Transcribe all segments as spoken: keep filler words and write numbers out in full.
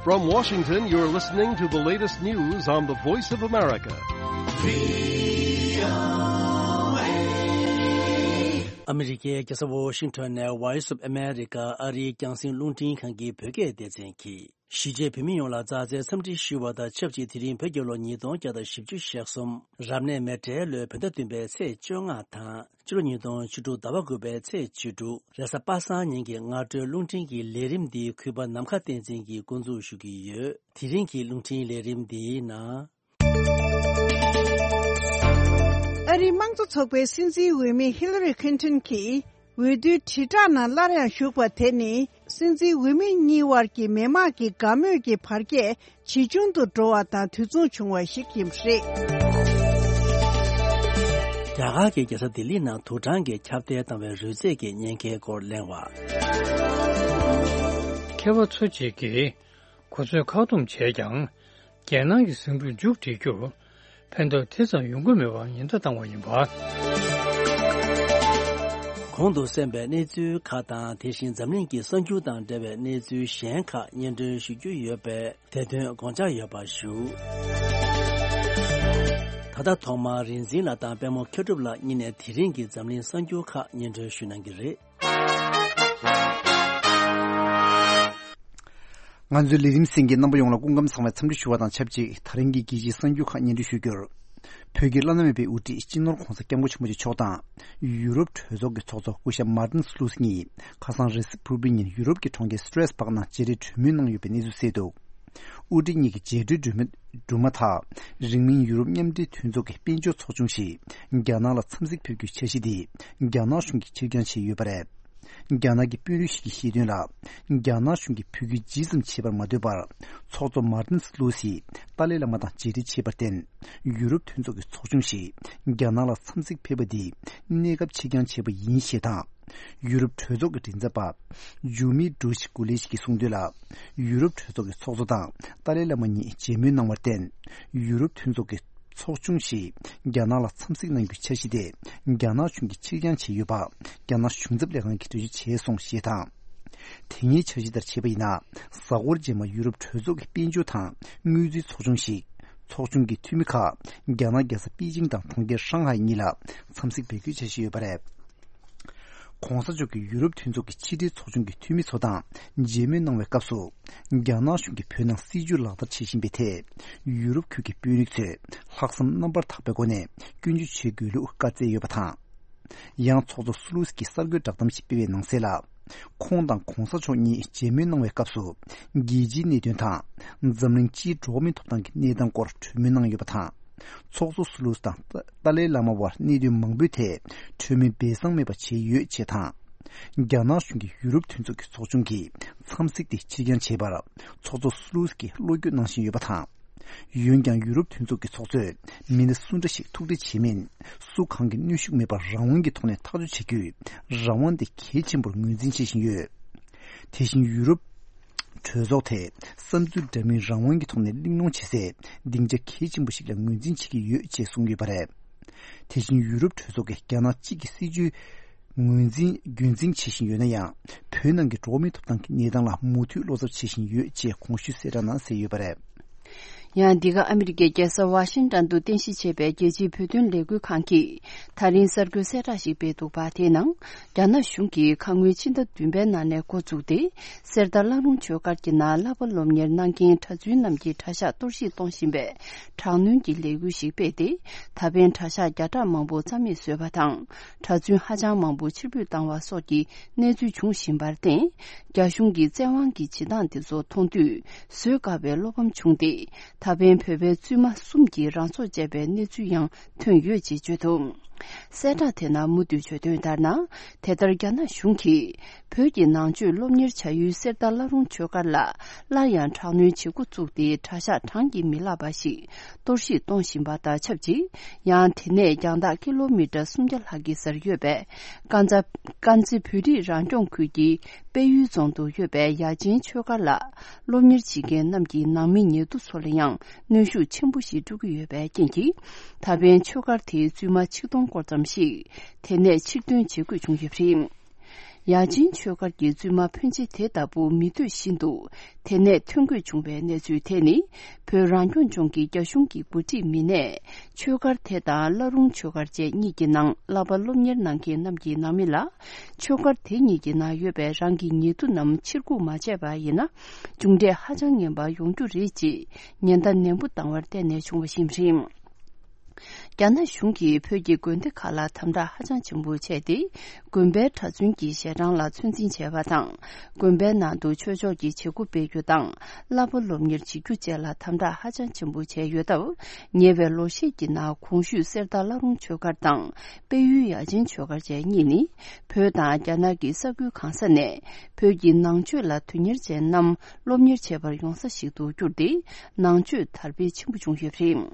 From Washington, you're listening to the latest news on the Voice of America. ཨ་མི་རི་ཀའི་རྒྱལ་ས་ཝོ་ཤིང་ཊོན་ནས་Voice of America ཨ་རིའི་རྒྱང་སྲིང་རླུང་འཕྲིན་ཁང་གི་བོད་སྐད་སྡེ་ཚན་གྱིས། གཞིས་བྱེས་བོད་མི་ཡོངས་ལ་མཛའ་བརྩེའི་འཚམས་འདྲི་ཞུ་བ་དང་ཆབས་ཅིག་དེ་རིང་བོད་རྒྱལ་ལོ་ཉིས་སྟོང་བརྒྱ་དང་བཞི་བཅུ་ཞེ་གསུམ། རབ་གནས་མེ་བཀྲའི་ལོའི་བོད་ཟླ་བདུན་པའི་ཚེས་བཅོ་ལྔ་དང་། ཕྱི་ལོ་ཉིས་སྟོང་བཅུ་དྲུག་ཟླ་བ་དགུ་པའི་ཚེས་བཅུ་དྲུག་རེས་གཟའ་པ་སངས་ཉིན་གྱི་སྔ་དྲོའི་རླུང་འཕྲིན་གྱི་ལས་རིམ་འདི་གུས་པ་ནམ་མཁའ་བསྟན་འཛིན་གྱིས་འགོ་འཛུགས་ཞུ་གི་ཡོད། དེ་རིང་གི་རླུང་འཕྲིན་ལས་རིམ་འདིའི་ནང་། ཨ་རིའི་དམངས་གཙོ་ཚོགས་པའི་སྲིད་འཛིན་འོས་མི་ཧི་ལ་རི་ཁིན་ཏོན་གྱིས། འོས་བསྡུའི་དྲིལ་བསྒྲགས་ནང་སླར་ཡང་ཞུགས་པ་དེ་ནི། སྲིད་འཛིན་འོས་མི་གཉིས་དབར་གྱི་མི་དམངས་ཀྱི་དགའ་མོས་ཀྱི་བར་ཁྱད་ཇེ་ཆུང་དུ་འགྲོ་བ་དང་དུས་མཚུངས་བྱུང་བ་ཞིག་ཡིན་པ་རེད། རྒྱ་གར་གྱི་རྒྱལ་ས་ལྡི་ལི་ནང་དུག་སྦྲང་གིས་ཁྱབ་གདལ་བཏང་བའི་རོལ་རྩེད་ཀྱི་ཉེན་ཁའི་སྐོར་གླེང་བ། མཁས་པ་ཚོ་གཅིག་གིས། གོ་ཚོད་ཁ་སྡོམ་བྱས་ཀྱང་། རྒྱལ་ནང་གི་ཟིང་འཁྲུག་མཇུག་སྒྲིལ་རྒྱུར། ཕན་ཐོགས་དེ་ཙམ་ཡོང་གི་མེད་པར་ཉེན་བརྡ་བཏང་བ་ཡིན་པ། གོང་དུ་གསན་པའི་གནས་ཚུལ་ཁག་དང་། དེ་བཞིན་འཛམ་གླིང་གི་གསར་འགྱུར་དང་འབྲེལ་བའི་གནས་ཚུལ་གཞན་ཁག་སྙན་སྒྲོན་ཞུ་རྒྱུ་ཡོད་པས། དེ་དོན་དགོངས་འཇགས་ཡོད་པ་ཞུ། ད་ལྟ་ཐོག་མར་རིག་འཛིན་ལགས་དང་པད་མ་མཁས་གྲུབ་ལགས་གཉིས་ནས་དེ་རིང་གི་འཛམ་གླིང་གསར་འགྱུར་ཁག་སྙན་སྒྲོན་ཞུ་གནང་གི་རེད། ང་ཚོའི་ལས་རིམ་གསན་མཁན་རྣམ་པ་ཡོངས་ལ་སྐུ་ཁམས་བཟང་བའི་འཚམས་འདྲི་ཞུ་བ་དང་ཆབས་ཅིག་དེ་རིང་གི་རྒྱལ་སྤྱིའི་གསར་འགྱུར་ཁག་སྙན་སྒྲོན་ཞུ་རྒྱུར། བོད་ཀྱི་བླ་ན་མེད་པའི་དབུ་ཁྲིད་སྤྱི་ནོར་༧གོང་ས་༧སྐྱབས་མགོན་ཆེན་པོ་མཆོག་དང་། ཡུ་རོབ་གྲོས་ཚོགས་ཀྱི་ཚོགས་གཙོ་སྐུ་ཞབས་མར་ཏིན་སི་ལུ་སི་གཉིས་ཁ་སང་རེས་གཟའ་ཕུར་བུའི་ཉིན་ཡུ་རོབ་ཀྱི་གྲོང་ཁྱེར་སི་ཏྲེས་སྦག་ནང་མཇལ་འཕྲད་གྲོས་མོལ་གནང་ཡོད་པའི་གནས་ཚུལ་གསལ་འདུག་དབུ་ཁྲིད་གཉིས་ཀྱི་མཇལ་འཕྲད་གྲོས་མོལ་གྲུབ་མ་ཐག་རིང་མིན་ཡུ་རོབ་མཉམ་འབྲེལ་མཐུན་ཚོགས་ཀྱི་དཔལ་འབྱོར་ཚོགས་ཆུང་ཞིག་རྒྱ་ནག་ལ་འཚམས་གཟིགས་ཕེབས་རྒྱུའི་འཆར་གཞི་དེ་རྒྱ་ནག་གཞུང་གིས་ཕྱིར་འགྱངས་བྱས་ཡོད་པ་རེད། རྒྱ་ནག་གི་དཔོན་རིགས་ཤིག་གིས་བཤད་དོན་ལ། རྒྱ་ནག་གཞུང་གིས་བོད་ཁུལ་ཇི་ཙམ་བྱེད་པར་མ་འདོད་པར། ཚོགས་གཙོ་མར་ཏིན་སི་ལུ་སིས་ཏཱ་ལའི་བླ་མ་དང་མཇལ་འཕྲད་བྱས་པར་བརྟེན། ཡུ་རོབ་མཐུན་ཚོགས་ཀྱི་ཚོགས་ཆུང་ཞིག་རྒྱ་ནག་ལ་འཚམས་གཟིགས་ཕེབས་པ་འདི་གནས་སྐབས་ཕྱིར་འགྱངས་བྱས་པ་ཡིན་ཞེས་དང་། ཡུ་རོབ་གྲོས་ཚོགས་ཀྱི་མགྲིན་ཚབ་པ། ཇུ་མི་ཌུ་ཤི་ཀུ་ལེ་ཤི་གིས་གསུངས་དོན་ལ། ཡུ་རོབ་གྲོས་ཚོགས་ཀྱི་ཚོགས་གཙོ་དང་ཏཱ་ལའི་བླ་མ་གཉིས་མཇལ་མོལ་གནང་བར་བརྟེན། ཡུ་རོབ་མཐུན་ཚོགས་ཀྱི་ཚོགས་ཆུང་ཞིག་རྒྱ་ནག་ལ་འཚམས་གཟིགས་གནང་རྒྱུའི་འཆར་གཞི་དེ་རྒྱ་ནག་གཞུང་གིས་ཕྱིར་འགྱངས་བྱས་ཡོད་པ་རྒྱ་ནག་གཞུང་ཚབ་ལས་ཁང་གིས་འགྲེལ་བརྗོད་བྱས་སོང་ཞེས་དང་། དེ་སྔའི་འཆར་གཞི་ལྟར་བྱས་པ་ཡིན་ན་གཟའ་འཁོར་རྗེས་མ་ཡུ་རོབ་གྲོས་ཚོགས་ཀྱི་དཔལ་འབྱོར་དང་དངུལ་རྩིས་ཚོགས་ཆུང་ཞིག་ཚོགས་ཆུང་གི་འཐུས་མི་ཁག་རྒྱ་ནག་རྒྱལ་ས་པེ་ཅིང་དང་གྲོང་ཁྱེར་ཧྲང་ཧའེ་གཉིས་ལ་འཚམས་གཟིགས་འབད་རྒྱུའི་འཆར་གཞི་ཡོད་པ་རེད། ྋགོང་ས་མཆོག་གིས་ཡུ་རོབ་མཐུན་ཚོགས་ཀྱི་ཕྱི་འབྲེལ་ཚོགས་ཆུང་གི་འཐུས་མི་ཚོ་དང་མཇལ་མོལ་གནང་བའི་སྐབས་སུ། རྒྱ་ནག་གཞུང་གིས་བོད་ནང་སྲིད་བྱུས་ལག་བསྟར་བྱེད་བཞིན་པའི་ཐད། ཡུ་རོབ་ཁུལ་གྱི་དཔོན་རིགས་ཚོས་ལྷག་བསམ་རྣམ་པར་དག་པའི་སྒོ་ནས་སྐྱོན་བརྗོད་བྱེད་དགོས་ལུགས་བཀའ་སྩལ་ཡོད་པ་དང་། ཡང་ཚོགས་གཙོ་སུ་ལུ་སི་ཀྱིས་གསར་འགོད་བསྒྲགས་གཏམ་ཞིག་སྤེལ་བའི་ནང་གསལ་ལ། ཁོང་དང་ྋགོང་ས་མཆོག་གཉིས་མཇལ་མོལ་གནང་བའི་སྐབས་སུ། རྒྱལ་སྤྱིའི་གནད་དོན་དང་། འཛམ་གླིང་སྤྱིའི་འགྲོ་བ་མིའི་ཐོབ་ཐང་གི་གནས་སྟངས་སྐོར་གྲོས་མོལ་གནང་ཡོད་པ་དང་། ཚོགས་གཙོ་སུ་ལུ་སི་དང་ཏཱ་ཏཱ་ལའི་བླ་མ་དབར་གནད་དོན་མང་པོའི་ཐད་གྲོས་མོལ་སྦས་གསང་མེད་པ་བྱས་ཡོད་ཅེས་དང་། རྒྱ་ནག་གཞུང་གིས་ཡུ་རོབ་མཐུན་ཚོགས་ཀྱི་ཚོགས་ཆུང་གི་འཚམས་གཟིགས་དེ་ཕྱིར་འགྱངས་བྱས་པར་ཚོགས་གཙོ་སུ་ལུ་སི་ཀྱིས་བློ་འགྱོད་གནང་བཞིན་ཡོད་པ་དང་། འོན་ཀྱང་ཡུ་རོབ་མཐུན་ཚོགས་ཀྱི་ཚོགས་གཙོས་མི་སྣ་སུ་འདྲ་ཞིག་ཐུག་འཕྲད་བྱེད་མིན། སུ་གང་གི་གནོན་ཤུགས་མེད་པར་རང་དབང་གི་ཐོག་ནས་ཐག་གཅོད་བྱེད་རྒྱུའི་རང་དབང་དེ་གལ་ཆེན་པོར་ངོས་འཛིན་བྱེད་བཞིན་ཡོད། དེ་བཞིན་ཡུ་རོབ་གྲོས་ཚོགས་དེ་བསམ་ཚུལ་འདྲ་མིན་རང་དབང་གི་ཐོག་ནས་གླེང་སློང་བྱེད་སའི་སྡིངས་ཆ་གལ་ཆེན་པོ་ཞིག་ལ་ངོས་འཛིན་བྱེད་ཀྱི་ཡོད་ཅེས་གསུངས་ཡོད་པ་རེད། དེ་བཞིན་ཡུ་རོབ་གྲོས་ཚོགས་ཀྱིས་རྒྱ་ནག་གཅིག་གི་སྲིད་བྱུས་ངོས་འཛིན་རྒྱུན་འཛིན་བྱེད་བཞིན་ཡོད་ན་ཡང་། བོད་ནང་གི་འགྲོ་བ་མིའི་ཐོབ་ཐང་གི་གནས་སྟངས་ལ་མུ་མཐུད་བློ་འཚབ་བྱེད་བཞིན་ཡོད་ཅེས་གོང་ཞུས་གསལ་བསྒྲགས་ནང་གསལ་ཡོད་པ་རེད། ཡང་འདི་ག་ཨ་མི་རི་ཀའི་རྒྱལ་ས་ཝ་ཤིང་ཏོན་དུ་རྟེན་གཞི་བྱས་པའི་རྒྱལ་སྤྱིའི་བོད་དོན་ལས་འགུལ་ཁང་གིས་ད་རིང་གསར་འགོད་གསལ་བསྒྲགས་ཤིག་སྤེལ་འདུག་པ། དེའི་ནང་རྒྱ་ནག་གཞུང་གིས་ཁ་སྔོན་ཕྱི་ཟླ་བདུན་པའི་ནང་ནས་འགོ་བཙུགས་ཏེ། གསེར་རྟ་བླ་རུང་ཆོས་སྒར་གྱི་ནང་བསླབ་པ་སློབ་གཉེར་གནང་མཁན་གྲྭ་བཙུན་རྣམས་ཀྱི་གྲྭ་ཤག་གཏོར་བཤིག་གཏོང་བཞིན་པའི་དྲག་གནོན་གྱི་ལས་འགུལ་ཞིག་སྤེལ་ཏེ། ད་ཕན་གྲྭ་ཤག་བརྒྱ་ཕྲག་མང་པོ་རྩ་མེད་བཟོས་པ་དང་། གྲྭ་བཙུན་ཧ་ཅང་མང་པོ་ཕྱིར་འབུད་བཏང་བ་སོགས་ཀྱི་གནས་ཚུལ་འབྱུང་བཞིན་པར་བརྟེན། རྒྱ་གཞུང་གི་བཙན་དབང་གི་བྱེད་སྟངས་དེ་ཚོ་མཐོང་དུས་བཟོད་དཀའ་བའི་བློ་ཕམ་བྱུང་སྟེ། ད་ཕན་བོད་པའི་བཙུན་མ་གསུམ་གྱིས་རང་སྲོག་བཅད་པའི་གནས་ཚུལ་ཡང་ཐོན་ཡོད་ཅེས་བརྗོད་འདུག་གསལ་བསྒྲགས་དེ་ནང་མུ་མཐུད་བརྗོད་དོན་ལྟར་ན། དེ་ལྟར་རྒྱ་ནག་གཞུང་གིས་བོད་ཀྱི་ནང་ཆོས་སློབ་གཉེར་བྱ་ཡུལ་གསེར་རྟ་བླ་རུང་ཆོས་སྒར་ལ་སླར་ཡང་དྲག་གནོན་བྱེད་འགོ་བཙུགས་ཏེ། གྲྭ་ཤག་གྲངས་ཀྱིས་མི་ལྷག་པ་ཞིག་གཏོར་བཤིག་གཏོང་བཞིན་པ་དང་ཆབས་ཅིག་ཡང་དེ་ནས་རྒྱང་ཐག་ཀི་ལོ་མི་ཊར་སུམ་བརྒྱ་ལྷག་གི་སར་ཡོད་པའི་དཀར་མཛེས་དཀར་མཛེས་བོད་རིགས་རང་སྐྱོང་ཁུལ་གྱི་དཔལ་ཡུལ་རྫོང་དུ་ཡོད་པའི་ཡ་ཆེན་ཆོས་སྒར་ལ་སློབ་གཉེར་བྱེད་མཁན་རྣམས་ཀྱི་ནང་མི་ཉེ་དུ་ཚོ་ལ་ཡང་གནོན་ཤུགས་ཆེན་པོ་ཞིག་སྤྲོད་ཀྱི་ཡོད་པའི་རྐྱེན་གྱིས། ད་ཕན་ཆོས་སྒར་དེའི་བཙུན་མ་ཆིག་སྟོང་སྐོར་ཙམ་ཞིག་དེ་ནས་ཕྱིར་ཐོན་བྱེད་དགོས་བྱུང་ཡོད་པ་རེད། ཡ་ཅིན་ཆོས་སྒར་གྱི་བཙུན་མ་ཕོན་ཆེ་དེ་ལྟ་བུ་མི་འདོད་བཞིན་དུ་དེ་ནས་ཐོན་དགོས་བྱུང་བའི་གནས་ཚུལ་དེ་ནི། བོད་རང་སྐྱོང་ལྗོངས་ཀྱི་རྒྱ་གཞུང་གི་འགོ་ཁྲིད་མི་སྣས་ཆོས་སྒར་དེ་དང་བླ་རུང་ཆོས་སྒར་བཅས་གཉིས་ཀྱི་ནང་བསླབ་པ་སློབ་གཉེར་གནང་མཁན་རྣམས་ཀྱི་ནང་མི་ལ། ཆོས་སྒར་དེ་གཉིས་ཀྱི་ནང་ཡོད་པའི་རང་གི་ཉེ་དུ་རྣམས་ཕྱིར་འགུག་མ་བྱས་པ་ཡིན་ན། མཇུག་འབྲས་ཧ་ཅང་ངན་པ་ཡོང་རྒྱུ་རེད་ཅེས་ཉེན་བརྡ་ནན་པོ་བཏང་བར་བརྟེན་ནས་བྱུང་བ་ཞིག་རེད། རྒྱ་ནག་གཞུང་གིས་བོད་ཀྱི་དགོན་སྡེ་ཁག་ལ་དམ་དྲག་ཧ་ཅང་ཆེན་པོ་བྱས་ཏེ། དགོན་པའི་གྲྭ་བཙུན་གྱི་ཞལ་གྲངས་ལ་ཚོད་འཛིན་བྱས་པ་དང་། དགོན་པའི་ནང་དུ་ཆོས་ཕྱོགས་ཀྱི་བྱེད་སྒོ་སྤེལ་རྒྱུ་དང་། བསླབ་པ་སློབ་གཉེར་བྱེད་རྒྱུ་བཅས་ལ་དམ་དྲག་ཧ་ཅང་ཆེན་པོ་བྱས་ཡོད་སྟབས། ཉེ་བའི་ལོ་ཤས་ཀྱི་ནང་གོང་ཞུས་གསེར་རྟ་བླ་རུང་ཆོས་སྒར་དང་། དཔལ་ཡུལ་ཡ་ཆེན་ཆོས་སྒར་བཅས་གཉིས་ནི། བོད་དང་རྒྱ་ནག་གི་ས་ཁུལ་གང་ས་ནས་བོད་ཀྱི་ནང་ཆོས་ལ་དོན་གཉེར་ཅན་རྣམས་སློབ་གཉེར་བྱེད་པར་ཡོང་ས་ཞིག་ཏུ་གྱུར་ཏེ། ནང་ཆོས་དར་སྤེལ་ཆེན་པོ་བྱུང་ཡོད་པ་རེད།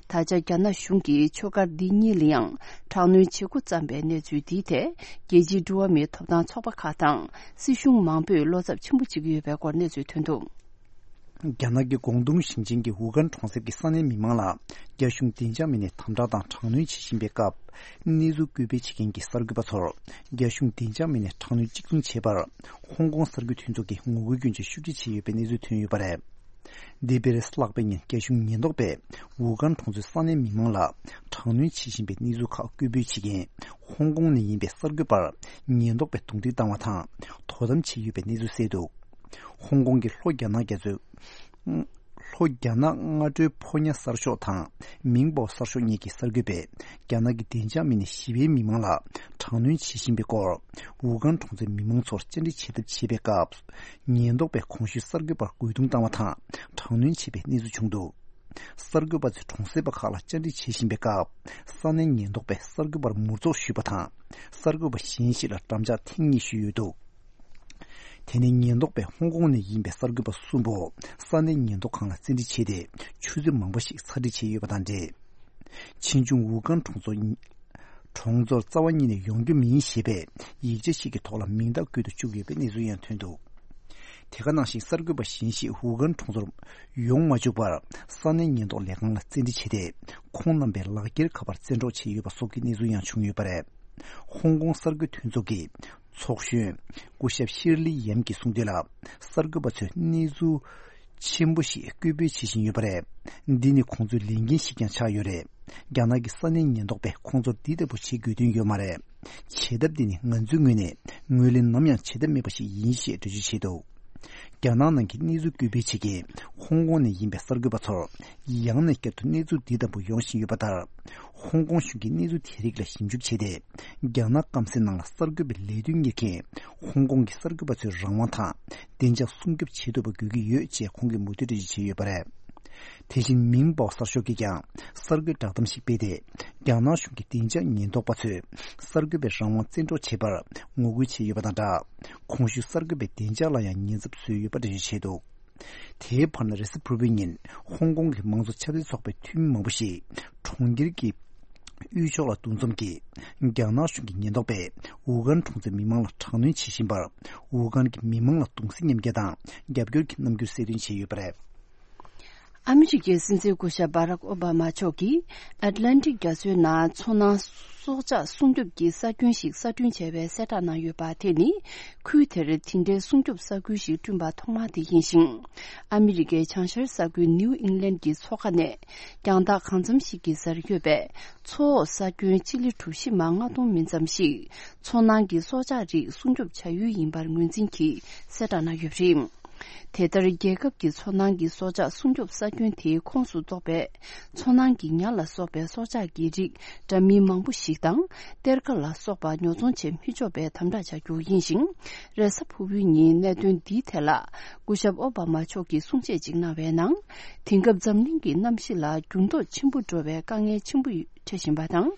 ད་ཆ་རྒྱ་ནག་གཞུང་གིས་ཆོས་སྒར་འདི་གཉིས་ལ་ཡང་དྲག་གནོན་བྱེད་འགོ་བརྩམས་པའི་གནས་ཚུལ་འདིའི་ཐད། རྒྱལ་སྤྱིའི་འགྲོ་བ་མིའི་ཐོབ་ཐང་ཚོགས་པ་ཁག་དང་སྲིད་གཞུང་མང་པོས་བློ་འཚབ་ཆེན་པོ་བྱེད་ཀྱི་ཡོད་པའི་སྐོར་གནས་ཚུལ་ཐོན་འདུག། རྒྱ་ནག་གི་ཀོང་ཏུང་ཞིང་ཆེན་གྱི་ཝུ་ཁན་གྲོང་གསེབ་ཀྱི་ས་གནས་མི་མང་ལ་རྒྱ་གཞུང་བདེ་འཇགས་མི་སྣས་དམ་དྲག་དང་དྲག་གནོན་བྱེད་བཞིན་པའི་སྐབས། གནས་ཚུལ་བཀོད་སྤེལ་བྱེད་མཁན་གྱི་གསར་འགོད་པ་ཚོར་རྒྱ་གཞུང་བདེ་འཇགས་མི་སྣས་དྲག་གནོན་གཅིག་མཚུངས་བྱས་པར། ཧོང་ཀོང་གསར་འགོད་མཐུན་ཚོགས་ཀྱིས་ངོ་རྒོལ་སྐྱོན་བརྗོད་ཤུགས་ཆེ་བྱས་ཡོད་པའི་གནས་ཚུལ་ཐོན་ཡོད་པ་རེད། འདས་པའི་རེས་གཟའ་ལྷག་པའི་ཉིན། རྒྱ་གཞུང་ཉེན་རྟོག་པས་ཝུ་ཁན་གྲོང་ཚོའི་ས་གནས་མི་མང་ལ་དྲག་གནོན་བྱེད་བཞིན་པའི་གནས་ཚུལ་ཁག་སྐུལ་སྤེལ་བྱེད་མཁན་ཧོང་ཀོང་ནས་ཡིན་པའི་གསར་འགོད་པར་ཉེན་རྟོག་པས་རྡུང་རྡེག་བཏང་བ་དང་དོ་དམ་བྱས་ཡོད་པའི་གནས་ཚུལ་གསལ་འདུག། ཧོང་ཀོང་གི་ལྷོ་རྒྱ་ནག་རྒྱ་མཚོའི། ལྷོ་རྒྱ་ནག་སྔ་དྲོའི་ཕོ་ཉ་གསར་ཤོག་དང་མིང་པའོ་གསར་ཤོག་གཉིས་ཀྱི་གསར་འགོད་པས། རྒྱ་ནག་གི་བདེ་འཇགས་མི་སྣས་ཞི་བའི་མི་མང་ལ་དྲག་གནོན་བྱེད་བཞིན་པའི་སྐོར། ཝུ་ཁན་གྲོང་ཚོའི་མི་མང་ཚོར་བཅར་འདྲི་བྱེད་ཐབས་བྱེད་པའི་སྐབས། ཉེན་རྟོག་པས་གོང་ཞུས་གསར་འགོད་པར་རྒོལ་རྡུང་བཏང་བ་དང་དྲག་གནོན་བྱས་པའི་གནས་ཚུལ་བྱུང་འདུག། གསར་འགོད་པ་ཚོས་གྲོང་གསེབ་པ་ཁག་ལ་བཅར་འདྲི་བྱེད་བཞིན་པའི་སྐབས། ས་གནས་ཉེན་རྟོག་པས་གསར་འགོད་པར་མུར་འཛོགས་ཞུས་པ་དང་། གསར་འགོད་པ་གཞན་ཞིག་ལ་འགྲམ་ལྕག་ཐེངས་གཉིས་གཞུས་ཡོད་འདུག། དེ་ནས་ཉེན་རྟོག་པས་ཧོང་ཀོང་ནས་ཡིན་པའི་གསར་འགོད་པ་གསུམ་པོ་ས་གནས་ཉེན་རྟོག་ཁང་ལ་བཙན་ཁྲིད་བྱས་ཏེ། ཆུ་ཚོད་མང་པོ་ཞིག་ཚར་འགྲིག་བྱས་ཡོད་པ་དང་འབྲེལ། ཆེ་ཆུང་ཝུ་ཁན་གྲོང་ཚོ། གྲོང་ཚོར་རྩ་བ་ཉིད་ནས་ཡོང་རྒྱུ་མིན་ཞེས་པའི་ཡིག་ཆ་ཞིག་གི་ཐོག་ལ་མིང་རྟགས་བཀོད་དུ་བཅུག་ཡོད་པའི་གནས་ཚུལ་ཡང་ཐོན་འདུག། དེ་ག་ནང་བཞིན་གསར་འགོད་པ་གཞན་ཞིག་ཝུ་ཁན་གྲོང་ཚོར་ཡོང་མ་བཅུག་པར། ས་གནས་ཉེན་རྟོག་ལས་ཁང་ལ་བཙན་ཁྲིད་བྱས་ཏེ། ཁོང་རྣམ་པའི་ལག་འཁྱེར་ག་པར་བཙན་འཕྲོག་བྱས་ཡོད་པ་སོགས་ཀྱི་གནས་ཚུལ་ཡང་བྱུང་ཡོད་པ་རེད། ཧོང་ཀོང་གསར་འགོད་མཐུན་ཚོགས་ཀྱི་ཚོགས་གཞོན་སྐུ་ཞབས་ཤིར་ལི་ཡམ་གྱིས་གསུངས་དོན་ལ། གསར་འགོད་པ་ཚོས་གནས་ཚུལ་ཆེན་པོ་ཞིག་སྐུལ་སྤེལ་བྱེད་བཞིན་ཡོད་པ་རེད། འདི་ནི་ཁོང་ཚོའི་ལས་འགན་ཞིག་ཀྱང་ཆགས་ཡོད་རེད། རྒྱ་ནག་གི་ས་གནས་ཉེན་རྟོག་པས་ཁོང་ཚོར་འདི་ལྟ་བུ་བྱེད་དགོས་དོན་ཡོད་མ་རེད། བྱེད་ཐབས་འདི་ནི་ང་ཚོའི་ངོས་ནས་ངོས་ལེན་ནམ་ཡང་བྱེད་ཐབས་མེད་པ་ཞིག་ཡིན་ཞེས་འགྲེལ་བརྗོད་བྱས་འདུག། རྒྱ་ནག་ནང་གི་གནས་ཚུལ་སྐུལ་སྤེལ་བྱེད་མཁན་ཧོང་ཀོང་ནས་ཡིན་པའི་གསར་འགོད་པ་ཚོར་ཡང་ནས་བསྐྱར་དུ་གནས་ཚུལ་འདི་ལྟ་བུ་ཡོང་བཞིན་ཡོད་པ་ལྟར། ཧོང་ཀོང་གཞུང་གིས་གནས་ཚུལ་དེ་རིགས་ལ་ཞིབ་འཇུག་བྱས་ཏེ། རྒྱ་ནག་སྐམ་སའི་ནང་ལ་གསར་འགོད་པའི་ལས་དོན་གཉེར་མཁན་ཧོང་ཀོང་གི་གསར་འགོད་པ་ཚོའི་རང་དབང་དང་བདེ་འཇགས་སྲུང་སྐྱོབ་བྱེད་ཐུབ་པ་དགོས་ཀྱི་ཡོད་ཅེས་ཁོང་གིས་མུ་མཐུད་འགྲེལ་བརྗོད་བྱས་ཡོད་པ་རེད། དེ་བཞིན་མིང་པའོ་གསར་ཤོག་གིས་ཀྱང་གསར་འགོད་བསྒྲགས་གཏམ་ཞིག་སྤེལ་ཏེ། རྒྱ་ནག་གཞུང་གི་བདེ་འཇགས་ཉེན་རྟོག་པ་ཚོས་གསར་འགོད་པའི་རང་དབང་བཙན་འཕྲོག་བྱས་པར་ངོ་རྒོལ་བྱས་ཡོད་པ་དང་སྦྲགས། གོང་ཞུས་གསར་འགོད་པའི་བདེ་འཇགས་ལ་ཡང་ཉེན་ཚབས་བཟོས་ཡོད་པ་འགྲེལ་བརྗོད་བྱས་འདུག། དེའི་བར་ན་རེས་གཟའ་ཕུར་བུའི་ཉིན་ཧོང་ཀོང་གི་མང་གཙོ་ཆབ་སྲིད་ཚོགས་པའི་འཐུས་མི་མང་པོ་ཞིག་གྲོང་ཁྱེར་གྱི་དབུས་ཕྱོགས་ལ་འདུ་འཛོམས་ཀྱིས། རྒྱ་ནག་གཞུང་གི་ཉེན་རྟོག་པས་ཝུ་ཁན་གྲོང་ཚོའི་མི་མང་ལ་དྲག་གནོན་བྱེད་བཞིན་པར། ཝུ་ཁན་གྱི་མི་མང་ལ་གདུང་སེམས་མཉམ་སྐྱེད་དང་རྒྱབ་སྐྱོར་གྱི་རྣམ་འགྱུར་གསལ་སྟོན་བྱས་ཡོད་པ་རེད། ཨ་མི་རི་ཀའི་སྲིད་འཛིན་སྐུ་ཞབས་བྷ་རག་ཨོ་བྷ་མ་མཆོག་གིས་ཨེཊ་ལན་ཊིག་རྒྱ་མཚོའི་ནང་མཚོ་ནང་སྲོག་ཆགས་སྲུང་སྐྱོབ་ཀྱི་ས་ཁྱོན་ཞིག་གསར་སྐྲུན་བྱས་པའི་གསལ་བསྒྲགས་གནང་ཡོད་པ་དེ་ནི། ཁུལ་དེར་དེ་འདྲའི་སྲུང་སྐྱོབ་ས་ཁུལ་ཞིག་བསྐྲུན་པ་ཐོག་མ་དེ་ཡིན་ཞིང་། ཨ་མི་རི་ཀའི་བྱང་ཤར་ས་ཁུལ་ནིའུ་ཨིང་ལན་གྱི་མཚོ་ཁ་ནས་རྒྱང་ཐག་གང་འཚམ་ཞིག་གི་སར་ཡོད་པའི་མཚོ་འོག་ས་ཁྱོན་སྤྱི་ལེ་གྲུ་བཞི་མ་ལྔ་སྟོང་མིན་ཙམ་ཞིག་མཚོ་ནང་གི་སྲོག་ཆགས་རིགས་སྲུང་སྐྱོབ་བྱ་ཡུལ་ཡིན་པར་ངོས་འཛིན་གྱིས་གསལ་བསྒྲགས་གནང་ཡོད་པ་རེད། དེ་ལྟར་རྒྱལ་ཁབ་ཀྱི་མཚོ་ནང་གི་སྲོག་ཆགས་སྲུང་སྐྱོབ་ས་ཁྱོན་དེའི་ཁོངས་སུ་གཏོགས་པའི་མཚོ་ནང་གི་ཉ་ལ་སོགས་པའི་སྲོག་ཆགས་ཀྱི་རིགས་འདྲ་མིན་མང་པོ་ཞིག་དང་གཏེར་ཁ་ལ་སོགས་པ་ཉོ་ཚོང་བྱེད་མི་ཆོག་པའི་དམ་དྲག་བྱ་རྒྱུ་ཡིན་ཞིང་། རེས་གཟའ་ཕུར་བུའི་ཉིན་གནད་དོན་འདིའི་ཐད་ལ་སྐུ་ཞབས་ཨོ་བྷ་མ་མཆོག་གིས་གསུང་བཤད་ཅིག་གནང་བའི་ནང་། དེང་སྐབས་འཛམ་གླིང་གི་གནམ་གཤིས་ལ་འགྱུར་ལྡོག་ཆེན་པོ་འགྲོ་བའི་དཀའ་ངལ་ཆེན་པོ་འཕྲད་བཞིན་པ་དང་།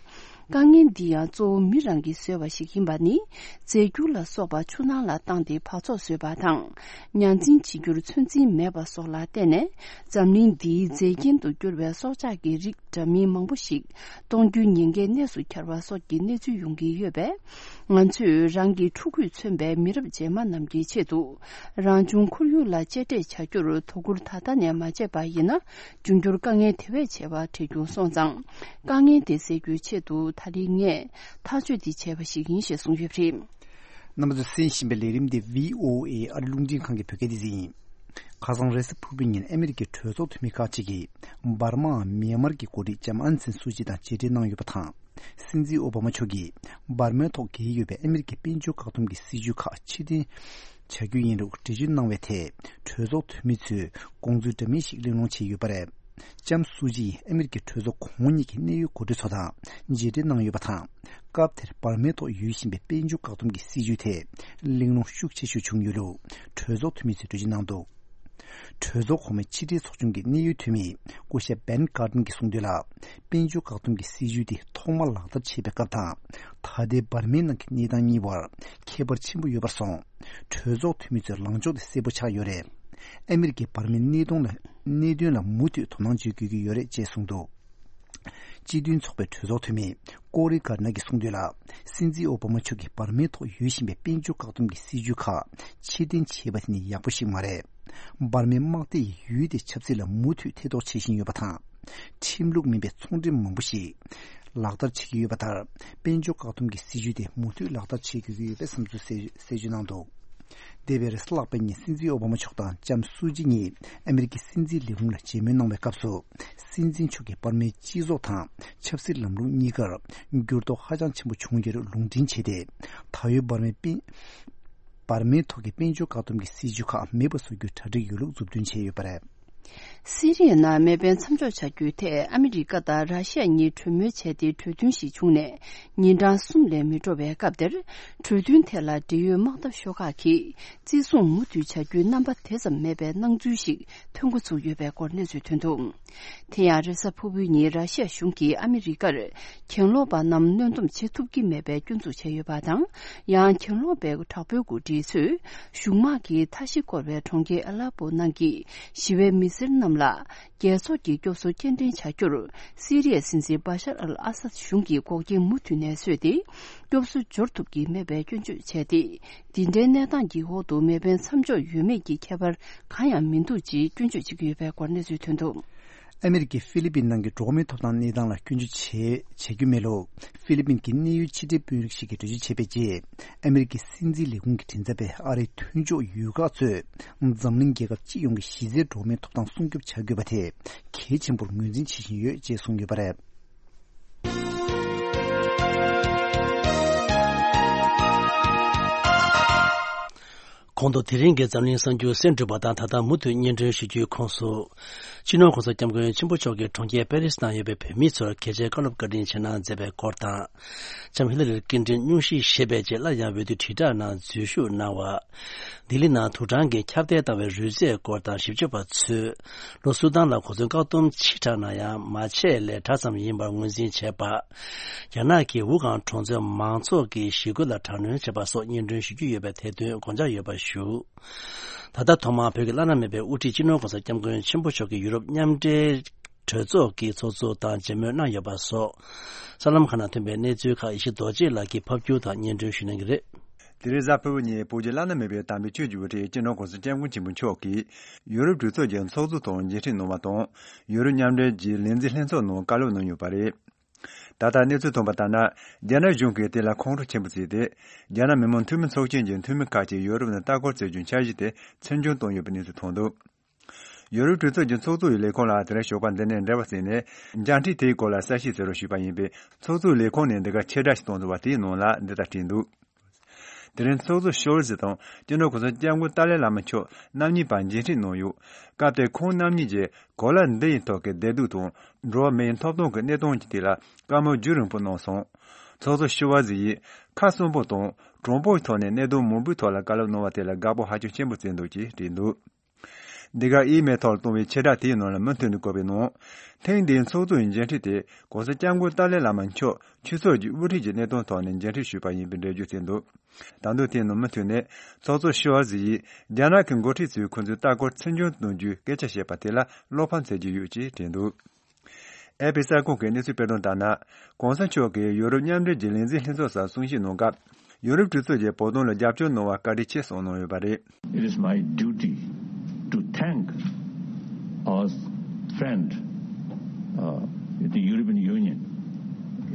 དཀའ་ངལ་འདི་ཡང་གཙོ་བོ་མི་རང་གིས་བཟོས་པ་ཞིག་ཡིན་པ་ནི། རྫས་འགྱུར་ལ་སོགས་པ་ཆུ་ནང་ལ་བཏང་སྟེ་འབག་བཙོག་བཟོས་པ་དང་། ཉ་འཛིན་བྱེད་རྒྱུར་ཚོད་འཛིན་མེད་པ་སོགས་ལ་བརྟེན་ནས། འཛམ་གླིང་འདིའི་རྫས་རྐྱེན་དུ་གྱུར་པའི་སྲོག་ཆགས་ཀྱི་རིགས་འདྲ་མིན་མང་པོ་ཞིག་སྟོང་རྒྱུའི་ཉེན་ཁའི་གནས་སུ་གྱར་བ་སོགས་ཀྱི་གནས་ཚུལ་ཡོང་གི་ཡོད་པས། ང་ཚོས་རང་གི་ཕྲུ་གུས་མཚོན་པའི་མི་རབས་རྗེས་མ་རྣམས་ཀྱི་ཆེད་དུ། རང་བྱུང་ཁོར་ཡུག་ལ་གཅེས་སྤྲས་བྱ་རྒྱུར་དོ་ཁུར་ད་ལྟ་ནས་མ་བྱས་པ་ཡིན་ན། འབྱུང་འགྱུར་དཀའ་ངལ་དེ་བས་ཆེ་བ་འཕྲད་རྒྱུ་སོང་ཙང་། དཀའ་ངལ་དེ་སེལ་རྒྱུའི་ཆེད་དུ་ད་རེས་ངས་ཐག་གཅོད་འདི་བྱས་པ་ཞིག་ཡིན་ཞེས་གསུངས་ཡོད་པ་རེད། རྣམ་པ་ཚོས་གསན་བཞིན་པའི་ལས་རིམ་དེ་བྷི་ཨོ་ཨེ་ཨ་རི་རླུང་འཕྲིན་ཁང་གི་བོད་སྐད་སྡེ་ཚན་ཡིན། ཁ་སང་རེས་གཟའ་ཕུར་བུའི་ཉིན་ཨ་མི་རི་ཀའི་གྲོས་ཚོགས་འཐུས་མི་ཁག་ཅིག་གིས་འབར་མའམ་མེན་མར་གྱི་འགོ་ཁྲིད་ལྕམ་ཨང་སན་སུ་ཅི་དང་མཇལ་འཕྲད་གནང་ཡོད་པ་དང་། སྲིད་འཛིན་ཨོ་བྷ་མ་མཆོག་གིས་འབར་མའི་ཐོག་འགེལ་ཡོད་པའི་ཨ་མི་རི་ཀའི་དཔལ་འབྱོར་བཀག་སྡོམ་གྱི་སྲིད་ཇུས་ཁག་ཕྱིར་འཐེན་བྱ་རྒྱུ་ཡིན་ལུགས་འགྲེལ་བརྗོད་གནང་བའི་ཐད། གྲོས་ཚོགས་འཐུས་མི་ཚོས་དགོངས་ཚུལ་འདྲ་མིན་ཞིག་གླེང་སློང་བྱས་ཡོད་པ་རེད། ལྕམ་སུ་ཅི་ཡིས་ཨ་མི་རི་ཀའི་གྲོས་ཚོགས་གོང་གཉིས་ཀྱི་གནད་ཡོད་འགོ་ཁྲིད་ཚོ་དང་མཇལ་འཕྲད་གནང་ཡོད་པ་དང་། སྐབས་དེར་འབར་མའི་ཐོག་ཡོད་བཞིན་པའི་དཔལ་འབྱོར་བཀག་སྡོམ་གྱི་སྲིད་ཇུས་ཐད་གླེང་སློང་ཤུགས་ཆེ་ཤོས་བྱུང་ཡོད་ལུགས་གྲོས་ཚོགས་འཐུས་མི་ཚོས་འགྲེལ་བརྗོད་གནང་འདུག་གྲོས་ཚོགས་གོང་མའི་ཕྱི་དྲིལ་ཚོགས་ཆུང་གི་གནད་ཡོད་འཐུས་མི་སྐུ་ཞབས་བན་ཀར་ཏན་གྱིས་གསུངས་དོན་ལ། དཔལ་འབྱོར་བཀག་སྡོམ་གྱི་སྲིད་ཇུས་དེ་ཐོག་མར་ལག་བསྟར་བྱས་པའི་སྐབས་དང་། ད་ལྟའི་འབར་མའི་ནང་གི་གནས་སྟངས་གཉིས་བར་ཁྱད་པར་ཆེན་པོ་ཡོད་པར་སོང་། གྲོས་ཚོགས་འཐུས་མི་ཚོའི་ལངས་ཕྱོགས་དེ་གསལ་པོ་ཆགས་ཡོད་རེད། ཨ་མི་རི་ཀས་འབར་མའི་གནད་དོན་ལ་གནད་དོན་ལ་མུ་མཐུད་དོ་སྣང་བྱེད་དགོས་ཀྱི་ཡོད་རེད་ཅེས་གསུངས་འདུག་སྤྱི་མཐུན་ཚོགས་པའི་གྲོས་ཚོགས་འཐུས་མི་ཀོ་རི་གར་ནར་གྱིས་གསུངས་དོན་ལ། སྲིད་འཛིན་ཨོ་བྷ་མ་མཆོག་གིས་འབར་མའི་ཐོག་ཡོད་བཞིན་པའི་དཔལ་འབྱོར་བཀག་སྡོམ་གྱི་སྲིད་ཇུས་ཁག་ཕྱིར་འཐེན་བྱས་པ་དེ་ནི་ཡག་པོ་ཞིག་མ་རེད། འབར་མའི་དམག་སྡེ་ཡི་ཡུལ་དེ་ཆབ་སྲིད་ལ་མུ་མཐུད་ཐེ་གཏོགས་བྱེད་བཞིན་ཡོད་པ་དང་། ཁྲིམས་ལུགས་མིན་པའི་ཚོང་འབྲེལ་མང་པོ་ཞིག་ལག་བསྟར་བྱེད་ཀྱི་ཡོད་པ་ལྟར། དཔལ་འབྱོར་བཀག་སྡོམ་གྱི་སྲིད་ཇུས་དེ་མུ་མཐུད་ལག་བསྟར་བྱེད་དགོས་ཀྱི་ཡོད་པའི་བསམ་ཚུལ་གསལ་གསལ་བརྗོད་གནང་འདུག་འདས་པའི་རེས་གཟའ་ལྷག་པའི་ཉིན་སྲིད་འཛིན་ཨོ་བྷ་མ་མཆོག་དང་ལྕམ་སུ་ཅི་གཉིས་ཨ་མི་རི་ཀའི་སྲིད་འཛིན་ལས་ཁུངས་ལ་མཇལ་མོལ་གནང་བའི་སྐབས་སུ། སྲིད་འཛིན་མཆོག་གིས་འབར་མའི་སྤྱི་ཚོགས་དང་ཆབ་སྲིད་ལམ་ལུགས་གཉིས་ཀར་འགྱུར་ལྡོག་ཧ་ཅང་ཆེན་པོ་བྱུང་ཡོད་ལུགས་ལུང་འདྲེན་བྱས་ཏེ། ད་ཡོད་འབར་མའི་དཔལ་འབར་མའི་ཐོག་གི་དཔལ་འབྱོར་བཀག་སྡོམ་གྱི་སྲིད་ཇུས་ཁག་མེད་པ་བཟོ་རྒྱུའི་གྲ་སྒྲིག་ཡོད་ལུགས་མཛུབ་སྟོན་བྱས་ཡོད་པ་རེད། སི་རི་ཡའི་ནང་མེ་འཕེན་མཚམས་འཇོག་བྱ་རྒྱུའི་ཐད་ཨ་མི་རི་ཀ་དང་ར་ཤི་ཡ་གཉིས་གྲོས་མོལ་བྱས་ཏེ་གྲོས་མཐུན་ཞིག་བྱུང་ནས་ཉིན་གྲངས་གསུམ་ལས་མི་འགྲོ་བའི་སྐབས་དེར། གྲོས་མཐུན་ཐད་ལ་འབྲེལ་ཡོད་དམག་འཐབ་ཤོག་ཁག་གིས་བརྩི་སྲུང་མུ་མཐུད་བྱ་རྒྱུའི་རྣམ་པ་དེ་ཙམ་མེད་པའི་སྣང་ཚུལ་ཞིག་ཐོན་འགོ་ཚུགས་ཡོད་པའི་སྐོར་གནས་ཚུལ་ཐོན་འདུག་དེ་ཡང་རེས་གཟའ་ཕུར་བུའི་ཉིན་ར་ཤི་ཡ་གཞུང་གིས་ཨ་མི་རི་ཀར་གྱེན་ལོག་པ་རྣམས་གནོན་སྡོམ་བྱེད་ཐུབ་ཀྱི་མེད་པའི་སྐྱོན་འཛུགས་བྱས་ཡོད་པ་དང་། ཡང་གྱེན་ལོག་པའི་དྲག་པོའི་འགོ་ཁྲིད་ཚོས་གཞུང་དམག་གིས་མཐའ་བཞི་བསྐོར་བའི་གྲོང་ཁྱེར་ཨ་ལ་པོ་ནང་གི་ཞི་བའི་མི་སེར་རྣམས་ལ་རྒྱལ་ཚོགས་ཀྱི་སྐྱོབ་གསོ་སྐྱེལ་འདྲེན་བྱ་རྒྱུར་སི་རི་ཡའི་སྲིད་འཛིན་བྷ་ཤར་ཨལ་ཨ་སཱད་གཞུང་གིས་འགོག་རྐྱེན་མུ་མཐུད་ནས་བཟོས་ཏེ། སྐྱོབ་གསོ་འབྱོར་ཐུབ་ཀྱི་མེད་པའི་སྐྱོན་བརྗོད་བྱས་ཏེ། འདི་འདྲའི་གནས་སྟངས་ཀྱི་འོག་ཏུ་མེ་འཕེན་མཚམས་འཇོག་ཡོད་མེད་ཀྱི་ཁྱད་པར་གང་ཡང་མི་འདུག་ཅེས་སྐྱོན་བརྗོད་བྱེད་ཀྱི་ཡོད་པའི་སྐོར་གནས་ཚུལ་ཐོན་འདུག་ཨ་མི་རི་ཀས་ཧྥི་ལི་པིན་ནང་གི་འགྲོ་བ་མིའི་ཐོབ་ཐང་གནས་སྟངས་ལ་སྐྱོན་བརྗོད་བྱེད་བྱེད་རྒྱུ་མེད་ལུགས་ཧྥི་ལི་པིན་གྱི་གནད་ཡོད་ཕྱི་འབྲེལ་དཔོན་རིགས་ཤིག་གིས་འགྲེལ་བརྗོད་བྱས་པའི་རྗེས། ཨ་མི་རི་ཀའི་སྲིད་འཛིན་ལས་ཁུངས་ཀྱི་མགྲིན་ཚབ་པས་ཨ་རིའི་མཐུན་ཕྱོགས་ཡུལ་ཁག་ཚོས་འཛམ་གླིང་རྒྱལ་ཁབ་སྤྱི་ཡོངས་ཀྱི་གཞི་རྩའི་འགྲོ་བ་མིའི་ཐོབ་ཐང་སྲུང་སྐྱོབ་བྱ་དགོས་པ་དེ་གལ་ཆེན་པོར་ངོས་འཛིན་བྱེད་བཞིན་ཡོད་ཅེས་གསུངས་ཡོད་པ་རེད། གོང་དུ་དེ་རིང་གི་འཛམ་གླིང་གསར་འགྱུར་གསན་གྲུབ་པ་དང་། ད་ལྟ་མུ་མཐུད་སྙན་སྒྲོན་ཞུ་རྒྱུའི་ཁོངས་སུ། སྤྱི་ནོར་༸གོང་ས་༸སྐྱབས་མགོན་ཆེན་པོ་མཆོག་གིས་གྲོང་ཁྱེར་པེ་རིས་ནང་ཡོད་པའི་བོད་མི་ཚོར་གལ་ཆེའི་བཀའ་སློབ་བཀའ་དྲིན་ཆེ་གནང་མཛད་པའི་སྐོར་དང་། ལྕམ་ཧི་ལ་རི་ཀིན་ཊོན་སྙུང་གཞི་བཞེས་པའི་རྗེས་སླར་ཡང་འོས་བསྡུ་དྲིལ་བསྒྲགས་ནང་འཛུལ་ཞུགས་གནང་བ། ལྡི་ལི་ནང་དུག་སྦྲང་གིས་ཁྱབ་གདལ་བཏང་བའི་རུས་ཚད་སྐོར་དང་། ཞིབ་དཔྱོད་པ་ཚོས་ལྷོ་སུ་དཱན་ལ་གོ་མཚོན་བཀག་སྡོམ་ཕྱིར་བསྒྲགས་གནང་ཡང་། མ་ཆད་ལས་གྲྭ་ཙམ་ཡིན་པར་ངོས་འཛིན་བྱས་པ། རྒྱ་ནག་གིས་ཝུ་ཧན་གྲོང་ཚོའི་མང་ཚོགས་ཀྱི་ཞི་རྒོལ་ལ་དྲག་གནོན་བྱས་པ་སོགས་སྙན་སྒྲོན་ཞུ་རྒྱུ་ཡོད་པའི་ཐད་དོན་དགོངས་འཇགས་ཡོད་པ་ཞུ། ད་ལྟ་ཐོག་མར་བོད་ཀྱི་བླ་ན་མེད་པའི་དབུ་ཁྲིད་སྤྱི་ནོར་༸གོང་ས་༸སྐྱབས་མགོན་ཆེན་པོ་མཆོག་གིས་ཡུ་རོབ་མཉམ་འབྲེལ་གྲོས་ཚོགས་ཀྱི་ཚོགས་གཙོ་དང་མཇལ་མོལ་གནང་ཡོད་པ་སོགས། གསར་ལམ་ཁག་ནང་ཐོན་པའི་གནས་ཚུལ་ཁག་ཡེ་ཤེས་རྡོ་རྗེ་ལགས་ཀྱིས་ཕབ་བསྒྱུར་དང་སྙན་སྒྲོན་ཞུ་གནང་གི་རེད། དེ་རིང་གཟའ་ཕུར་བུ་ཉིན་བོད་ཀྱི་བླ་ན་མེད་པའི་དམ་པའི་ཆོས་ཀྱི་དབུ་ཁྲིད་སྤྱི་ནོར་༸གོང་ས་༸སྐྱབས་མགོན་ཆེན་པོ་མཆོག་གིས་ཡུ་རོབ་གྲོས་ཚོགས་ཀྱི་ཚོགས་གཙོ་དང་མཇལ་འཕྲད་གནང་བ་དང་། ཡུ་རོབ་མཉམ་འབྲེལ་གྱི་ལས་འཛིན་ལྷན་ཚོགས་ནང་བཀའ་སློབ་གནང་ཡོད་པ་རེད། ད་ལྟ་གནས་ཚུལ་ཐོན་པ་ལྟར་ན། རྒྱ་ནག་གཞུང་གིས་དེ་ལ་ཁོང་ཁྲོ་ཆེན་པོ་བརྩིས་ཏེ། རྒྱ་ནག་མི་དམངས་འཐུས་མི་ཚོགས་ཆེན་གྱི་འཐུས་མི་ཁག་ཅིག་ཡུ་རོབ་ནང་ལྟ་སྐོར་བྱེད་རྒྱུའི་འཆར་གཞི་དེ་ཚུར་འབྱོན་བཏང་ཡོད་པའི་གནས་ཚུལ་ཐོན་འདུག་ཡུ་རོབ་གྲོས་ཚོགས་ཀྱི་ཚོགས་གཙོ་ཡི་ལས་ཁུངས་ལ་དེ་རིང་ཞོགས་པ་འདི་ནས་འབྲེལ་བ་བྱས་ནས། མཇལ་འཕྲད་དེའི་སྐོར་ལ་གསལ་བཤད་བྱེད་རོགས་ཞུས་པ་ཡིན་པས། ཚོགས་གཙོ་ཡི་ལས་ཁུངས་ནས་འདི་གར་ཕྱིར་བསྒྲགས་ཤིག་བཏང་འདུག་པ་དེའི་ནང་ལ་འདི་ལྟར་བྲིས་འདུག་དེ་རིང་ཚོགས་གཙོ་ཤོལ་ཛི་དང་སྤྱི་ནོར་༸གོང་ས་༸སྐྱབས་མགོན་ཏཱ་ལའི་བླ་མ་མཆོག་རྣམ་གཉིས་བར་མཇལ་འཕྲད་གནང་ཡོད། སྐབས་དེར་ཁོང་རྣམ་གཉིས་ཀྱིས་གོ་ལ་འདི་ཡི་ཐོག་གི་བདེ་སྡུག་དང་། འགྲོ་བ་མིའི་ཐོབ་ཐང་གི་གནས་སྟངས་ཀྱི་ཐད་ལ་བཀའ་མོལ་རྒྱུན་རིང་པོ་གནང་སོང་། ཚོགས་གཙོ་ཤོལ་ཛི་ཡིས་ཁ་གསོན་པོ་དང་དྲང་པོའི་ཐོག་ནས་གནད་དོན་མང་པོའི་ཐོག་ལ་བཀའ་སློབ་གནང་བ་དེ་ལ་དགའ་པོ་ཧ་ཅང་ཆེན་པོ་བརྩི་འདུག་ཅེས་བྲིས་འདུག་འདི་ག་ཨི་མེལ་ཐོག་ལ་བཏང་བའི་ཕྱིར་བསྒྲགས་དེའི་ནང་ལ་མུ་མཐུད་ནས་བཀོད་པའི་ནང་། ཐེངས་འདིའི་ཚོགས་གཙོ་ཡི་མཇལ་འཕྲད་དེ་༸གོང་ས་༸སྐྱབས་མགོན་ཏཱ་ལའི་བླ་མ་མཆོག་ཆོས་ཕྱོགས་ཀྱི་དབུ་ཁྲིད་ཀྱི་གནས་སྟངས་ཐོག་ནས་མཇལ་འཕྲད་ཞུས་པ་ཡིན་པའི་འགྲེལ་བརྗོད་བྱས་འདུག་ད་དུང་དེའི་ནང་མུ་མཐུད་ནས་ཚོགས་གཙོ་ཤོལ་ཛི་ཡིས་རྒྱ་ནག་གི་འགོ་ཁྲིད་ཚོས་ཁོ་ཚོའི་ལྟ་སྐོར་ཚུར་འབྱོན་གཏོང་རྒྱུའི་སྐད་ཆ་བཤད་པ་དེ་ལ་བློ་ཕམ་མཛད་ཀྱི་ཡོད་ཅེས་བྲིས་འདུག་ཨེ་ཕི་གསར་ཁང་གི་གནས་ཚུལ་སྤེལ་དོན་ལྟར་ན། ༸གོང་ས་མཆོག་གིས་ཡུ་རོབ་མཉམ་འབྲེལ་གྱི་ལས་འཛིན་ལྷན་ཚོགས་སར་གསུང་བཤད་གནང་སྐབས། ཡུ་རོབ་གྲོས་ཚོགས་ཀྱིས་བོད་དོན་ལ་རྒྱབ་སྐྱོར་གནང་བར་བཀའ་དྲིན་ཆེ་གསུངས་གནང་ཡོད་པ་རེད། It is my duty to thank our friend, uh, the European Union,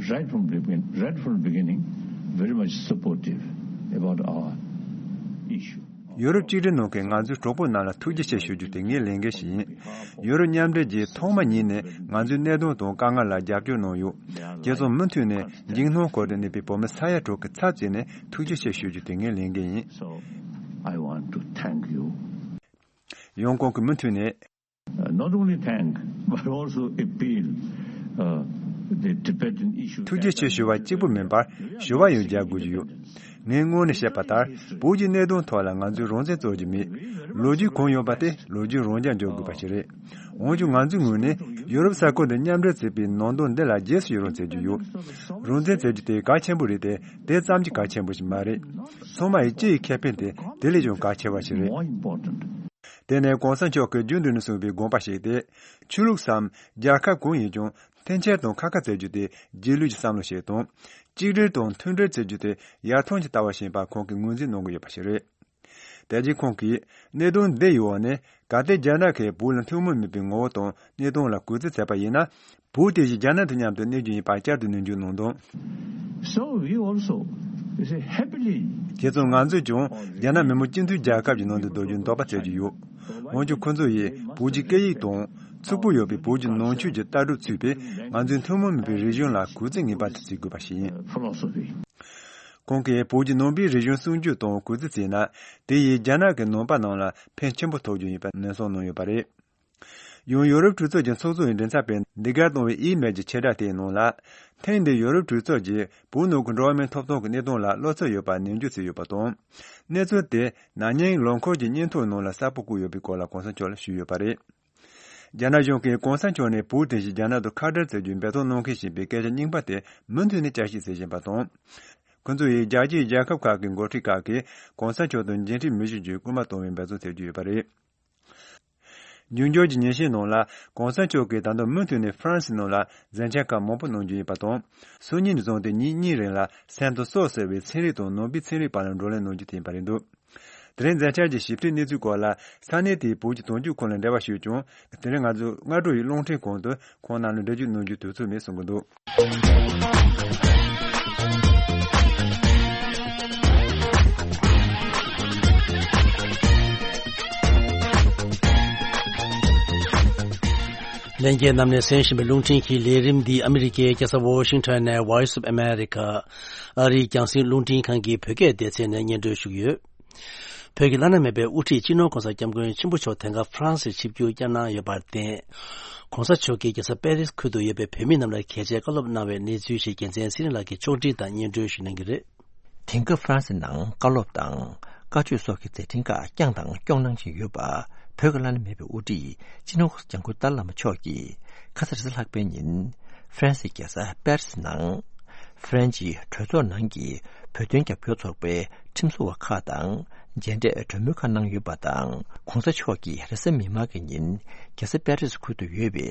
right from the begin-, right from the beginning, very much supportive about ཡོ་རོབ་གཅིག་སྒྲིལ་ནང་གི་ང་ཚོའི་གྲོགས་པོ་རྣམས་ལ་ཐུགས་རྗེ་ཆེ་ཞུ་རྒྱུ་དེ་ངའི་ལས་འགན་ཞིག་ཡིན། ཡོ་རོབ་མཉམ་འབྲེལ་གྱིས་ཐོག་མ་ཉིད་ནས་ང་ཚོའི་གནད་དོན་དང་དཀའ་ངལ་ལ་རྒྱབ་སྐྱོར་གནང་ཡོད། དེ་ཙམ་མུ་མཐུད་ནས་འཇིགས་སྣང་སྐོར་དུ་གནས་པའི་བོད་མི་ས་ཡ་དྲུག་གི་ཚབ་བྱས་ནས་ཐུགས་རྗེ་ཆེ་ཞུ་རྒྱུ་དེ་ངའི་ལས་འགན་ཡིན། So, I want to thank you. ཡང་ཁོང་གིས་མུ་མཐུད་ནས། Uh, not only thank, but also appeal, uh, the Tibetan issue. ཐུགས་རྗེ་ཆེ་ཞུ་བ་གཅིག་པུ་མིན་པར་ཞུ་བ་ཡང་རྒྱག་དགོས་ཀྱི་ཡོད། ངས་སྔོན་ནས་བཤད་པ་ལྟར་བོད་ཀྱི་གནད་དོན་ཐོག་ལ་ང་ཚོས་རང་བཙན་རྩོད་ཀྱི་མེད། ལོ་རྒྱུས་གང་ཡོད་པ་དེ་ལོ་རྒྱུས་རང་འཇགས་འཇོག་དགོས་པ་ཞིག་རེད། འོན་ཀྱང་ང་ཚོའི་ངོས་ནས་ཡོ་རོབ་ས་ཁུལ་དུ་མཉམ་འབྲེལ་བྱེད་པའི་ནང་དོན་འདི་ལ་རྗེས་སུ་ཡི་རང་བྱེད་ཀྱི་ཡོད། རང་བཙན་རྩོད་རྒྱུ་དེ་གལ་ཆེན་པོ་རེད་དེ་དེ་ཙམ་གྱིས་གལ་ཆེན་པོ་ཞིག་མ་རེད། ཚང་མ་ཡི་སྤྱི་ཡི་ཁེ་ཕན་དེ་དེ་ལས་ཀྱང་གལ་ཆེ་བ་ཞིག་རེད། དེ་ནས་གོང་ས་མཆོག་གིས་རྒྱུན་དུ་ནས་གསུངས་པའི་དགོངས་པ་ཞིག་སྟེ། ཆོས་ལུགས་སམ་རྒྱལ་ཁབ་གང་ཡིན་ཀྱང་འཐེན་འཁྱེར་དང་ཁ་ཁ་བྱེད་རྒྱུ་དེ་རྗེས་ལུས་ཀྱི་བསམ་བློ་ཞིག་དང་། གཅིག་སྒྲིལ་དང་མཐུན་སྒྲིལ་བྱེད་རྒྱུ་དེ་ཡར་ཐོན་གྱི་ལྟ་བ་ཞིག་ཡིན་པ་ཁོང་གིས་ངོས་འཛིན་གནང་གི་ཡོད་པ་ཞིག་རེད། དེ་རྗེས་ཁོང་གིས་གནད་དོན་འདི་ཡི་འོག་ནས་གལ་ཏེ་རྒྱ་ནག་གིས་བོད་ལ་ཐུན་མོང་མིན་པའི་ངོ་བོ་དང་གནས་སྟངས་ལ་གུས་བརྩི་བྱས་པ་ཡིན་ན། བོད་དེ་བཞིན་རྒྱ་ནག་དང་མཉམ་དུ་གནས་རྒྱུ་ཡིན་པ་བསྐྱར་དུ་ནན་བརྗོད་གནང་དོན། So we also, you see, happily དེ་ཙམ་ང་ཚོས་ཀྱང་རྒྱ་ནག་མི་དམངས་སྤྱི་མཐུན་རྒྱལ་ཁབ་ཀྱི་ནང་དུ་སྡོད་རྒྱུའི་འདོད་པ་བྱེད་ཀྱི་ཡོད། འོན་ཀྱང་ཁོ་ཚོ་ཡིས་བོད་ཀྱི་སྐད་ཡིག་དང་ཕྱུག་པོ་ཡོད་པའི་བོད་ཀྱི་ནང་ཆོས་ཀྱི་ལྟ་གྲུབ་ཚུད་པའི་ང་ཚོའི་ཐུན་མོང་མིན་པའི་རིག་གཞུང་ལ་གུས་བརྩི་ངེས་པར་དུ་བྱེད་དགོས་པ་ཞིག་ཡིན། Philosophy. ཁོང་གིས་བོད་ཀྱི་ནང་པའི་རིག་གཞུང་སྲུང་སྐྱོབ་དང་གུས་བརྩི་བྱས་ན། དེ་ཡིས་རྒྱ་ནག་གི་ནང་པ་རྣམས་ལ་ཕན་ཆེན་པོ་ཐོགས་རྒྱུ་ཡིན་པ་ནན་གསུངས་གནང་ཡོད་པ་རེད། ཡང་ཡོ་རོབ་གྲོས་ཚོགས་ཀྱི་ཚོགས་གཙོ་ཡི་མགྲིན་ཚབ་པས་འདི་གར་བཏང་བའི་ཨི་མེལ་གྱི་ཆེ་བསྒྲགས་དེའི་ནང་ལ། ཐེངས་འདིའི་ཡོ་རོབ་གྲོས་ཚོགས་ཀྱིས་བོད་ནང་གི་འགྲོ་བ་མིའི་ཐོབ་ཐང་གི་གནད་དོན་ལ་བློ་འཚབ་ཡོད་པ་ནན་བརྗོད་བྱས་ཡོད་པ་དང་། གནས་ཚུལ་དེ་ན་ནིང་ལོ་འཁོར་གྱི་སྙན་ཐོའི་ནང་ལ་གསལ་པོ་བཀོད་ཡོད་པའི་སྐོར་ལ་གོང་ས་མཆོག་ལ་ཞུས་ཡོད་པ་རེད། རྒྱ་ནག་གཞུང་གིས་གོང་ས་མཆོག་ནས་བོད་དེ་བཞིན་རྒྱ་ནག་ཏུ་ཁ་བྲལ་མཛད་རྒྱུའི་འབད་བརྩོན་གནང་མཁན་ཞིག་ཡིན་པའི་སྐད་ཆ་རྙིང་པ་དེ་མུ་མཐུད་ནས་བསྐྱར་བཤད་བྱེད་བཞིན་པ་དང་། ཁོ་ཚོ་ཡིས་རྒྱལ་སྤྱིའི་རྒྱལ་ཁབ་ཁག་གི་འགོ་ཁྲིད་ཁག་གིས་གོང་ས་མཆོག་ཏུ་མཇལ་འཕྲད་མི་ཞུ་རྒྱུའི་སྐུལ་མ་གཏོང་བའི་འབད་བརྩོན་བྱེད་ཀྱི་ཡོད་པ་རེད། འབྱུང་འགྱུར་གྱི་ཉིན་ཤས་ནང་ལ་གོང་ས་མཆོག་གིས་ད་དུང་མུ་མཐུད་ནས་ཧྥ་རན་སིའི་ནང་ལ་མཛད་འཆར་ཁག་མང་པོ་གནང་རྒྱུ་ཡིན་པ་དང་། སང་ཉིན་ནས་བཟུང་སྟེ་ཉིན་གཉིས་རིང་ལ་སན་ཏོ་སོ་ཟེར་བའི་ཚན་རིག་དང་ནང་པའི་ཚན་རིག་པ་ལ་བགྲོ་གླེང་གནང་རྒྱུ་དེ་ཡིན་པ་རེད་འདུག་དེ་རིང་མཛད་འཆར་གྱི་ཞིབ་ཕྲའི་གནས་ཚུལ་སྐོར་ལ་ས་གནས་དེའི་བོད་ཀྱི་དོན་གཅོད་ཁང་ལ་འབྲེལ་བ་ཞུས་ཀྱང་དེ་རིང་ང་ཚོའི་སྔ་དྲོ་ཡི་རླུང་འཕྲིན་ཁང་དུ་ཁོང་རྣམས་ལ་འགྲེལ་བརྗོད་གནང་རྒྱུའི་དུས་ཚོད་མེད་གསུང་གི་འདུག་ལྷན་རྒྱས་རྣམས་ནས་གསན་བཞིན་པའི་རླུང་འཕྲིན་གྱི་ལས་རིམ་འདི་ཨ་མི་རི་ཀའི་རྒྱལ་ས་ཝོ་ཤིང་ཊོན་ནས་Voice of America ཨ་རིའི་རྒྱང་སྲིང་རླུང་འཕྲིན་ཁང་གི་བོད་སྐད་སྡེ་ཚན་ནས་སྙན་སྒྲོན་ཞུ་གི་ཡོད། བོད་ཀྱི་བླ་ན་མེད་པའི་དབུ་ཁྲིད་སྤྱི་ནོར་༸གོང་ས་༸སྐྱབས་མགོན་ཆེན་པོ་མཆོག་དེང་སྐབས་ཧྥ་རན་སིར་ཆིབས་བསྒྱུར་བསྐྱངས་གནང་ཡོད་པར་བརྟེན། ༸གོང་ས་མཆོག་གིས་རྒྱལ་ས་པེ་རིས་ཁུལ་དུ་ཡོད་པའི་བོད་མི་རྣམས་ལ་གལ་ཆེའི་བཀའ་སློབ་གནང་བའི་གནས་ཚུལ་ཞིག་རྒྱལ་མཚན་ཚེ་རིང་ལགས་ཀྱིས་ཕྱོགས་སྒྲིག་དང་སྙན་སྒྲོན་ཞུ་གནང་གི་རེད། དེང་སྐབས་ཧྥ་རན་སི་ནང་བཀའ་སློབ་དང་བཀའ་ཆོས་སོགས་ཀྱི་མཛད་འཕྲིན་ཁག་བསྐྱངས་དང་སྐྱོང་གནང་བཞིན་ཡོད་པ། བོད་ཀྱི་བླ་ན་མེད་པའི་དབུ་ཁྲིད་སྤྱི་ནོར་༸གོང་ས་༸སྐྱབས་མགོན་ཏཱ་ལའི་བླ་མ་མཆོག་གིས་ཁ་སང་རེས་གཟའ་ལྷག་པའི་ཉིན་ཧྥ་རན་སིའི་རྒྱལ་ས་པེ་རི་སི་ནང་ཧྥ་རན་སིའི་གྲོས་ཚོགས་ནང་གི་བོད་དོན་རྒྱབ་སྐྱོར་ཚོགས་པའི་ཁྲིམས་བཟོ་བ་ཁག་དང་མཇལ་འཕྲད་གྲོས་མོལ་ཁག་གནང་ཡོད་པ་དང་། ༸གོང་ས་མཆོག་གིས་རེས་གཟའ་མིག་དམར་གྱི་ཉིན་རྒྱལ་ས་པེ་རི་སི་ཁུལ་དུ་ཡོད་པའི་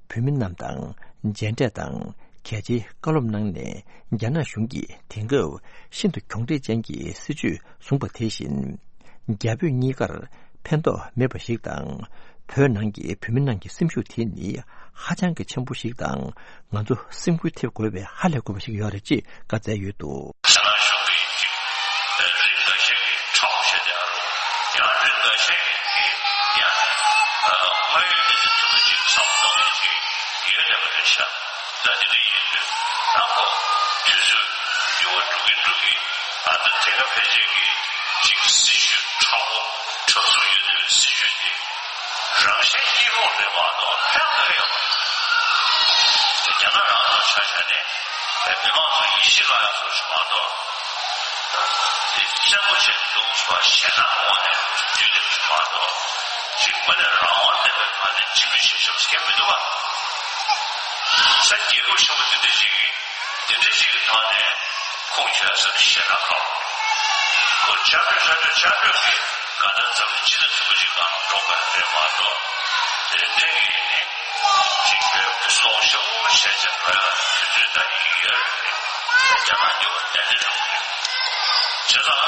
བོད་མི་རྣམས་དང་མཇལ་འཕྲད་དང་། གལ་ཆེའི་བཀའ་སློབ་གནང་ནས། རྒྱ་ནག་གཞུང་གིས་དེང་སྐབས་ཤིན་ཏུ་གྱོང་འབྲེལ་ཅན་གྱི་སྲིད་བྱུས་བཟུང་བ་དེ་བཞིན། རྒྱ་བོད་གཉིས་ཀར་ཕན་ཐོགས་མེད་པ་ཞིག་དང་། བོད་ནང་གི་བོད་མི་རྣམས་ཀྱི་སེམས་ཤུགས་དེ་ནི་ཧ་ཅང་གི་ཆེན་པོ་ཞིག་དང་། ང་ཚོ་སེམས་འགུལ་ཐེབས་དགོས་པའི་ཧ་ལས་དགོས་པ་ཞིག་ཡོད་རེད་ཅེས་བཀའ་སྩལ་ཡོད་འདུག་རྒྱ་ནག་གཞུང་གིས་ཅིག་རིགས་འགའ་ཤས་ཀྱིས་ཁྲ་བོ་བྱས་ཏེ་ཨ་རུ། ཡང་རིགས་འགའ་ཤས་ཀྱིས་ཡང་དངོས་ཡོད་གནས་ཚུལ་ཐོག་ཏུ་ཅིག་བསམ་བློ་གཏོང་མཁན་ཅིག་ཡོད་བསྡད་པ་རེད་ཤག་ད་དེ་འདྲ་ཡིན་དུས་ད་ཁོ་དུས་ཚོད་འགྱུར་བ་འགྲོ་གིན་འགྲོ་གིན། ད་ལྟ་དེ་ག་ཕལ་ཆེར་གྱི་ཅིག་སྲིད་བྱུས་ཁྲ་བོ་གྲབས་གསུམ་ཡོད་དུས་སྲིད་བྱུས་དེ་རང་གཞན་གཉིས་ཕུང་རེད་མ་གཏོགས་ཕན་ག་རེ་ཡོད་མ་རེད། རྒྱ་ནག་རང་དང་ཆ་བཞག་ནས་མི་མང་ཚོ་ཡིད་ཆེས་བློ་ཡག་བཟོ་ཞིག་མ་གཏོགས། དེ་བཙན་པོ་བྱས་འདུག་པ་ཞེད་སྣང་གི་ངོ་ནས་བསྡུས་ལེགས་ཤིག་མ་གཏོགས། ཅིག་དངོས་གནས་རང་དབང་ལྡན་པའི་ངང་ནས་སྤྱི་མི་ཞིག་ཆགས་ས་མི་འདུག་ག་ས་རྒྱལ་ཁབ་ཆེན་པོ་དེ་འདྲ་ཞིག་གིས་དེ་འདྲ་ཞིག་གི་ཐོག་ནས་ཁུངས་འཁྱོལ་ས་ཞེད་སྣང་གང་། ཁོ་ཆགས་སྤྱོད་ཆགས་སྤྱོད་ཆགས་སྤྱོད་ཀྱིས་གང་ལྟར་འཛམ་གླིང་སྤྱི་ཚོགས་ཚུགས་པ་ཞིག་གང་འགྲོ་དགོས་རེད་མ་གཏོགས། དེ་འདྲ་གི་ནི་ཅིག་བོད་ཀྱི་སྲོག་ཤོར་བྱས་ཙང་རོལ་ཡག་དུས་ཚོད་ད་ཡིན་ཡོད་རེད། རྒྱ་ནག་འགྱུར་བ་ཏན་ཏན་འགྲོ་གི་རེད། བྱས་ཙང་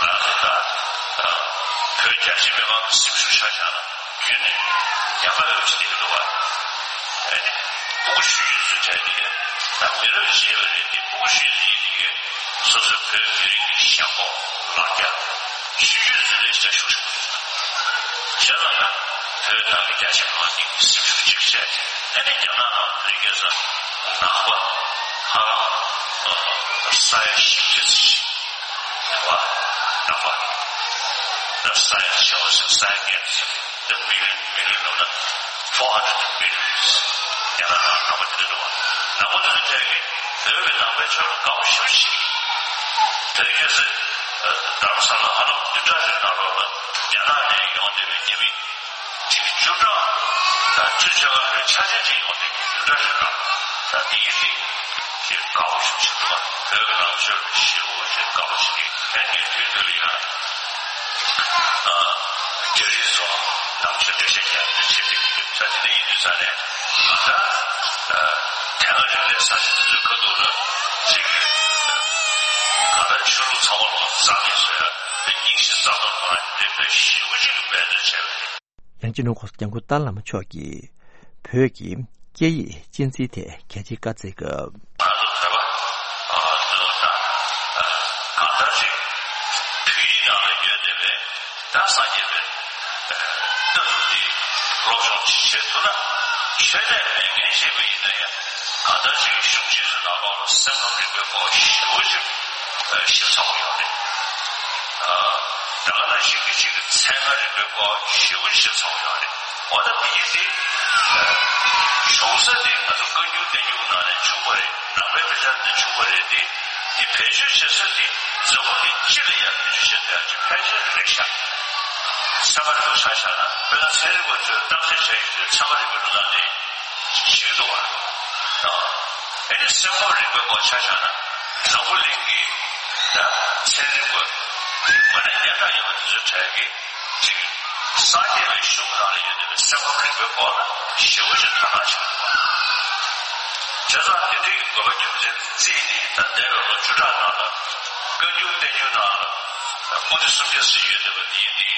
ང་ཚོ་ད་བོད་རྒྱ་ཆེ་མི་མང་གི་སེམས་ཤུགས་ཆ་བཞག་ན་རྒྱུན་ནས་ཉམས་པ་ཡོད་ཅིག་དེ་གི་འདུག་བ། ཨེ་ནི་ཕྲུ་གུ་ཆུང་ཆུང་ཚོ་བྱས་ཏེ་ ད་མི་རབས་རྗེས་མ་རེད་དེ་ཕྲུ་གུ་ཞིག་ཡིན་དེ་གས་སོ་སོའི་བོད་མི་རིགས་ཀྱི་ཞེན་ཁོག་ལ་རྒྱ་ཤེས་ཡོན་ཟེར་ལས་ཀྱང་ཤུགས་ཆེན་པོ་ཡོད། བྱས་ཙང་ན་བོད་ནང་གི་རྒྱ་ཆེ་མང་ཉུང་གི་སེམས་ཤུགས་གཅིག་བྱས་ཨ་ནི་རྒྱ་ནག་ནང་བོད་རིགས་སྐད་ས་ནང་པ་ཧ་ལམ་ས་ཡ་བཞི་བཅུ་ཙམ་ཞིག་རེད་བ། ནང་པ་ད་ས་ཡ་བྱེ་བ་ཟེར་ས་ཡ་བརྒྱད་ཙམ། The million, million ནང་ན four hundred millions ཡང་ན་ནང་ནང་པ་དེ་འདྲ་འདུག་བ། ནང་པ་དེ་ཚོ་ཐད་ཀྱི་བོད་ཀྱི་ནང་པའི་ཕྱོགས་ལ་དགའ་པོ་ཞེ་པོ་ཞིག་དེ་རིང་ཁ་སང་རྡ་རམ་ས་ལ་ཧ་ལམ་བདུན་ཕྲག་རེ་ནང་ལོགས་ལ་རྒྱ་ནག་ནས་ཡོང་བསྡད་པའི་རྒྱ་མི་དེ་བཅུ་ཕྲག་ད་བཅུ་ཕྱེད་ཀ་ལས་ཆ་ཆེན་ཅིག་ཡོང་དེ་བདུན་ཕྲག་རེ་ནང་ད་དེ་ཡིན་དེ་དེ་དགའ་པོ་ཞེ་པོ་ཞིག་འདུག་བ། བོད་ཀྱི་ནང་ཆོས་ལ་ཞེ་པོ་ཞིག་དགའ་པོ་ཞིག་རེད། ཨ་ནི་དུས་འདིར་ཡང་རྒྱ་རིགས་ཚོ་ནང་ཆོས་འགྲེལ་བཤད་རྒྱག་རྒྱུ་བྱེད་ཀྱི་ཡོད་ས་དེ་འདྲ་ཡིན་དུས་ས་ནས་ང་ད་དེ་སྔ་རིག་གནས་གསར་བརྗེ་དེ་ཚོའི་ཁ་ཐུག་ལ་ཅིག་གང་ལྟར་ཆོས་ལུགས་ཚང་མ་ལོག་རྩ་མེད་བཟོ་ཡ་དེ་རྙིང་ཞེན་རྩ་གཏོར་གཏོང་ཡ་དེ་འདྲའི་དཔེ་ཞེ་པོ་ཅིག་འབད་བརྩོན་བྱས་པ་རེད། ཡང་སྤྱི་ནོར་༸གོང་ས་༸སྐྱབས་མགོན་ཏཱ་ལའི་བླ་མ་མཆོག་གིས་བོད་ཀྱི་སྐད་ཡིག་གཅེས་འཛིན་ཐད་གལ་ཆེའི་བཀའ་སྩལ་སྐབས། ང་ཚོ་བོད་པ་ཚོ་དང་གང་ལྟར་ཅིག་བོད་ཡིག་ནང་ལ་ཡོད་བསྡད་པའི་ད་སངས་རྒྱས་པའི་ལྟ་གྲུབ་འདི་སློབ་སྦྱོང་ཅིག་བྱེད་ཐུབ་ན་ཆོས་དད་མེད་མཁན་ཞིག་མ་ཡིན་ན་ཡང་གང་ལྟར་ཅིག་གཞུང་ཆེན་ཚོའི་ནང་ལོགས་ལ་སེམས་ཁམས་རིག་པའི་སྐོར་ཞེ་པོ་ཅིག་ཞིབ་ཚགས་པོ་ཡོད་རེད། ད་ག་ནང་བཞིན་གྱི་གཅིག་གི་ཚན་རིག་པའི་སྐོར་ཞེ་པོ་ཞིབ་ཚགས་པོ་ཡོད་རེད། འོ་ད་དེ་གི་དེ་བྱུང་ས་དེ་ང་ཚོ་བཀའ་འགྱུར་བསྟན་འགྱུར་ནང་ནས་བྱུང་བ་རེད། ནང་པའི་དཔེ་ཆ་ནས་བྱུང་བ་རེད་དེ། དེ་བེད་སྤྱོད་བྱེད་ས་དེ་འཛམ་བུ་གླིང་སྤྱི་ལ་ཡང་བེད་སྤྱོད་བྱེད་ཐུབ་ཡག་ཅིག་ཕལ་ཆེར་རེད་ཤག་ཚན་པ་རེ་རེ་ཆ་བཞག་ན་དཔེར་ན་ཚན་རིག་པ་ཚོས་བརྟག་དཔྱད་བྱ་ཡུལ་དེ་ཚན་པ་རིག་པའི་ལུང་ནང་ནས་ཞིག་འདུག་བ། ཨེ་ནི་སེམས་ཁམས་རིག་པའི་སྐོར་ཆ་བཞག་ན་འཛམ་བུ་གླིང་གི་ད་ཚན་རིག་པ་དེ་དངོས་གནས་སྙན་གྲགས་ཡོད་པ་དེ་ཚོའི་གྲས་ཀྱི་གཅིག་སངས་རྒྱས་པའི་གཞུང་ནང་ལ་ཡོད་བསྡད་པའི་སེམས་ཁམས་རིག་པའི་སྐོར་ལ་ཞེ་པོ་ཅིག་དོ་སྣང་བྱེད་ཀྱི་འདུག་བ། བྱས་ཙང་དེ་འདྲའི་གི་དགོས་པ་རྒྱུ་མཚན་བརྩིས་ནས་ད་འདས་པའི་ལོ་བཅུ་ཕྲག་ནང་ལ་བཀའ་འགྱུར་བསྟན་འགྱུར་ནང་ལ་པོ་ཏི་སུམ་བརྒྱ་ཙམ་ཡོད་བསྡད་པ་འདི་ཡིན་དེ།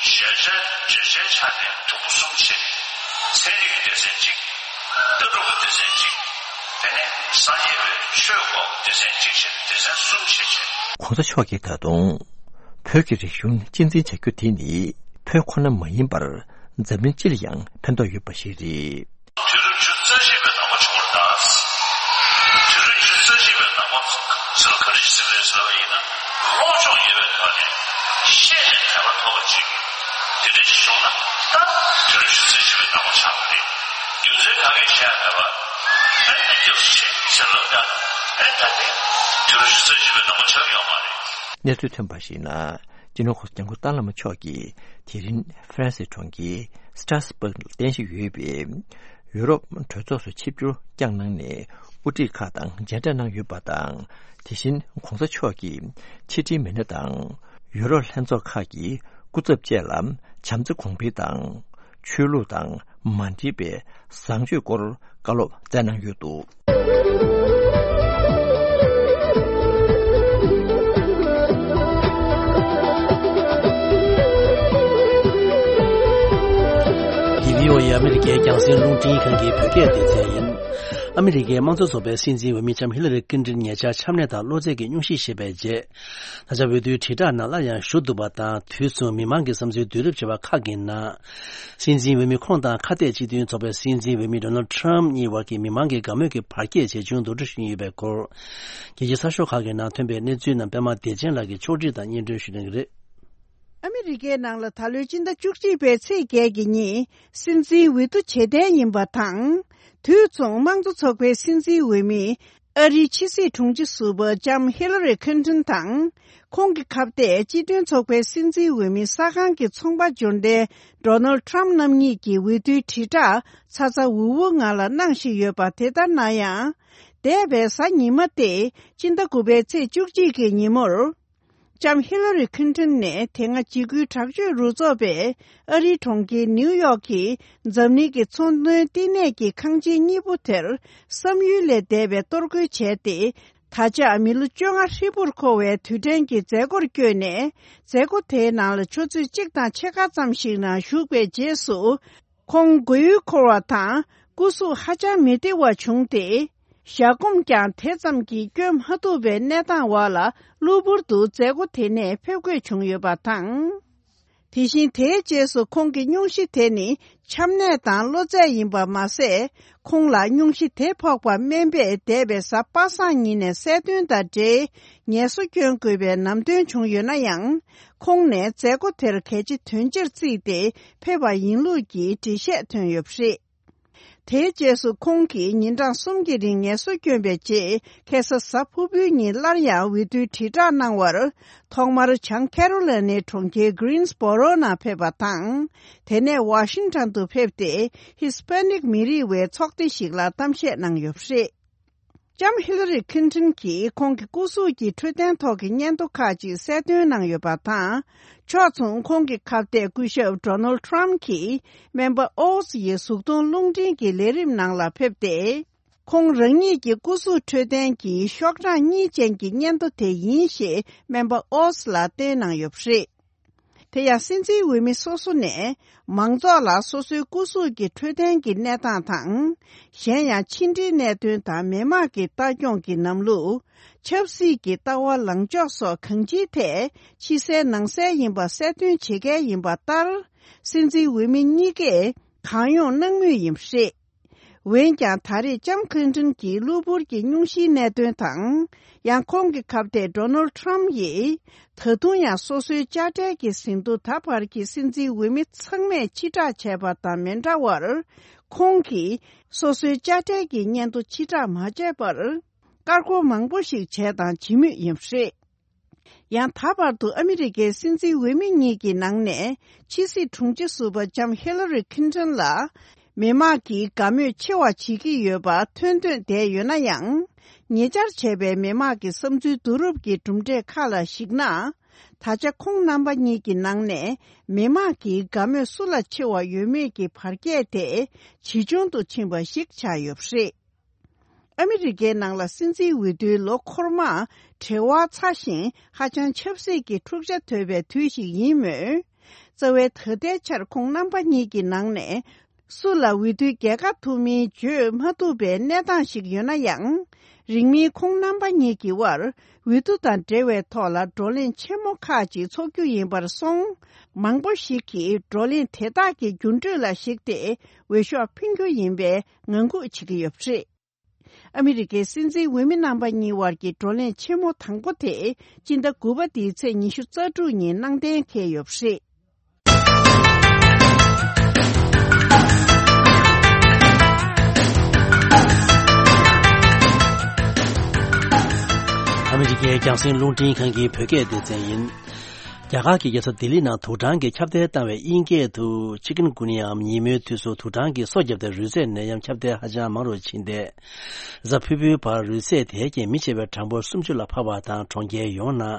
བརྗོད་བྱ་བརྗོད་བྱའི་ཆ་ནས་དུམ་བུ་གསུམ་ཕྱེ་ནས་ཚན་རིག་གི་སྡེ་ཚན་གཅིག་ལྟ་གྲུབ་ཀྱི་སྡེ་ཚན་གཅིག་དེ་ནས་སངས་རྒྱས་པའི་ཆོས་སྐོར་གྱི་སྡེ་ཚན་གཅིག་བྱས་ནས་སྡེ་ཚན་གསུམ་ཕྱེ་བྱས། ༸གོང་ས་མཆོག་གིས་ད་དུང་བོད་ཀྱི་རིག་གཞུང་གཅེས་འཛིན་བྱ་རྒྱུ་དེ་ནི་བོད་ཁོ་ན་མ་ཡིན་པར་འཛམ་གླིང་སྤྱི་ལ་ཡང་ཕན་ཐོགས་ཡོད་པ་ཞིག་རེད། དུས་རབས་བཅུ་རྩ་གཅིག་པའི་ནང་པ་བྱུང་བར་གདའ། དུས་རབས་བཅུ་རྩ་གཅིག་པའི་ནང་པ་ཚོ་ལ་ག་རེ་ཞིག་ཟེར་རེད་ཟེར་བ་ཡིན་ན། སློབ་སྦྱོང་ཡོད་པའི་ཐོག་ནས་ཤེས་ནས་དད་པ་ཐོབ་པ་ཅིག་དེ་འདྲ་ཞིག་བྱུང་ན་ད་དུས་རབས་བཅུ་རྩ་གཅིག་པའི་ནང་པ་ཆགས་པ་རེད། རྒྱུ་མཚན་ག་གེ་བཤད་མེད་པ། ཨེ་ད་སྐྱབས་སུ་མཆི་ཟེར་ལབ་ཀྱང་ཨེ་ད་དེ་དུས་རབས་བཅུ་རྩ་གཅིག་པའི་ནང་པ་ཆགས་ཡོད་མ་རེད། གནས་ཚུལ་ཐོན་པར་གཞིགས་ན། སྤྱི་ནོར་༸གོང་ས་༸སྐྱབས་མགོན་ཏཱ་བླ་མ་མཆོག་གིས་དེ་རིང་ཧྥ་རན་སིའི་གྲོང་ཁྱེར་སི་ཏྲ་སི་བྷག་ལ་རྟེན་གཞི་ཡོད་པའི་ཡུ་རོབ་གྲོས་ཚོགས་སུ་ཆིབས་བསྒྱུར་བསྐྱངས་གནང་ནས་དབུ་ཁྲིད་ཁག་དང་མཇལ་འཕྲད་གནང་ཡོད་པ་དང་། དེ་བཞིན་༸གོང་ས་མཆོག་གིས་ཕྱི་དྲིལ་མི་སྣ་དང་ཡུ་རོབ་ལྷན་ཚོགས་ཁག་གི་སྐུ་ཚབ་བཅས་ལ་བྱམས་བརྩེ་གོང་འཕེལ་དང་། ཆོས་ལུགས་དང་མ་འདྲེས་པའི་བཟང་སྤྱོད་སྐོར་བཀའ་སློབ་སྩལ་གནང་ཡོད་འདུག་འདི་བྷི་ཨོ་ཨེ་ཨ་མི་རི་ཀའི་རྒྱང་སྲིང་རླུང་འཕྲིན་ཁང་གི་བོད་སྐད་སྡེ་ཚན་ཡིན། ཨ་མི་རི་ཀའི་དམངས་གཙོ་ཚོགས་པའི་སྲིད་འཛིན་འོས་མི་ལྕམ་ཧི་ལ་རི་ཀླིན་ཏོན་ཉེ་ཆར་ཆམ་ནད་དང་གློ་ཚད་ཀྱི་སྙུང་གཞི་བཞེས་པའི་རྗེས། ད་ཆ་འོས་བསྡུའི་དྲིལ་བསྒྲགས་ནང་སླར་ཡང་ཞུགས་འདུག་པ་དང་། དུས་མཚུངས་མི་མང་གི་བསམ་ཚུལ་བསྡུ་རུབ་བྱས་པ་ཁག་གི་ནང་། སྲིད་འཛིན་འོས་མི་ཁོང་དང་ཁ་གཏད་སྤྱི་མཐུན་ཚོགས་པའི་སྲིད་འཛིན་འོས་མི་ཌོ་ནལ་ཌི་ཊརམ་གཉིས་བར་གྱི་མི་མང་གི་དགའ་མོས་ཀྱི་བར་ཁྱད་ཇེ་ཆུང་དུ་འགྲོ་བཞིན་ཡོད་པའི་སྐོར། རྒྱལ་སྤྱིའི་གསར་ཤོག་ཁག་གི་ནང་ཐོན་པའི་གནས་ཚུལ་རྣམས་པད་མ་བདེ་ཆེན་ལགས་ཀྱིས་ཕྱོགས་སྒྲིག་དང་སྙན་སྒྲོན་ཞུ་གནང་གི་རེད། ཨ་མི་རི་ཀའི་ནང་ལ་ད་ལོའི་སྤྱི་ཟླ་བཅུ་གཅིག་པའི་ཚེས་བརྒྱད་ཀྱི་ཉིན་སྲིད་འཛིན་འོས་བསྡུ་བྱེད་གཏན་ཡིན་པ་དང་། དུས་མཚུངས་དམངས་གཙོ་ཚོགས་པའི་སྲིད་འཛིན་འོས་མི། ཨ་རིའི་ཕྱི་སྲིད་དྲུང་ཆེ་ཟུར་པ་ལྕམ་ཧི་ལ་རི་ཁིན་ཏོན་དང་། ཁོང་གི་ཁ་གཏད་སྤྱི་མཐུན་ཚོགས་པའི་སྲིད་འཛིན་འོས་མི་ས་ཁང་གི་ཚོང་པ་འབྱོར་ལྡན་ཌོ་ནལ་ཌི་ཊརམ་རྣམ་གཉིས་ཀྱི་འོས་བསྡུའི་དྲིལ་བསྒྲགས་ཚ་ཚ་འུར་འུར་ངང་ལ་གནང་བཞིན་ཡོད་པ་དེ་ལྟར་ན་ཡང་། འདས་པའི་གཟའ་ཉི་མ་སྟེ་སྤྱི་ཟླ་དགུ་པའི་ཚེས་བཅུ་གཅིག་གི་ཉིན་མོར། ལྕམ་ཧི་ལ་རི་ཁིན་ཏོན་ནས་དེ་སྔ་འཇིགས་སྐུལ་དྲག་སྤྱོད་རུ་ཚོགས་པས་ཨ་རིའི་གྲོང་ཁྱེར་ནིའུ་ཡོག་གི་འཛམ་གླིང་གི་ཚོང་དོན་བསྟི་གནས་ཀྱི་ཁང་ཆེན་གཉིས་པོ་དེར་བསམ་ཡུལ་ལས་འདས་པའི་གཏོར་རྒོལ་བྱས་ཏེ། ད་ཆ་མི་ལོ་བཅོ་ལྔ་ཧྲིལ་པོར་འཁོར་བའི་དུས་དྲན་གྱི་མཛད་སྒོར་བསྐྱོད་ནས། མཛད་སྒོ་དེའི་ནང་ལ་ཆུ་ཚོད་གཅིག་དང་ཕྱེད་ཀ་ཙམ་ཞིག་ནང་ཞུགས་པའི་རྗེས་སུ། ཁོང་མགོ་ཡུ་འཁོར་བ་དང་སྐུ་གཟུགས་ཧ་ཅང་མི་བདེ་བ་བྱུང་སྟེ། ཞག་འགོམ་ཀྱང་དེ་ཙམ་གྱིས་སྐྱོན་མ་ཐུབ་པའི་གནས་སྟངས་འོག་ལ། གློ་བུར་དུ་མཛད་སྒོ་དེ་ནས་ཕེབས་དགོས་བྱུང་ཡོད་པ་དང་། དེ་བཞིན་དེའི་རྗེས་སུ་ཁོང་གི་སྙུང་གཞི་དེ་ནི་ཆམ་ནད་དང་གློ་ཚད་ཡིན་པ་མ་ཟད། ཁོང་ལ་སྙུང་གཞི་དེ་ཕོག་པ་སྨན་པས་འདས་པའི་གཟའ་པ་སངས་ཉིན་ནས་གསལ་སྟོན་དང་འབྲེལ་ངལ་གསོ་སྐྱོན་དགོས་པའི་ནམ་སྟོན་བྱུང་ཡོད་ན་ཡང་། ཁོང་ནས་མཛད་སྒོ་དེར་གལ་ཆེ་དོན་ཆེར་བརྩིས་ཏེ་ཕེབས་པ་ཡིན་ལུགས་ཀྱི་འགྲེལ་བཤད་ཐོན་ཡོད་པ་རེད། དེའི་རྗེས་སུ་ཁོང་གིས་ཉིན་གྲངས་གསུམ་གྱི་རིང་ངལ་གསོ་བསྐྱོན་པའི་རྗེས། ཁ་སང་གཟའ་ཕུར་བུའི་ཉིན་སླར་ཡང་འོས་བསྡུའི་དྲིལ་བསྒྲགས་གནང་བར། ཐོག་མར་བྱང་ཁེ་རོ་ལི་ནའི་གྲོང་ཁྱེར་གྷི་རིན་སྦོ་རོ་ནང་ཕེབས་པ་དང་། དེ་ནས་ཝ་ཤིང་ཊོན་དུ་ཕེབས་ཏེ། ཧི་སི་པེ་ནིག་མི་རིགས་བའི་ཚོགས་སྡེ་ཞིག་ལ་གཏམ་བཤད་གནང་ཡོད་པ་རེད། ལྕམ་ཧི་ལ་རི་ཁིན་ཏོན་གྱིས་ཁོང་གི་སྐུ་གཟུགས་ཀྱི་འཕྲོད་བསྟེན་ཐོག་གི་སྙན་ཐོ་ཁག་ཅིག་གསལ་སྟོན་གནང་ཡོད་པ་དང་། ཕྱོགས་མཚུངས་ཁོང་གི་ཁ་གཏད་སྐུ་ཞབས་ཌོ་ནལ་ཌི་ཊརམ་ཕི་གྱིས་སྨན་པ་ཨོ་ཛི་ཡི་གཟུགས་མཐོང་རླུང་འཕྲིན་གྱི་ལས་རིམ་ནང་ལ་ཕེབས་ཏེ། ཁོང་རང་ཉིད་ཀྱི་སྐུ་གཟུགས་འཕྲོད་བསྟེན་གྱི་ཤོག་གྲངས་གཉིས་ཅན་གྱི་སྙན་ཐོ་དེ་ཡིན་ཞེས་སྨན་པ་ཨོ་ཛི་ལ་བསྟན་གནང་ཡོད་པ་རེད། དེ་ཡང་སྲིད་འཛིན་འོས་མི་སོ་སོ་ནས་མང་ཚོགས་ལ་སོ་སོའི་སྐུ་གཟུགས་ཀྱི་འཕྲོད་བསྟེན་གྱི་གནས་སྟངས་དང་། གཞན་ཡང་ཕྱི་འབྲེལ་གནད་དོན་དང་མི་དམངས་ཀྱི་ལྟ་སྐྱོང་གི་ལམ་ལུགས། ཆབ་སྲིད་ཀྱི་ལྟ་བ་ལངས་ཕྱོགས་སོགས་གང་ཅིའི་ཐད་ཕྱི་གསལ་ནང་གསལ་ཡིན་པ་གསལ་སྟོན་བྱེད་མཁན་ཡིན་པ་ལྟར། སྲིད་འཛིན་འོས་མི་གཉིས་ཀས་གང་ཡོང་གནང་མུས་ཡིན་པ་རེད། འོན་ཀྱང་ད་རེས་ལྕམ་ཁིན་ཏོན་གྱི་གློ་བུར་གྱི་སྙུང་གཞིའི་གནད་དོན་དང་། ཡང་ཁོང་གི་ཁ་གཏད་ཌོ་ནལ་ཌི་ཊརམ་ཕི་ཡིས་ད་དུང་ཡང་སོ་སོའི་དཔྱ་ཁྲལ་གྱི་ཟིན་ཐོ་ད་བར་གྱི་སྲིད་འཛིན་འོས་མི་ཚང་མས་ཕྱིར་བསྒྲགས་བྱས་པ་དང་མི་འདྲ་བར། ཁོང་གིས་སོ་སོའི་དཔྱ་ཁྲལ་གྱི་སྙན་ཐོ་ཕྱིར་བསྒྲགས་མ་བྱས་པར། ཀར་ཀོར་མང་པོ་ཞིག་བྱས་དང་བྱེད་མུས་ཡིན་པ་རེད། ཡང་ད་བར་དུ་ཨ་མི་རི་ཀའི་སྲིད་འཛིན་འོས་མི་གཉིས་ཀྱི་ནང་ནས་ཕྱི་སྲིད་དྲུང་ཆེ་ཟུར་པ་ལྕམ་ཧི་ལ་རི་ཁིན་ཏོན་ལ་མི་དམངས་ཀྱིས་དགའ་མོས་ཆེ་བ་བྱེད་ཀྱི་ཡོད་པ་ཐོན་ཐོན་བསྡད་ཡོད་ན་ཡང་། ཉེ་ཆར་བྱས་པའི་མི་དམངས་ཀྱི་བསམ་ཚུལ་བསྡུ་རུབ་ཀྱི་གྲུབ་འབྲས་ཁག་ལ་གཞིགས་ན། ད་ཆ་ཁོང་རྣམ་པ་གཉིས་ཀྱི་ནང་ནས་མི་དམངས་ཀྱིས་དགའ་མོས་སུ་ལ་ཆེ་བ་ཡོད་མེད་ཀྱི་བར་ཁྱད་དེ་ཇེ་ཆུང་དུ་ཕྱིན་པ་ཞིག་ཆགས་ཡོད་པ་རེད། ཨ་མི་རི་ཀའི་ནང་ལ་སྲིད་འཛིན་འོས་བསྡུའི་ལོ་འཁོར་མ་བྲེལ་བ་ཚ་ཞིང་ཧ་ཅང་ཆབ་སྲིད་ཀྱི་འཁྲུག་ཆ་དོད་པའི་དུས་ཤིག་ཡིན་མོད། རྩ་བའི་ད་ལྟའི་ཆར་ཁོང་རྣམ་པ་གཉིས་ཀྱི་ནང་ནས་སུ་ལ་འོས་བསྡུའི་རྒྱལ་ཁ་ཐོབ་མིན་བརྗོད་མ་ཐུབ་པའི་གནས་སྟངས་ཤིག་ཡོད་ན་ཡང་། རིང་མིན་ཁོང་རྣམ་པ་གཉིས་ཀྱི་དབར་འོས་བསྡུ་དང་འབྲེལ་བའི་ཐོག་ལ་བགྲོ་གླེང་ཆེན་མོ་ཁག་ཅིག་འཚོགས་རྒྱུ་ཡིན་པར་སོང་། མང་པོ་ཞིག་གིས་བགྲོ་གླེང་དེ་དག་གི་རྒྱུན་སྤྲོད་ལ་གཞིགས་ཏེ་འོས་ཤོག་འཕེན་རྒྱུ་ཡིན་པའི་ངང་སྒུག་བྱེད་ཀྱི་ཡོད་པ་རེད། ཨ་མི་རི་ཀའི་སྲིད་འཛིན་འོས་མི་རྣམ་པ་གཉིས་དབར་གྱི་བགྲོ་གླེང་ཆེན་མོ་དང་པོ་དེ་སྤྱི་ཟླ་དགུ་པ་འདིའི་ཚེས་ཉི་ཤུ་རྩ་དྲུག་ཉིན་གནང་གཏན་འཁེལ་ཡོད་པ་རེད། ཨ་མི་རི་ཀའི་རྒྱང་སྲིང་རླུང་འཕྲིན་ཁང་གི་བོད་སྐད་སྡེ་ཚན་ཡིན། རྒྱ་གར་གྱི་རྒྱལ་ས་ལྡི་ལི་ནང་དུག་སྦྲང་གིས་ཁྱབ་གདལ་བཏང་བའི་དབྱིན་སྐད་དུ་ཆི་ཀུན་གུ་ནི་ཡའམ་ཉིན་མོའི་དུས་སུ་དུག་སྦྲང་གིས་སོ་བརྒྱབ་སྟེ་རུས་ཚད་ནད་ཡམས་ཁྱབ་གདལ་ཧ་ཅང་མང་རུ་ཕྱིན་ཏེ། གཟའ་ཕུར་བུའི་བར་རུས་ཚད་དེས་ཀྱང་མི་ཆེ་བའི་གྲངས་འབོར་སུམ་ཅུ་ལ་འཕར་བ་དང་། གྲོང་ཁྱེར་ཡོངས་ནང་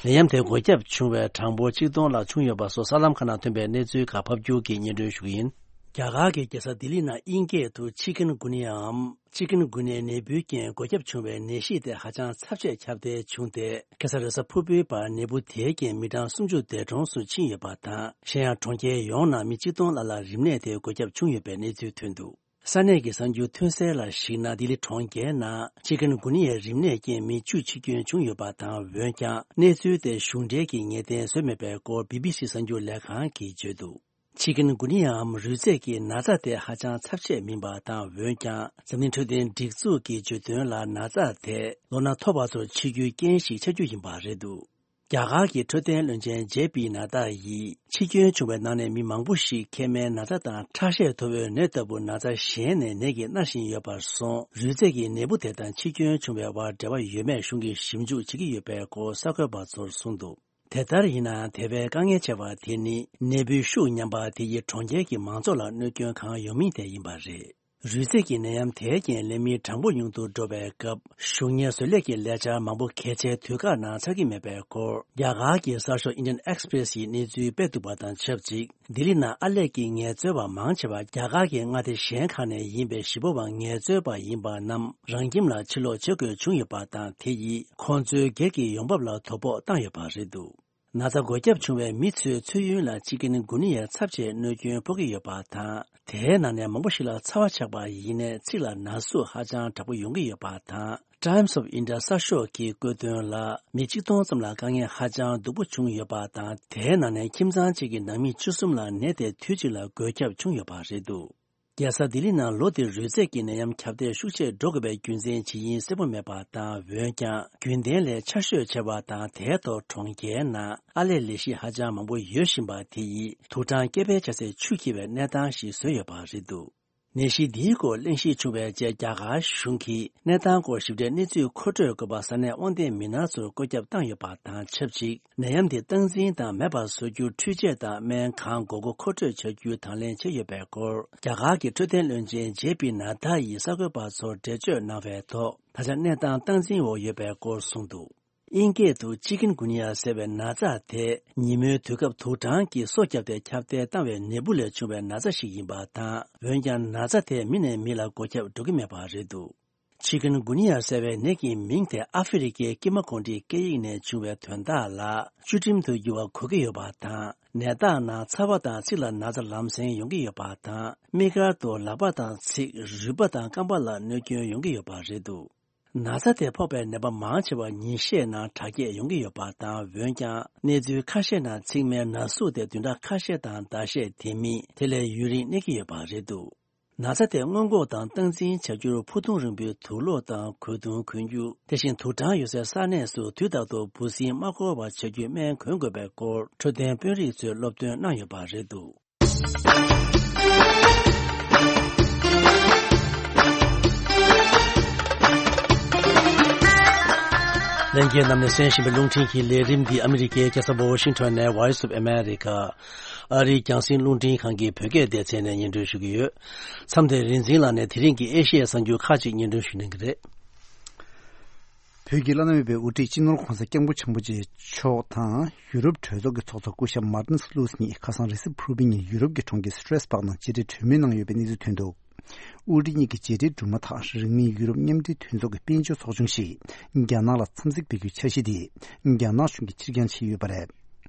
ནད་ཡམས་དེ་འགོས་ཁྱབ་བྱུང་བའི་གྲངས་འབོར་ཆིག་སྟོང་ལྷག་བྱུང་ཡོད་པ་སོགས་གསར་ལམ་ཁག་ནང་ཐོན་པའི་གནས་ཚུལ་ཁག་ཕབ་སྒྱུར་གྱིས་སྙན་སྒྲོན་ཞུ་གི་ཡིན། རྒྱ་གར་གྱི་རྒྱལ་ས་ལྡི་ལི་ནང་དབྱིན་སྐད་དུ་ཆི་ཀུན་གུ་ནི་ཡའམ། ཆི་ཀུན་གུ་ནི་ནད་འབུའི་རྐྱེན་འགོས་ཁྱབ་བྱུང་བའི་ནད་གཞི་དེ་ཧ་ཅང་ཚབས་ཆེ་ཁྱབ་གདལ་བྱུང་སྟེ། ཁ་སང་རེས་གཟའ་ཕུར་བུའི་བར་ནད་འབུ་དེའི་རྐྱེན་མི་གྲངས་སུམ་ཅུ་འདས་གྲོངས་སུ་ཕྱིན་ཡོད་པ་དང་། གཞན་ཡང་གྲོང་ཁྱེར་ཡོངས་ནང་མི་ཆིག་སྟོང་ལྷག་ལ་རིམས་ནད་དེ་འགོས་ཁྱབ་བྱུང་ཡོད་པའི་གནས་ཚུལ་ཐོན་འདུག་ས་གནས་ཀྱི་གསར་འགྱུར་ཐོན་གསལ་ལ་གཞིགས་ན། ལྡི་ལི་གྲོང་ཁྱེར་ནང་ཆི་ཀུན་གུ་ནི་ཡའི་རིམས་ནད་རྐྱེན་མི་བཅུ་འཆི་སྐྱོན་བྱུང་ཡོད་པ་དང་། འོན་ཀྱང་གནས་ཚུལ་དེ་གཞུང་འབྲེལ་གྱིས་ངེས་གཏན་བཟོས་མེད་པའི་སྐོར་བི་བི་སི་གསར་འགྱུར་ལས་ཁང་གིས་བརྗོད་འདུག་ཆི་ཀུན་གུ་ནི་ཡའམ་རུས་ཚད་ཀྱི་ན་ཚ་དེ་ཧ་ཅང་ཚབས་ཆེ་མིན་པ་དང་། འོན་ཀྱང་འཛམ་གླིང་འཕྲོད་བསྟེན་སྒྲིག་འཛུགས་ཀྱིས་བརྗོད་དོན་ལ། ན་ཚ་དེ་ལོ་ན་མཐོ་བ་ཚོར་མཆེད་རྒྱུའི་རྐྱེན་ཞིག་ཆགས་རྒྱུ་ཡིན་པ་རེད་འདུག་རྒྱ་གར་གྱི་འཕྲོད་བསྟེན་བློན་ཆེན་ཇེ་པི་ནཱ་ཏཱ་ཡིས། འཆི་སྐྱོན་བྱུང་བའི་ནང་ནས་མི་མང་པོ་ཞིག་མཁལ་མའི་ན་ཚ་དང་ཁྲག་ཤེད་མཐོ་བོའི་ནད་ལྟ་བུ་ན་ཚ་གཞན་ནས་ནད་ཀྱིས་མནར་བཞིན་ཡོད་པར་སོང་། རུས་ཚད་ཀྱི་ནད་འབུ་དེ་དང་འཆི་སྐྱོན་བྱུང་བའི་དབར་འབྲེལ་བ་ཡོད་མེད་གཞུང་གིས་ཞིབ་འཇུག་བྱེད་ཀྱི་ཡོད་པའི་སྐོར་གསར་འགོད་པ་ཚོར་གསུངས་འདུག་དེ་ལྟར་ཡིན་ནའང་། དེ་བས་དཀའ་ངལ་ཆེ་བ་དེ་ནི་ནད་འབུའི་ཤུགས་ཉམས་པ་དེ་ཡིས་གྲོང་ཁྱེར་གྱི་མང་ཚོགས་ལ་གནོད་སྐྱོན་གང་ཡོང་མིན་དེ་ཡིན་པ་རེད། རུས་ཚད་ཀྱི་ནད་ཡམས་དེའི་རྐྱེན་ལས་མི་གྲངས་འབོར་ཉུང་དུ་འགྲོ་བའི་སྐབས། གཞུང་གཉེར་བཟོ་ལས་ཀྱི་ལས་འཆར་མང་པོ་གལ་ཆེའི་དུས་བཀག་ནང་ཚར་གྱི་མེད་པའི་སྐོར། རྒྱ་གར་གྱི་གསར་ཤོག་Indian Express་ཡིས་གནས་ཚུལ་སྤེལ་འདུག་པ་དང་ཆབས་ཅིག་ལྡི་ལི་ནང་ཨར་ལས་ཀྱི་ངལ་རྩོལ་བ་མང་ཆེ་བ་རྒྱ་གར་གྱི་མངའ་སྡེ་གཞན་ཁག་ནས་ཡིན་པའི་གཞིས་སྤོ་བ་ངལ་རྩོལ་པ་ཡིན་པ་རྣམས་རང་ཁྱིམ་ལ་ཕྱིར་ལོག་བྱེད་དགོས་བྱུང་ཡོད་པ་དང་། དེ་ཡིས་ཁོང་ཚོའི་སྒེར་གྱི་ཡོང་འབབ་ལ་དོ་ཕོག་བཏང་ཡོད་པ་རེད་འདུག་ན་ཚ་འགོས་ཁྱབ་བྱུང་བའི་མི་ཚོའི་ཚོས་ཡུན་ལ་ཅི་ཀུན་གུ་ནི་ཡའི་ཚབས་ཆེའི་གནོད་སྐྱོན་ཕོག་གི་ཡོད་པ་དང་། དེའི་ནང་ནས་མང་པོ་ཞིག་ལ་ཚ་བ་ཆགས་པ་ཡིན་ནའི་ཚིགས་ལ་ན་ཟུག་ཧ་ཅང་དྲག་པོ་ཡོང་གི་ཡོད་པ་དང་། Times of India གསར་ཤོག་གིས་བཀོད་དོན་ལ། མི་གཅིག་སྟོང་ཙམ་ལ་དཀའ་ངལ་ཧ་ཅང་སྡུག་པོ་བྱུང་ཡོད་པ་དང་། དེའི་ནང་ནས་ཁྱིམ་ཚང་གཅིག་གི་ནང་མི་བཅུ་གསུམ་ལ་ནད་དེ་དུས་གཅིག་ལ་འགོས་ཁྱབ་བྱུང་ཡོད་པ་རེད་འདུག་རྒྱལ་ས་ལྡི་ལི་ནང་ལོ་འདིར་རོས་ཚད་ཀྱི་ནད་ཡམས་ཁྱབ་གདལ་ཤུགས་ཆེར་འགྲོ་དགོས་པའི་རྒྱུ་མཚན་ཇི་ཡིན་གསལ་པོ་མེད་པ་དང་། འོན་ཀྱང་རྒྱུན་ལྡན་ལས་ཆར་ཞོད་ཆེ་བ་དང་། དེའི་ཐོག་གྲོང་ཁྱེར་ནང་ཨར་ལས་ལས་གཞི་ཧ་ཅང་མང་པོ་ཡོད་བཞིན་པ་དེ་ཡིས་དུག་སྦྲང་སྐྱེ་འཕེལ་བྱ་སའི་ཆུ་འཁྱིལ་བའི་གནས་སྟངས་ཤིག་བཟོས་ཡོད་པ་རེད་འདུག་ནད་གཞི་འདིའི་སྐོར་གླེང་གཞི་བྱུང་བའི་རྗེས། རྒྱ་གར་གཞུང་གིས་གནས་སྟངས་སྐོར་ཞིབ་ཕྲའི་གནས་ཚུལ་མཁོ་སྤྲོད་དགོས་པ་ས་གནས་དབང་ལྡན་མི་སྣ་ཚོར་བཀོད་ཁྱབ་བཏང་ཡོད་པ་དང་ཆབས་ཅིག་ནད་ཡམས་འདི་སྟངས་འཛིན་དང་མེད་པར་བཟོ་རྒྱུར་འཕྲུལ་ཆས་དང་སྨན་གང་དགོས་མཁོ་མཁོ་སྤྲོད་བྱ་རྒྱུའི་དང་ལེན་བྱས་ཡོད་པའི་སྐོར། རྒྱ་གར་གྱི་འཕྲོད་བསྟེན་བློན་ཆེན་ཇེ་པི་ནཱ་ད་ཡིས་གསར་འགོད་པ་ཚོར་འགྲེལ་བརྗོད་གནང་བའི་ཐོག་ད་ཆ་གནས་སྟངས་སྟངས་འཛིན་འོག་ཡོད་པའི་སྐོར་གསུངས་འདུག་དབྱིན་སྐད་དུ་ཅི་ཀུན་གུ་ནི་ཡ་ཟེར་བའི་ན་ཚ་དེ། ཉིན་མོའི་དུས་སྐབས་དུག་སྦྲང་གིས་སོ་བརྒྱབ་སྟེ་ཁྱབ་གདལ་བཏང་བའི་ནད་འབུ་ལས་བྱུང་བའི་ན་ཚ་ཞིག་ཡིན་པ་དང་། འོན་ཀྱང་ན་ཚ་དེ་མི་ནས་མི་ལ་འགོས་ཁྱབ་འགྲོ་གི་མེད་པ་རེད་འདུག་ཅི་ཀུན་གུ་ནི་ཡ་ཟེར་བའི་ནད་ཀྱི་མིང་དེ་ཨ་ཧྥེ་རི་ཁའི་ཀི་མ་གོང་ཁྲིའི་སྐད་ཡིག་ནས་བྱུང་བའི་དོན་དག་ལ། བཅུད་ཁྲིམས་དུ་འགྱུར་བ་གོ་གི་ཡོད་པ་དང་། ནད་རྟགས་ནང་ཚ་བ་དང་ཚིགས་ལ་ན་ཚ་ལམ་སེང་ཡོང་གི་ཡོད་པ་དང་། དམིགས་བཀར་དུ་ལག་པ་དང་ཚིགས། རུས་པ་དང་རྐང་པ་ལ་གནོད་སྐྱོན་ཡོང་གི་ཡོད་པ་རེད་འདུག་ན་ཚ་དེ་ཕོག་པའི་ནད་པ་མང་ཆེ་བ་ཉིན་ཤས་ནང་དྲག་སྐྱེད་ཡོང་གི་ཡོད་པ་དང་། འོན་ཀྱང་གནས་ཚུལ་ཁ་ཤས་ནང་ཚིགས་མའི་ན་ཟུག་དེ་བདུན་ཕྲག་ཁ་ཤས་དང་ཟླ་ཤས། དེ་མིན་དེ་ལས་ཡུན་རིང་གནས་ཀྱི་ཡོད་པ་རེད་འདུག་ན་ཚ་དེ་སྔོན་འགོག་དང་སྟངས་འཛིན་བྱ་རྒྱུར་ཕུ་ཐུང་རིང་པོའི་དུག་སློག་དང་གོས་ཐུང་གོན་རྒྱུ། དེ་བཞིན་དུག་སྦྲང་ཡོད་སའི་ས་གནས་སུ་དུས་རྟག་ཏུ་འབུ་སྲིན་མ་འཁོར་བ་བྱ་རྒྱུའི་སྨན་གོན་དགོས་པའི་སྐོར་འཕྲོད་བསྟེན་དཔོན་རིགས་ཚོས་སློབ་སྟོན་གནང་ཡོད་པ་རེད་འདུག་ལྷན་རྒྱས་རྣམས་ནས་གསན་བཞིན་པའི་རླུང་འཕྲིན་གྱི་ལས་རིམ་འདི་ཨ་མི་རི་ཀའི་རྒྱལ་ས་ཝ་ཤིང་ཊོན་ནས་Voice of America ཨ་རིའི་རྒྱང་སྲིང་རླུང་འཕྲིན་ཁང་གི་བོད་སྐད་སྡེ་ཚན་ནས་སྙན་སྒྲོན་ཞུ་གི་ཡོད། མཚམས་དེར་རིག་འཛིན་ལགས་ནས་དེ་རིང་གི་ཨེ་ཤི་ཡའི་གསར་འགྱུར་ཁག་ཅིག་སྙན་སྒྲོན་ཞུ་གནང་གི་རེད། བོད་ཀྱི་བླ་ན་མེད་པའི་དབུ་ཁྲིད་སྤྱི་ནོར་༧གོང་ས་༧སྐྱབས་མགོན་ཆེན་པོ་མཆོག་དང་ཡུ་རོབ་གྲོས་ཚོགས་ཀྱི་ཚོགས་གཙོ་སྐུ་ཞབས་མར་ཏིན་སི་ལུས་གཉིས་ཁ་སང་རེས་གཟའ་ཕུར་བུའི་ཉིན་ཡུ་རོབ་ཀྱི་གྲོང་ཁྱེར་སི་ཊེ་སི་བྷག་ནང་མཇལ་འཕྲད་གྲོས་མོལ་གནང་ཡོད་པའི་གནས་ཚུལ་ཐོན་འདུག་དབུ་ཁྲིད་གཉིས་ཀྱི་མཇལ་འཕྲད་གྲུབ་མ་ཐག་རིང་མིན་ཡུ་རོབ་མཉམ་འབྲེལ་མཐུན་ཚོགས་ཀྱི་དཔལ་འབྱོར་ཚོགས་ཆུང་ཞིག་རྒྱ་ནག་ལ་འཚམས་གཟིགས་ཕེབས་རྒྱུའི་འཆར་གཞི་དེ་རྒྱ་ནག་གཞུང་གིས་ཕྱིར་འགྱངས་བྱས་ཡོད་པ་རེད།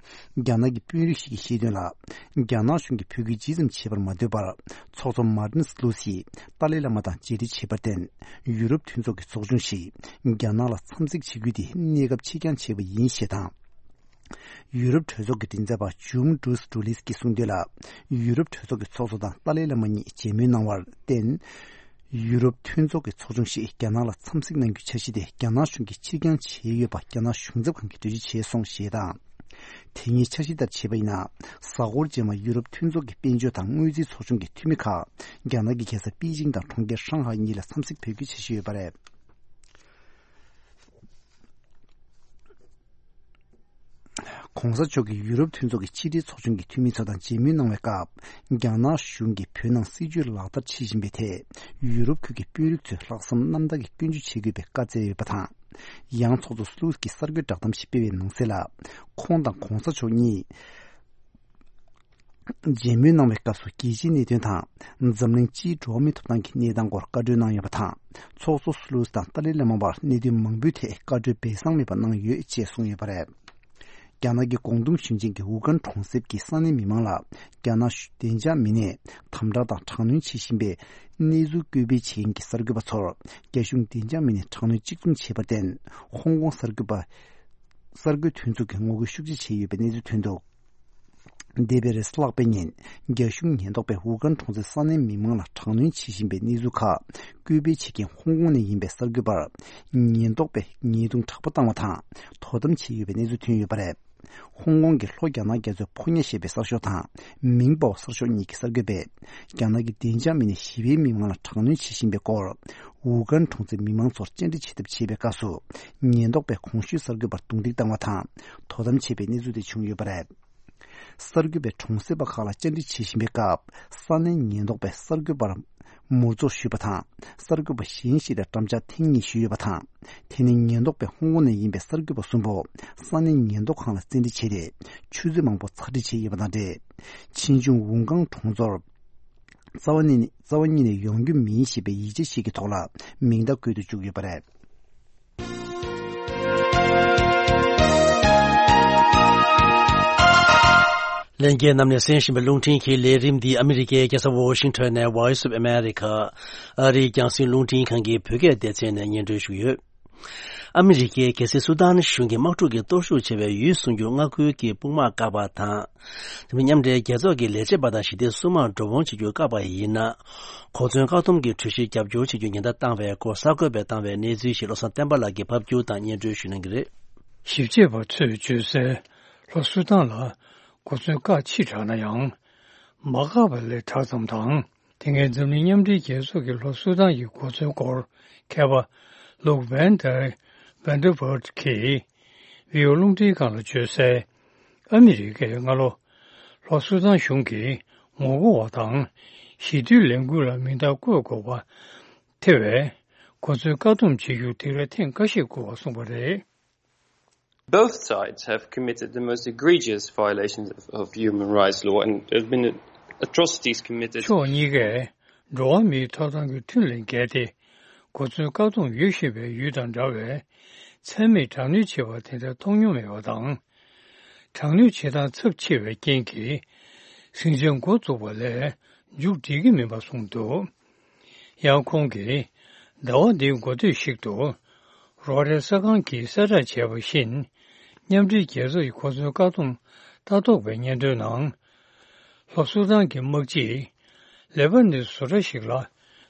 རྒྱ་ནག་གི་དཔོན་རིགས་ཤིག་གིས་བཤད་དོན་ལ། རྒྱ་ནག་གཞུང་གིས་བོད་སྐད་ཇི་ཙམ་བྱེད་པར་མ་འདོད་པར། ཚོགས་གཙོ་མར་ཏིན་སི་ལུ་སིས་ཏཱ་ལའི་བླ་མ་དང་མཇལ་འཕྲད་བྱས་པར་བརྟེན། ཡུ་རོབ་མཐུན་ཚོགས་ཀྱི་ཚོགས་ཆུང་ཞིག་རྒྱ་ནག་ལ་འཚམས་གཟིགས་བྱེད་རྒྱུ་དེ་གནས་སྐབས་ཕྱིར་འགྱངས་བྱས་པ་ཡིན་ཞེས་དང་། ཡུ་རོབ་གྲོས་ཚོགས་ཀྱི་མགྲིན་ཚབ་པ་ཇུམ་ཌུས་ཌུ་ལིས་ཀྱིས་གསུངས་དོན་ལ། ཡུ་རོབ་གྲོས་ཚོགས་ཀྱི་ཚོགས་གཙོ་དང་ཏཱ་ལའི་བླ་མ་གཉིས་མཇལ་མོལ་གནང་བར་བརྟེན། ཡུ་རོབ་མཐུན་ཚོགས་ཀྱི་ཚོགས་ཆུང་ཞིག་རྒྱ་ནག་ལ་འཚམས་གཟིགས་གནང་རྒྱུའི་འཆར་གཞི་དེ་རྒྱ་ནག་གཞུང་གིས་ཕྱིར་འགྱངས་བྱས་ཡོད་པ་རྒྱ་ནག་གཞུང་ཚབ་ཁང་གིས་འགྲེལ་བརྗོད་བྱས་སོང་ཞེས་དང་། དེ་སྔའི་འཆར་གཞི་ལྟར་བྱས་པ་ཡིན་ན། གཟའ་འཁོར་རྗེས་མ་ཡུ་རོབ་མཐུན་ཚོགས་ཀྱི་དཔལ་འབྱོར་དང་དངུལ་རྩིས་ཚོགས་ཆུང་གི་འཐུས་མི་ཁག་རྒྱ་ནག་གི་རྒྱལ་ས་པེ་ཅིང་དང་གྲོང་ཁྱེར་ཧྲང་ཧའེ་གཉིས་ལ་འཚམས་གཟིགས་ཕེབས་རྒྱུའི་འཆར་གཞི་ཡོད་པ་རེད། ༸གོང་ས་མཆོག་གིས་ཡུ་རོབ་མཐུན་ཚོགས་ཀྱི་ཕྱི་འབྲེལ་ཚོགས་ཆུང་གི་འཐུས་མི་ཚོ་དང་མཇལ་མོལ་གནང་བའི་སྐབས། རྒྱ་ནག་གཞུང་གིས་བོད་ནང་སྲིད་བྱུས་ལག་བསྟར་བྱེད་བཞིན་པའི་ཐད། ཡུ་རོབ་ཁུལ་གྱི་དཔོན་རིགས་ཚོས་ལྷག་བསམ་རྣམ་དག་གིས་སྐྱོན་བརྗོད་བྱེད་དགོས་པའི་བཀའ་སྩལ་ཡོད་པ་དང་། ཡང་ཚོགས་གཙོ་སུ་ལུ་སི་ཀྱིས་གསར་འགོད་བསྒྲགས་གཏམ་ཞིག་སྤེལ་བའི་ནང་གསལ་ལ། ཁོང་དང་༸གོང་ས་མཆོག་གཉིས་མཇལ་མོལ་གནང་བའི་སྐབས་སུ་རྒྱལ་སྤྱིའི་གནད་དོན་དང་། འཛམ་གླིང་སྤྱིའི་འགྲོ་བ་མིའི་ཐོབ་ཐང་གི་གནས་སྟངས་སྐོར་བཀའ་འཁྲོལ་གནང་ཡོད་པ་དང་། ཚོགས་གཙོ་སུ་ལུ་སི་དང་ཏཱ་ལའི་བླ་མ་བར་གནད་དོན་མང་པོའི་ཐད་བཀའ་འཁྲོལ་སྦས་གསང་མེད་པ་གནང་ཡོད་ཅེས་གསུངས་ཡོད་པ་རེད། རྒྱ་ནག་གི་ཀོང་ཏུང་ཞིང་ཆེན་གྱི་ཝུ་ཀན་གྲོང་གསེབ་ཀྱི་ས་གནས་མི་མང་ལ། རྒྱ་ནག་བདེ་འཇགས་མི་སྣས་དམ་དྲག་དང་དྲག་གནོན་བྱེད་བཞིན་པའི་གནས་ཚུལ་བཀོད་སྤེལ་བྱེད་མཁན་གྱི་གསར་འགོད་པ་ཚོར། རྒྱ་གཞུང་བདེ་འཇགས་མི་སྣས་དྲག་གནོན་གཅིག་མཚུངས་བྱས་པར་བརྟེན། ཧོང་ཀོང་གསར་འགོད་པ། གསར་འགོད་མཐུན་ཚོགས་ཀྱིས་ངོ་རྒོལ་ཤུགས་ཆེ་བྱས་ཡོད་པའི་གནས་ཚུལ་ཐོན་འདུག་འདས་པའི་རེས་གཟའ་ལྷག་པའི་ཉིན། རྒྱ་གཞུང་ཉེན་རྟོག་པས་ཝུ་ཀན་གྲོང་གསེབ་ས་གནས་མི་མང་ལ་དྲག་གནོན་བྱེད་བཞིན་པའི་གནས་ཚུལ་ཁག་བཀོད་སྤེལ་བྱེད་མཁན་ཧོང་ཀོང་ནས་ཡིན་པའི་གསར་འགོད་པར། ཉེན་རྟོག་པས་ཉེས་རྡུང་དྲག་པོ་བཏང་བ་དང་། དོ་དམ་བྱས་ཡོད་པའི་གནས་ཚུལ་ཐོན་ཡོད་པ་རེད། ཧོང་ཀོང་གི་ལྷོ་རྒྱ་ནག་རྒྱ་མཚོའི་ཕོ་ཉ་ཞེས་པའི་གསར་ཤོག་དང་། མིང་པའོ་གསར་ཤོག་གཉིས་ཀྱི་གསར་འགོད་པས། རྒྱ་ནག་གི་བདེ་འཇགས་མི་སྣས་ཞི་བའི་མི་མང་ལ་དྲག་གནོན་བྱེད་བཞིན་པའི་སྐོར། ཝུ་ཀན་གྲོང་གསེབ་མི་མང་ཚོར་བཅར་འདྲི་བྱེད་ཐབས་བྱེད་པའི་སྐབས་སུ། ཉེན་རྟོག་པས་གོང་ཞུས་གསར་འགོད་པར་རྡུང་རྡེག་བཏང་བ་དང་། དོ་དམ་བྱས་པའི་གནས་ཚུལ་དེ་བྱུང་ཡོད་པ་རེད། གསར་འགོད་པས་གྲོང་གསེབ་པ་ཁག་ལ་བཅར་འདྲི་བྱེད་བཞིན་པའི་སྐབས། ས་གནས་ཉེན་རྟོག་པས་གསར་འགོད་པར་མུར་འཛོགས་ཞུས་པ་དང་། གསར་འགོད་པ་གཞན་ཞིག་ལ་འགྲམ་ལྕག་ཐེངས་གཉིས་གཞུས་ཡོད་པ་དང་། དེ་ནི་ཉེན་རྟོག་པས་ཧོང་ཀོང་ནས་ཡིན་པའི་གསར་འགོད་པ་གསུམ་པོ་ས་གནས་ཉེན་རྟོག་ཁང་ལ་བཙན་ཁྲིད་བྱས་ཏེ། ཆུ་ཚོད་མང་པོ་ཚ་འདྲི་བྱས་ཡོད་པ་དང་འབྲེལ། ཆེན་ཆུང་ཝུང་ཀང་གྲོང་ཚོར། རྩ་བ་ནས་རྩ་བ་ཉིད་ནས་ཡོང་རྒྱུ་མིན་ཞེས་པའི་ཡིག་ཆ་ཞིག་གི་ཐོག་ལ་མིང་རྟགས་བཀོད་དུ་བཅུག་ཡོད་པ་རེད། ལྷན་རྒྱས་རྣམས་ནས་གསན་བཞིན་པའི་རླུང་འཕྲིན་གྱི་ལས་རིམ་འདི་ཨ་མི་རི་ཀའི་རྒྱལ་ས་ཝོ་ཤིང་ཊོན་ནས་Voice of America ཨ་རིའི་རྒྱང་སྲིང་རླུང་འཕྲིན་ཁང་གི་བོད་སྐད་སྡེ་ཚན་ནས་སྙན་སྒྲོན་ཞུས་ཡོད། ཨ་མི་རི་ཀའི་རྒྱལ་སྲིད་སུ་དཱན་གཞུང་གིས་དམག་འཁྲུག་གི་སྟོབས་ཤུགས་ཆེ་བའི་ཡུལ་སྲུང་རྒྱུར་མངའ་ཁུལ་གྱི་དཔུང་དམག་བཀག་པ་དང་། དེ་མིན་མཉམ་འབྲེལ་རྒྱལ་ཚོགས་ཀྱི་ལས་བྱེད་པ་དང་ཞི་བདེའི་སྲུང་དམག་འགྲོ་འོང་བྱེད་རྒྱུར་བཀག་པ་ཡིན་ན། གོ་མཚོན་བཀག་སྡོམ་གྱི་གྲོས་གཞིར་རྒྱབ་སྐྱོར་བྱེད་རྒྱུ་ཉེན་བརྡ་བཏང་བའི་སྐོར་གསར་འགོད་པས་བཏང་བའི་གནས་ཚུལ་ཞིག་བློ་བཟང་བསྟན་པ་ལགས་ཀྱིས་ཕབ་སྒྱུར་དང་སྙན་སྒྲོན་ཞུ་གནང་གི་རེད། ཞིབ་དཔྱད་པ་ཚོས་བརྗོད་གསལ། ལྷོ་སུ་དཱན་ལ་གོ་མཚོན་བཀག་ཕྱིས་དྲགས་ན་ཡང་། མ་བཀག་པ་ལས་དྲག་ཙམ་དང་། དེ་སྔའི་འཛམ་གླིང་མཉམ་འབྲེལ་རྒྱལ་ཚོགས་ཀྱི་ལྷོ་སུ་དཱན་གྱི་གོ་མཚོན་སྐོར་མཁས་པ་ལུག་ཝན་ཏེར་ཝན་ཏེར་བྷར་གྱིས་བི་ཨོ་རླུང་འཕྲིན་ཁང་ལ་བརྗོད་གསལ། ཨ་མི་རི་ཀས་སྔ་ལོ་ལྷོ་སུ་དཱན་གཞུང་གིས་ངོ་རྒོལ་བ་དང་ཞི་དུལ་ལས་འགུལ་ལ་མིང་རྟགས་བཀོད་དགོས་པ་ཐེ་བའི་གོ་མཚོན་བཀག་སྡོམ་བྱེད་རྒྱུ་དེ་རིང་ཐེངས་འགའ་ཞིག་བསྐུལ་བ་གསུངས་པ་རེད། Both sides have committed the most egregious violations of, of human rights law, and there have been atrocities committed. ཕྱོགས་གཉིས་ཀས་འགྲོ་བ་མིའི་ཐོབ་ཐང་གི་ཁྲིམས་ལས་འགལ་ཏེ། གོ་མཚོན་བཀག་སྡོམ་ཡོད་བཞིན་པའི་ཡུལ་དང་འདྲ་བའི་མཚན་མེད་དྲག་གནོན་བྱེད་པ་དེ་འདྲ་མཐོང་མྱོང་མེད་པ་དང་། དྲག་གནོན་བྱེད་སྟངས་ཚབས་ཆེ་བའི་རྐྱེན་གྱིས། ཟིང་ཆ་འགོ་བཙུགས་པ་ལས་མཇུག་སྒྲིལ་གྱི་མིན་པ་གསུངས་འདུག་ཡང་ཁོང་གིས་ཟླ་བ་འདིའི་འགོ་སྟོད་ཞིག་ཏུ། རོ་ཊར་གསར་ཁང་གིས་གསལ་བསྒྲགས་བྱས་པ་བཞིན། མཉམ་འབྲེལ་རྒྱལ་ཚོགས་ཀྱི་གོ་མཚོན་བཀག་སྡོམ་ལྟ་རྟོག་པའི་སྙན་ཐོའི་ནང་། ལྷོ་སུ་དཱན་གྱི་དམག་སྤྱིས་ལེ་པ་ནོས་བཟོ་གྲྭ་ཞིག་ལ་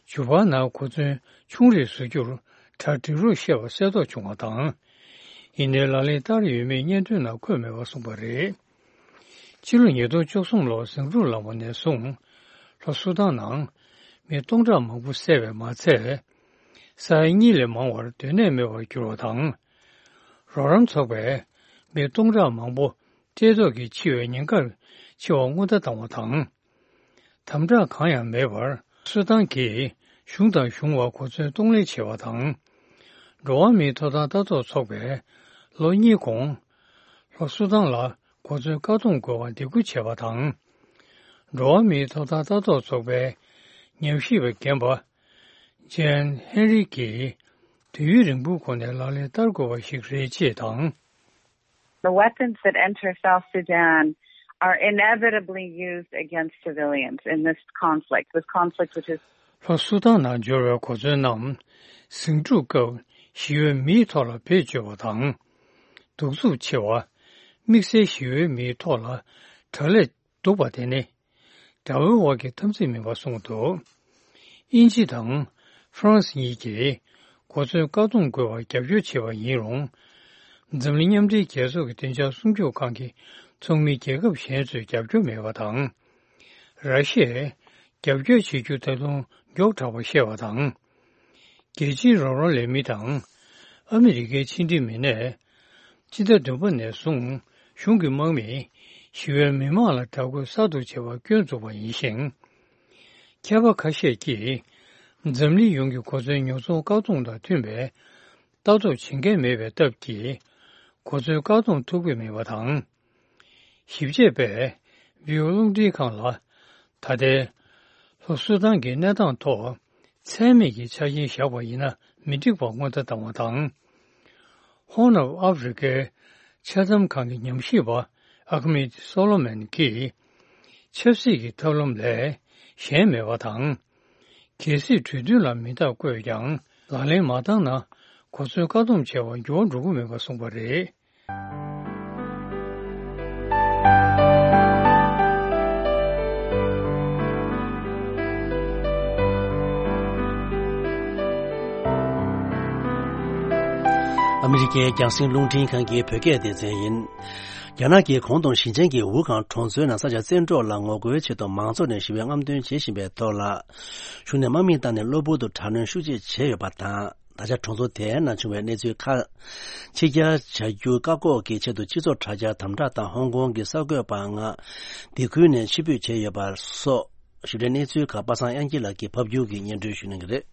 ཇུ་པར་ནང་གོ་མཚོན་ཆུང་རུ་བཟོ་རྒྱུར་གྲ་སྒྲིག་རོགས་བཤད་པ་གསལ་རྟོགས་བྱུང་བ་དང་། ཡིན་ནའི་ལག་ལེན་བསྟར་ཡོད་མེད་སྙན་ཐོའི་ནང་འཁོད་མེད་པ་གསུངས་པ་རེད། ཕྱི་ལོ་ཉིས་སྟོང་བཅུ་གསུམ་ལོར་ཟིང་འཁྲུག་ལངས་པ་ནས་བཟུང་། ལྷོ་སུ་དཱན་ནང་མི་སྟོང་ཕྲག་མང་པོ་བསད་པས་མ་ཚད། ས་ཡ་གཉིས་ལས་མང་བར་སྡོད་གནས་མེད་པར་གྱུར་བ་དང་། རོགས་རམ་ཚོགས་པས་མི་སྟོང་ཕྲག་མང་པོ་བཀྲེས་ལྟོགས་ཀྱིས་འཆི་བའི་ཉེན་ཁར་འཆི་བར་སྔོན་བརྡ་བཏང་བ་དང་། དམ་དྲག་གང་ཡང་མེད་པར་སུ་དཱན་གྱིས་གཞུང་དང་གཞུང་བར་གོ་མཚོན་གཏོང་ལེན་བྱས་པ་དང་། འགྲོ་བ་མིའི་ཐོབ་ཐང་ལྟ་རྟོག་ཚོགས་པས་ལོ་གཉིས་གོང་། ལྷོ་སུ་དཱན་ལ་གོ་མཚོན་བཀག་སྡོམ་དགོས་པར་འདེད་སྐུལ་བྱས་པ་དང་། འགྲོ་བ་མིའི་ཐོབ་ཐང་ལྟ་རྟོག་ཚོགས་པའི་ཉམས་ཞིབ་པ་རྒན་པ་ཇན་ཧེན་རི་ཀྱིས་དུས་ཡུན་རིང་པོའི་གོང་ནས་ལག་ལེན་བསྟར་དགོས་པ་ཞིག་རེད་ཅེས་དང་། The weapons that enter South Sudan are inevitably used against civilians in this conflict, this conflict which is ལྷོ་སུ་དཱན་ནང་འབྱོར་བའི་གོ་མཚོན་རྣམས་ཟིང་འཁྲུག་སྐབས་ཞི་གཡོལ་མིའི་ཐོག་ལ་བེད་སྤྱོད་པ་དང་། གདུག་རྩུབ་ཆེ་བ། དམིགས་བསལ་ཞི་གཡོལ་མིའི་ཐོག་ལ་དྲག་ལས་འདུག་པ་དེ་ནི། དགྲ་བོའི་དབར་གྱི་འཐབ་འཛིང་མིན་པ་གསུངས་འདུག་དབྱིན་ཇི་དང་ཧྥ་རན་སི་གཉིས་ཀྱིས་གོ་མཚོན་བཀག་སྡོམ་དགོས་པར་རྒྱབ་སྐྱོར་བྱས་པ་ཡིན་རུང་། འཛམ་གླིང་མཉམ་འབྲེལ་རྒྱལ་ཚོགས་ཀྱི་བདེ་འཇགས་སྲུང་སྐྱོབ་ཁང་གི་ཚོགས་མི་རྒྱལ་ཁབ་གཞན་ཚོས་རྒྱབ་སྐྱོར་མེད་པ་དང་། ར་ཤི་ཡས་རྒྱབ་སྐྱོར་བྱེད་རྒྱུ་ད་དུང་མགྱོགས་དྲགས་པ་བཤད་པ་དང་། རྒྱལ་སྤྱིའི་རོགས་རམ་ལེན་མི་དང་ཨ་མི་རི་ཀའི་ཕྱི་འབྲེལ་མི་སྣས། སྤྱི་ཟླ་བདུན་པ་ནས་བཟུང་གཞུང་གི་དམག་མིས་ཞི་བའི་མི་མང་ལ་དྲག་རྒོལ་གསར་དུ་བྱེད་པར་སྐྱོན་བཙུགས་པ་ཡིན་ཞིང་། མཁས་པ་ཁ་ཤས་ཀྱིས་འཛམ་གླིང་ཡོངས་ཀྱི་གོ་མཚོན་ཉོ་ཚོང་བཀག་སྡོམ་དང་མཐུན་པའི་ལྟ་རྟོག་བྱེད་མཁན་མེད་པའི་སྟབས་ཀྱིས་གོ་མཚོན་བཀག་སྡོམ་ཐུབ་ཀྱི་མེད་པ་དང་། ཞིབ་དཔྱད་པས་བི་ཨོ་རླུང་འཕྲིན་ཁང་ལ། ད་ལྟའི་ལྷོ་སུ་དཱན་གྱི་གནས་སྟངས་ཐོག་ཚད་མེད་ཀྱི་ཆ་རྐྱེན་བཞག་པ་ཡིན་ན་མི་འགྲིག་པར་སྔོན་བརྡ་བཏང་བ་དང་། Horn of Africa ཆ་ཚང་ཁང་གི་ཉམས་ཞིབ་པ་ཨ་ཁ་མེད་སོ་ལོ་མན་གྱིས། ཆབ་སྲིད་ཀྱི་ཐབས་ལམ་ལས་གཞན་མེད་པ་དང་། གལ་སྲིད་གྲོས་མཐུན་ལ་མིང་རྟགས་བཀོད་ཀྱང་ལག་ལེན་མ་བསྟར་ན་གོ་མཚོན་བཀག་སྡོམ་བྱས་པར་འགྱུར་བ་འགྲོ་གི་མེད་པ་གསུངས་པ་རེད། ཨ་མི་རི་ཀའི་རྒྱང་སྲིང་རླུང་འཕྲིན་ཁང་གི་བོད་སྐད་སྡེ་ཚན་ཡིན། རྒྱ་ནག་གིས་གོང་དུ་ཞིང་ཆེན་གྱི་ཝུ་ཁང་གྲོང་ཚོའི་ནང་ས་ཆ་བཙན་འཕྲོག་ལ་ངོ་རྒོལ་ཆེད་དུ་མང་ཚོགས་ནས་ཞི་བའི་རྔམ་སྟོན་བྱེད་བཞིན་པའི་ཐོག་ལ། གཞུང་ནས་དམག་མི་བཏང་ནས་གློ་བུར་དུ་དྲག་གནོན་ཤུགས་ཆེ་བྱས་ཡོད་པ་དང་། ད་ཆ་གྲོང་ཚོ་དེའི་ནང་བྱུང་བའི་གནས་ཚུལ་ཁག་ཕྱི་གྱར་བྱ་རྒྱུ་བཀག་འགོག་གི་ཆེད་དུ་སྤྱི་ཚོགས་དྲ་རྒྱ་དམ་དྲག་དང་། ཧོང་ཀོང་གི་གསར་འགོད་པ་ལྔ་སྡེ་ཁུལ་ནས་ཕྱིར་འབུད་བྱས་ཡོད་པ་སོགས་ཞིབ་ཕྲའི་གནས་ཚུལ་ཁག་པ་སངས་དབྱངས་སྐྱིད་ལགས་ཀྱིས་ཕབ་སྒྱུར་གྱིས་སྙན་སྒྲོན་ཞུ་གནང་གི་རེད།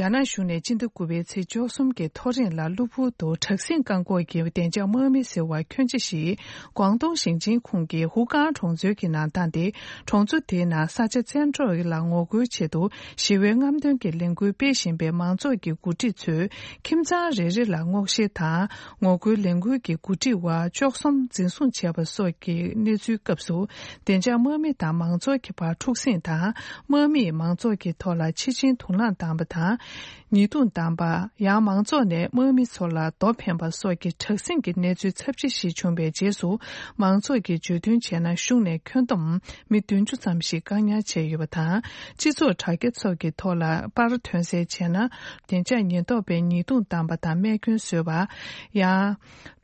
རྒྱ་ནག་གཞུང་ནས་སྤྱི་ཟླ་དགུ་པའི་ཚེས་བཅུ་གསུམ་གྱི་ཐོ་རེངས་ལ་གློ་བུར་དུ་དྲག་ཟིང་བཀག་འགོག་གི་བདེ་འཇགས་དམག་མི་ཟེར་བ་ཁྱོན་ཆེ་ཞིག་ཀོང་ཏུང་ཞིང་ཆེན་ཁོངས་ཀྱི་ཧུའུ་ཀང་གྲོང་ཚོའི་གི་ནང་བཏང་སྟེ། གྲོང་ཚོ་དེའི་ནང་ས་ཆ་བཙན་འཕྲོག་ལ་ངོ་རྒོལ་ཆེད་དུ་ཞི་བའི་རྔམ་སྟོན་གྱི་ལས་འགུལ་སྤེལ་བཞིན་པའི་མང་ཚོགས་ཀྱི་འགོ་ཁྲིད་ཚོས་ཁྱིམ་ཚང་རེ་རེ་ལ་སྔོག་བཤེར་དང་ངོ་རྒོལ་ལས་འགུལ་གྱི་འགོ་ཁྲིད་བ་བཅུ་གསུམ་འཛིན་བཟུང་བྱས་པ་སོགས་ཀྱི་གནས་ཚུལ་སྐབས་སུ། བདེ་འཇགས་དམག་མི་དང་མང་ཚོགས་ཀྱི་བར་འཁྲུག་ཟིང་དང་། དམག་མིས་མང་ཚོགས་ཀྱི་ཐོག་ལ་འཆི་སྦྱིན་དུག་རླངས་བཏང་བ་དང་། ཉེས་རྡུང་བཏང་པ། ཡང་མང་ཚོགས་ནས་དམག་མི་ཚོ་ལ་རྡོ་འཕེན་པ་སོགས་ཀྱི་དྲག་ཟིང་གི་གནས་ཚུལ་ཚབས་ཆེ་ཞིག་བྱུང་བའི་རྗེས་སུ། མང་ཚོགས་ཀྱིས་བརྗོད་དོན་བྱས་ན། གཞུང་ནས་ཁྱོན་བསྡོམས་མི་བདུན་ཅུ་ཙམ་ཞིག་བཀག་ཉར་བྱས་ཡོད་པ་དང་། སྤྱི་ཚོགས་དྲ་རྒྱ་སོགས་ཀྱི་ཐོག་ལ་པར་ཐོན་གསལ་བྱས་ན། བདེ་འཇགས་ཉེན་རྟོག་པས་ཉེས་རྡུང་བཏང་པ་དང་རྨས་སྐྱོན་བཟོས་པ། ཡང་།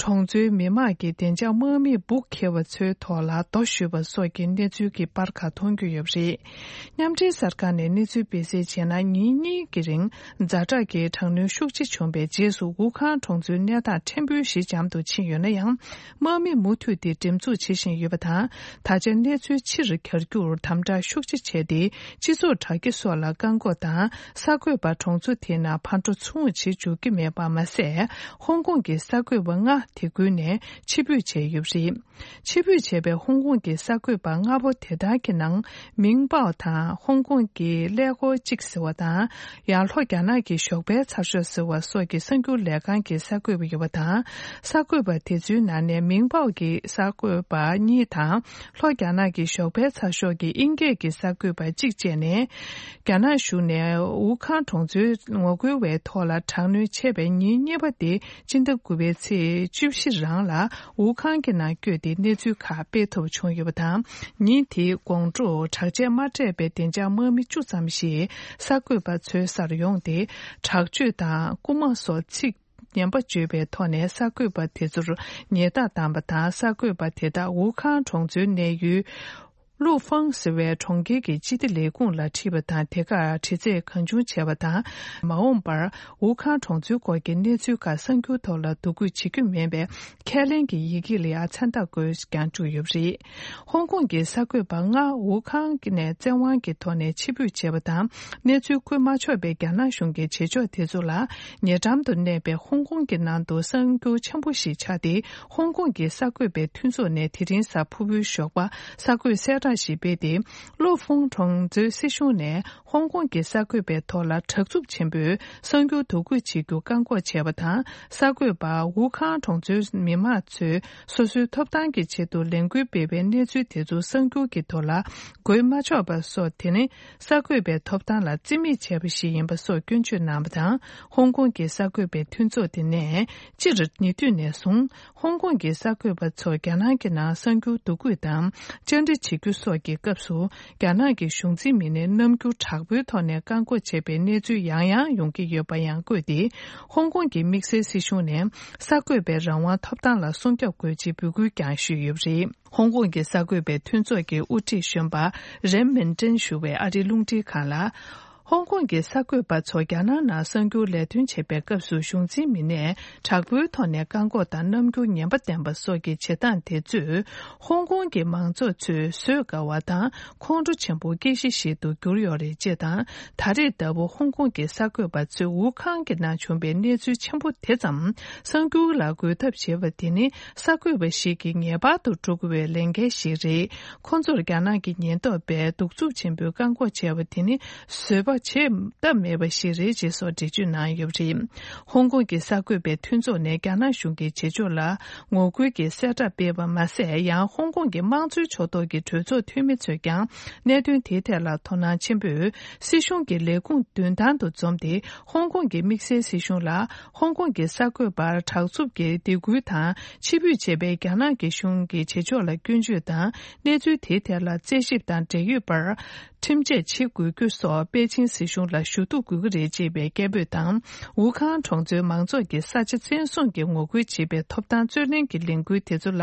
གྲོང་ཚོའི་མི་མང་གིས་བདེ་འཇགས་དམག་མིས་སྦུག་འཁེལ་བ་ཚོའི་ཐོག་ལ་རྡོ་གཞུས་པ་སོགས་ཀྱི་གནས་ཚུལ་གྱི་པར་ཁག་མཐོང་རྒྱུ་ཡོད་པ་རེད། མཉམ་འབྲེལ་གསར་ཁང་ནས་གནས་ཚུལ་སྤེལ་གསལ་བྱས་ན། ཉིན་གཉིས་ཀྱི་རིང་ཛ་དྲག་གི་དྲག་གནོན་ཤུགས་ཆེ་བྱུང་བའི་རྗེས་སུ། ཝུ་ཁང་གྲོང་ཚོའི་གནས་སྟངས་ཕྲན་བུ་ཞི་འཇམ་དུ་ཕྱིན་ཡོད་ན་ཡང་། དམག་མི་མུ་མཐུད་དེ་འགྲེམས་འཛུགས་བྱེད་བཞིན་ཡོད་པ་དང་། ད་ཆ་གནས་ཚུལ་ཕྱིར་གྱར་རྒྱུར་དམ་དྲག་ཤུགས་ཆེ་བྱས་ཏེ། སྤྱི་ཚོགས་དྲ་རྒྱ་སོགས་ལ་བཀག་འགོག་དང་། གསར་འགོད་པ་གྲོང་ཚོ་དེའི་ནང་ཕར་འགྲོ་ཚུར་འོང་བྱེད་འཇུག་གི་མེད་པ་མ་ཟད། ཧོང་ཀོང་གི་གསར་འགོད་པ་ལྔ་དེ་ཁུལ་ནས་ཕྱིར་འབུད་བྱས་ཡོད་པ་རེད། ཕྱིར་འབུད་བྱས་པའི་ཧོང་ཀོང་གི་གསར་འགོད་པ་ལྔ་པོ་དེ་དག་གི་ནང་། མིང་པའོ་དང་ཧོང་ཀོང་གི་ཀླད་ཀོར་གཅིག་ཟེར་བ་དང་། ཡང་ལྷོ་རྒྱ་ནག་གི་ཞོགས་པའི་ཚགས་ཤོག་ཟེར་བ་སོགས་ཀྱི་གསར་འགྱུར་ལས་ཁང་གི་གསར་འགོད་པ་ཡོད་པ་དང་། གསར་འགོད་པ་དེ་ཚོའི་ནང་ནས་མིང་པའོ་གི་གསར་འགོད་པ་གཉིས་དང་། ལྷོ་རྒྱ་ནག་གི་ཞོགས་པའི་ཚགས་ཤོག་གི་དབྱིན་སྐད་ཀྱི་གསར་འགོད་པ་གཅིག་བཅས་ནས། རྒྱ་ནག་གཞུང་ནས་ཝུ་ཁང་གྲོང་ཚོའི་ངོ་རྒོལ་བའི་ཐོག་ལ་དྲག་གནོན་བྱས་པའི་ཉིན་གཉིས་པ་དེ། སྤྱི་ཟླ་དགུ་པའི་ཚེས་བཅུ་བཞི་རང་ལ་ཝུ་ཁང་གི་ནང་བསྐྱོད་དེ་གནས་ཚུལ་ཁག་སྤེལ་ཐུབ་བྱུང་ཡོད་པ་དང་། ཉིན་དེའི་དགོང་དྲོ་དྲག་ཆས་མ་སྤྲས་པའི་བདེ་འཇགས་དམག་མི་བཅུ་ཙམ་ཞིག་གསར་འགོད་པ་ཚོའི་སར་ཡོང་སྟེ། དྲག་སྤྱོད་དང་རྐུ་མ་སོགས་ཚིག་ངན་པ་བརྗོད་པའི་ཐོག་ནས་གསར་འགོད་པ་དེ་ཚོར་ཉེས་རྡུང་བཏང་པ་དང་། གསར་འགོད་པ་དེ་དག་ཝུ་ཁང་གྲོང་ཚོའི་གནས་ཡུལ། ལུའུ་ཧྥང་ཟེར་བའི་གྲོང་ཁྱེར་གྱི་སྤྱི་བདེ་ལས་ཁུངས་ལ་དྲིས་པ་དང་། དེ་གར་དྲི་རྩད་གང་བྱུང་བྱས་པ་དང་། མ་འོངས་པར་ཝུ་ཁང་གྲོང་ཚོའི་སྐོར་གྱི་གནས་ཚུལ་ཁག་གསར་འགྱུར་ཐོག་ལ་བསྡུ་སྐུལ་བྱེད་རྒྱུ་མིན་པའི་ཁས་ལེན་གྱི་ཡི་གེ་ལ་ཡང་མཚན་རྟགས་བཀོད་ཀྱང་བཅུག་ཡོད་པ་རེད། ཧོང་ཀོང་གི་གསར་འགོད་པ་ལྔ་ཝུ་ཁང་ནས་བཙན་དབང་གི་ཐོག་ནས་ཕྱིར་འབུད་བྱས་པ་དང་། གནས་ཚུལ་བཀོད་མ་ཆོག་པའི་རྒྱ་ནག་གཞུང་གི་བྱེད་ཕྱོགས་དེ་ཚོ་ལ་ཉེ་འགྲམ་དུ་གནས་པའི་ཧོང་ཀོང་གི་ནང་དུ་གསར་འགྱུར་འཆམ་པོ་ཞིག་ཆགས་ཏེ། ཧོང་ཀོང་གི་གསར་འགོད་པའི་མཐུན་ཚོགས་ནས་དེ་རིང་གཟའ་ཕུར་བུའི་ཞོགས་པ་གསར་འགོད་གསལ་བསྒྲགས་ཤིག་སྤེལ་ཏེ། ལོ་ཧྥུང་གྲོང་ཚོའི་སྲིད་གཞུང་ནས་ཧོང་ཀོང་གི་གསར་འགོད་པའི་ཐོག་ལ་དྲག་རྩུབ་ཆེན་པོས་གསར་འགྱུར་བསྡུ་སྐུལ་བྱེད་རྒྱུ་བཀག་འགོག་བྱས་པ་དང་། གསར་འགོད་པ་ཝུ་ཁང་གྲོང་ཚོའི་མི་མང་ཚོས་སོ་སོའི་ཐོབ་ཐང་གི་ཆེད་དུ་ལས་འགུལ་སྤེལ་བའི་གནས་ཚུལ་དེ་ཚོ་གསར་འགྱུར་གྱི་ཐོག་ལ་འགོད་མ་ཆོག་པ་སོགས། དེ་ནི་གསར་འགོད་པའི་ཐོབ་ཐང་ལ་བརྩི་མེད་བྱས་པ་ཞིག་ཡིན་པ་སོགས་སྐྱོན་བརྗོད་གནང་བ་དང་། ཧོང་ཀོང་གི་གསར་འགོད་པའི་མཐུན་ཚོགས་དེ་ནས་སྤྱིར་ཉེ་དུས་ནས་བཟུང་། ཧོང་ཀོང་གི་གསར་འགོད་པ་ཚོ་རྒྱ་ནག་གི་ནང་གསར་འགྱུར་བསྡུ་སྐུལ་དང་། བཅར་འདྲི་བྱེད་རྒྱུ་སོགས་ཀྱི་སྐབས་སུ། རྒྱ་ནག་གི་གཞུང་འཛིན་མི་སྣས་རྣམ་འགྱུར་དྲག་པོའི་ཐོག་ནས་བཀག་འགོག་བྱས་པའི་གནས་ཚུལ་ཡང་ཡང་ཡོང་གི་ཡོད་པ་ཡང་བཀོད་དེ། ཧོང་ཀོང་གི་དམིགས་བསལ་སྲིད་གཞུང་ནས་གསར་འགོད་པའི་རང་དབང་ཐོབ་ཐང་ལ་སྲུང་སྐྱོབ་དགོས་ཅེས་འབོད་སྐུལ་ཀྱང་ཞུས་ཡོད་པ་རེད། ཧོང་ཀོང་གི་གསར་འགོད་པའི་མཐུན་ཚོགས་ཀྱི་དབུ་ཁྲིད་གཞོན་པ་རེམ་མིན་ཀྲིན་ཞུ་བས་ཨ་རིའི་རླུང་འཕྲིན་ཁང་ལ། ཧོང་ཀོང་གི་གསར་འགོད་པ་ཚོ་རྒྱ་ནག་ནང་གསར་འགྱུར་ལས་དོན་བྱེད་པའི་སྐབས་སུ་གཞུང་འཛིན་མི་སྣས་དྲག་པོའི་ཐོག་ནས་བཀག་འགོག་དང་རྣམ་འགྱུར་ངན་པ་བསྟན་པ་སོགས་ཀྱི་བྱེད་སྟངས་དེ་ཚོས་ཧོང་ཀོང་གི་མང་ཚོགས་ཚོས་བཟོད་དཀའ་བ་དང་ཁོང་ཁྲོ་ཆེན་པོ་སྐྱེ་གཞི་ཞིག་ཏུ་གྱུར་ཡོད་རེད་ཅེས་དང་། ད་རེས་ལྟ་བུ་ཧོང་ཀོང་གི་གསར་འགོད་པ་ཚོས་ཝུ་ཁང་གི་ནང་བྱུང་བའི་གནས་ཚུལ་ཆེན་པོ་དེ་ཙམ་གསར་འགྱུར་ལ་འགོད་ཐབས་བྱེད་པ་དེ་ནི་གསར་འགོད་པ་ཞིག་གིས་ངེས་པར་དུ་སྒྲུབ་དགོས་པའི་ལས་འགན་ཞིག་རེད། ཁོང་ཚོར་རྒྱ་ནག་གི་ཉེན་རྟོག་པས་གདུག་རྩུབ་ཆེན་པོས་བཀག་འགོག་བྱས་པ་དེ་ནི་བཟོད་པ་བྱེད་ཐབས་མེད་པ་ཞིག་རེད་ཅེས་སོགས་འགྲེལ་བརྗོད་གནང་ཡོད་པ་རེད། ཧོང་ཀོང་གི་གསར་འགོད་པའི་མཐུན་ཚོགས་ནས་རྒྱ་ནག་གཞུང་གི་བྱེད་ཕྱོགས་ལ་ངོ་རྒོལ་གྱི་གསལ་བསྒྲགས་སྤེལ་བ་མ་ཟད། ཡང་ཧོང་ཀོང་གི་དམངས་གཙོའི་ཕྱོགས་གཏོགས་ཀྱི་གྲོས་ཚོགས་འཐུས་མི་ཚོས་ཀྱང་གནད་དོན་དེའི་ཐད་ལ་དོ་སྣང་ཆེན་པོས་སྲིད་གཞུང་གི་ལས་ཁུངས་མདུན་ཐང་དུ་འཛོམས་ཏེ། ཧོང་ཀོང་གི་དམིགས་བསལ་སྲིད་གཞུང་ལ་ཧོང་ཀོང་གི་གསར་འགོད་པར་དྲག་རྩུབ་ཀྱི་སྡིགས་སྐུལ་དང་ཕྱིར་འབུད་བྱས་པའི་རྒྱ་ནག་གི་གཞུང་གི་བྱེད་ཕྱོགས་ལ་སྐྱོན་བརྗོད་དང་། གནས་ཚུལ་དེའི་ཐད་ལ་རྩད་ཞིབ་དང་འབྲེལ་ཡོད་པར་ཁྲིམས་ཆད་བྱེད་དགོས་རྒྱུ་སོགས་པེ་ཅིང་སྲིད་གཞུང་ལ་ཞུ་གཏུག་དགོས་ཀྱི་རེད་ཅེས་པའི་སྐད་འབོད་དང་། ཝུ་ཁང་གྲོང་ཚོའི་མང་ཚོགས་ཀྱིས་ས་ཆ་བཙན་བཟུང་གི་ངོ་རྒོལ་བྱེད་པའི་ཐོབ་ཐང་རྩོད་ལེན་གྱི་ལས་འགུལ་དེ་ཚོ་ལ་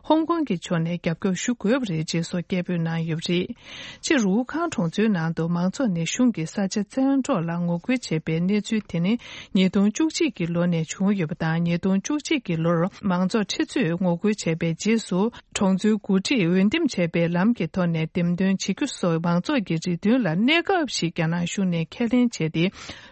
ཧོང་ཀོང་གི་ཕྱོགས་ནས་རྒྱབ་སྐྱོར་ཞུ་དགོས་པ་རེད་ཅེས་སོགས་སྐད་འབོད་གནང་ཡོད་པ་རེད། སྤྱིར་ཝུ་ཁང་གྲོང་ཚོའི་ནང་དུ་མང་ཚོགས་ནས་གཞུང་གི་ས་ཆ་བཙན་འཕྲོག་ལ་ངོ་རྒོལ་བྱས་པའི་གནས་ཚུལ་དེ་ནི་ཉིས་སྟོང་བཅུ་གཅིག་གི་ལོ་ནས་བྱུང་ཡོད་པ་དང་། ཉིས་སྟོང་བཅུ་གཅིག་གི་ལོར་མང་ཚོགས་ཁྲི་ཚོས་ངོ་རྒོལ་བྱས་པའི་རྗེས་སུ། གྲོང་ཚོའི་འགོ་ཁྲིད་འོས་འདེམས་བྱས་པའི་ལམ་གྱི་ཐོག་ནས་འདེམས་ཐོན་བྱེད་རྒྱུ་སོགས་མང་ཚོགས་ཀྱི་རེ་འདུན་ལ་གནས་སྐབས་ཤིག་རྒྱ་ནག་ཞུགས་ནས་ཁས་ལེན་བྱས་ཏེ།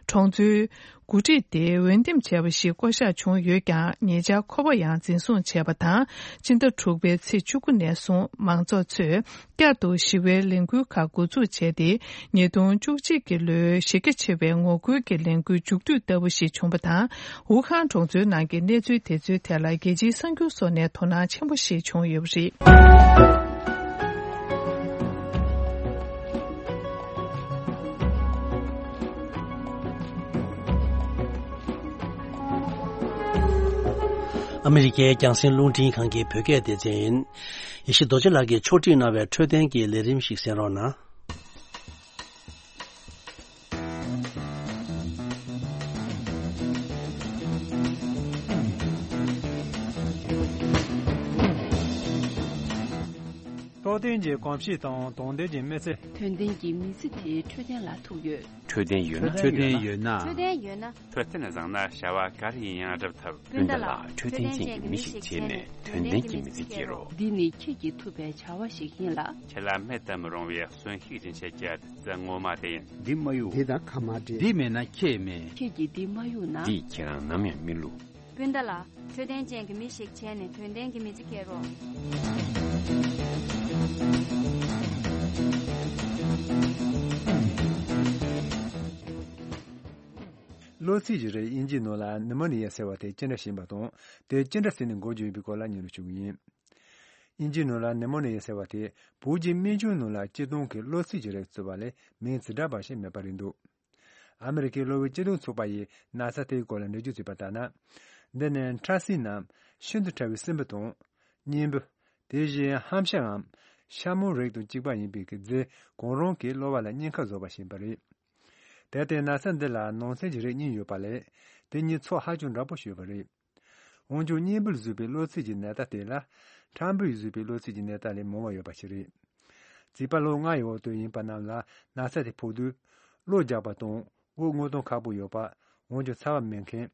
གྲོང་ཚོའི་འགོ་ཁྲིད་དེ་འོས་འདེམས་བྱས་པ་ཞིག་བསྐོ་གཞག་བྱུང་ཡོད་ཀྱང་། ཉེ་ཆར་ཁོ་པ་ཡང་འཛིན་བཟུང་བྱས་པ་དང་། སྤྱི་ཟླ་དྲུག་པའི་ཚེས་བཅུ་དགུ་ནས་བཟུང་མང་ཚོགས་ཚོས་བསྐྱར་དུ་ཞི་བའི་ལས་འགུལ་ཁག་འགོ་འཛུགས་བྱས་ཏེ། ཉིས་སྟོང་བཅུ་གཅིག་གི་ལོའི་གཞི་རྒྱ་ཆེ་བའི་ངོ་རྒོལ་གྱི་ལས་འགུལ་མཇུག་བསྡུས་ལྟ་བུ་ཞིག་བྱུང་བ་དང་། ཝུ་ཧན་གྲོང་ཚོའི་ནང་གི་གནས་ཚུལ་དེ་ཚོའི་ཐད་ལ་རྒྱལ་སྤྱིའི་གསར་འགྱུར་སོགས་ནས་དོ་སྣང་ཆེན་པོ་ཞིག་བྱུང་ཡོད་པ་རེད། ཨ་མི་རི་ཀའི་རྒྱང་སྲིང་རླུང་འཕྲིན་ཁང་གི་བོད་སྐད་སྡེ་ཚན་ཡིན། ཡེ་ཤེས་རྡོ་རྗེ་ལགས་ཀྱིས་ཕྱོགས་སྒྲིག་གནང་བའི་འཕྲོད་བསྟེན་གྱི་ལས་རིམ་ཞིག་གསན་རོགས་གནང་། རྟོགས་ལྡན་གྱི་གོམས་གཤིས་དང་དོན་ལྡན་གྱི་མི་ཚེ། དོན་ལྡན་གྱི་མི་ཚེ་དེའི་འཕྲོད་བསྟེན་ལ་ཐུག་ཡོད། འཕྲོད་བསྟེན་ཡོད་ན། འཕྲོད་བསྟེན་ཡོད་ན། འཕྲོད་བསྟེན་ཡོད་ན། འཕྲོད་བསྟེན་བཟང་ན་བྱ་བ་ག་རེ་ཡིན་ཡང་འགྲུབ་ཐུབ། སྤུན་ཟླ་ལགས། འཕྲོད་བསྟེན་ཅན་གྱི་མི་ཞིག་བྱས་ནས་དོན་ལྡན་གྱི་མི་ཚེ་སྐྱེལ་རོགས། འདི་ནི་ཁྱེད་ཀྱིས་ཐུབ་པའི་བྱ་བ་ཞིག་ཡིན་ལ། ཁྱེད་ལ་མེད་དུ་མི་རུང་བའི་གསོན་ཤུགས་ཀྱི་འཆད་ཁྱད་དེ་ངོ་མ་དེ་ཡིན། འདི་མ་གཡུག་འདི་དང་ཁ་མ་འབྲལ། འདི་མེད་ན་ཁྱེད་མེད། ཁྱེད་ཀྱིས་འདི་མ་གཡུག་ན། འདིས་ཁྱེད་རང་ནམ་ཡང་མི་བསླུ། སྤུན་ཟླ་ལགས། འཕྲོད་བསྟེན་ཅན་གྱི་མི་ཞིག་བྱས་ནས་དོན་ལྡན་གྱི་མི་ཚེ་སྐྱེལ་རོགས། གློ་ཚིགས་ཀྱི་རིགས་དབྱིན་ཇིའི་ནང་ལ་ནི་མོ་ནི་ཡ་ཟེར་བ་དེ་ཅི་འདྲ་ཞིག་ཡིན་པ་དང་། དེ་ཅི་འདྲ་ཟེར་ནས་འགོ་བརྗོད་ཡོད་པའི་སྐོར་ལ་སྙན་སྒྲོན་ཞུ་གི་ཡིན། དབྱིན་ཇིའི་ནང་ལ་ནི་མོ་ནི་ཡ་ཟེར་བ་དེ་བོད་ཀྱི་སྨན་ཆུང་ནང་ལ་སྤྱིར་བཏང་གི་གློ་ཚིགས་ཀྱི་རིགས་ཚུད་པ་ལས་མིང་ཇི་འདྲ་བ་ཞིག་མེད་པ་རེད་འདུག་ཨ་མི་རི་ཀའི་གློ་བའི་སྤྱི་མཐུན་ཚོགས་པ་ཡིས་ན་ཚ་དེའི་སྐོར་ལ་འགྲེལ་བརྗོད་བྱས་པ་ལྟར་ན། འདི་ནི་ཕྲ་སྲིན་ནམ་ཤིན་ཏུ་ཕྲ་བའི་སྲིན་འབུ་དང་། གཉན་འབུ། དེ་བཞིན་ཧམ་ཤ་འམ་ཤ་མོ་རིགས་དང་གཅིག་པ་ཡིན་པའི་གི་རྫས་གང་རུང་གིས་གློ་བ་ལ་གཉན་ཁ་བཟོ་བ་ཞིག་ཡིན་པ་རེད། དེ་ལྟའི་ན་ཚ་འདི་ལ་ནང་ཚན་གྱི་རིགས་གཉིས་ཡོད་པ་ལས། དེ་གཉིས་ཚོགས་ཧ་ཅང་འདྲ་པོ་ཞིག་ཡོད་པ་རེད། འོན་ཀྱང་གཉན་འབུས་བཟོས་པའི་གློ་ཚིགས་ཀྱི་ནད་རྟགས་དེ་ལ། ཕྲ་འབུས་བཟོས་པའི་གློ་ཚིགས་ཀྱི་ནད་རྟགས་ལས་མང་བ་ཡོད་པ་ཞིག་རེད། བྱིས་པ་ལོ་ལྔ་ཡི་འོག་ཏུ་ཡིན་པ་རྣམས་ལ་ན་ཚ་དེ་ཕོག་དུས། གློ་རྒྱགས་པ་དང་། དབུགས་རྔུབ་གཏོང་ཁག་པོ་ཡོད་པ། འོན་ཀྱང་ཚ་བ་མེད་མཁན།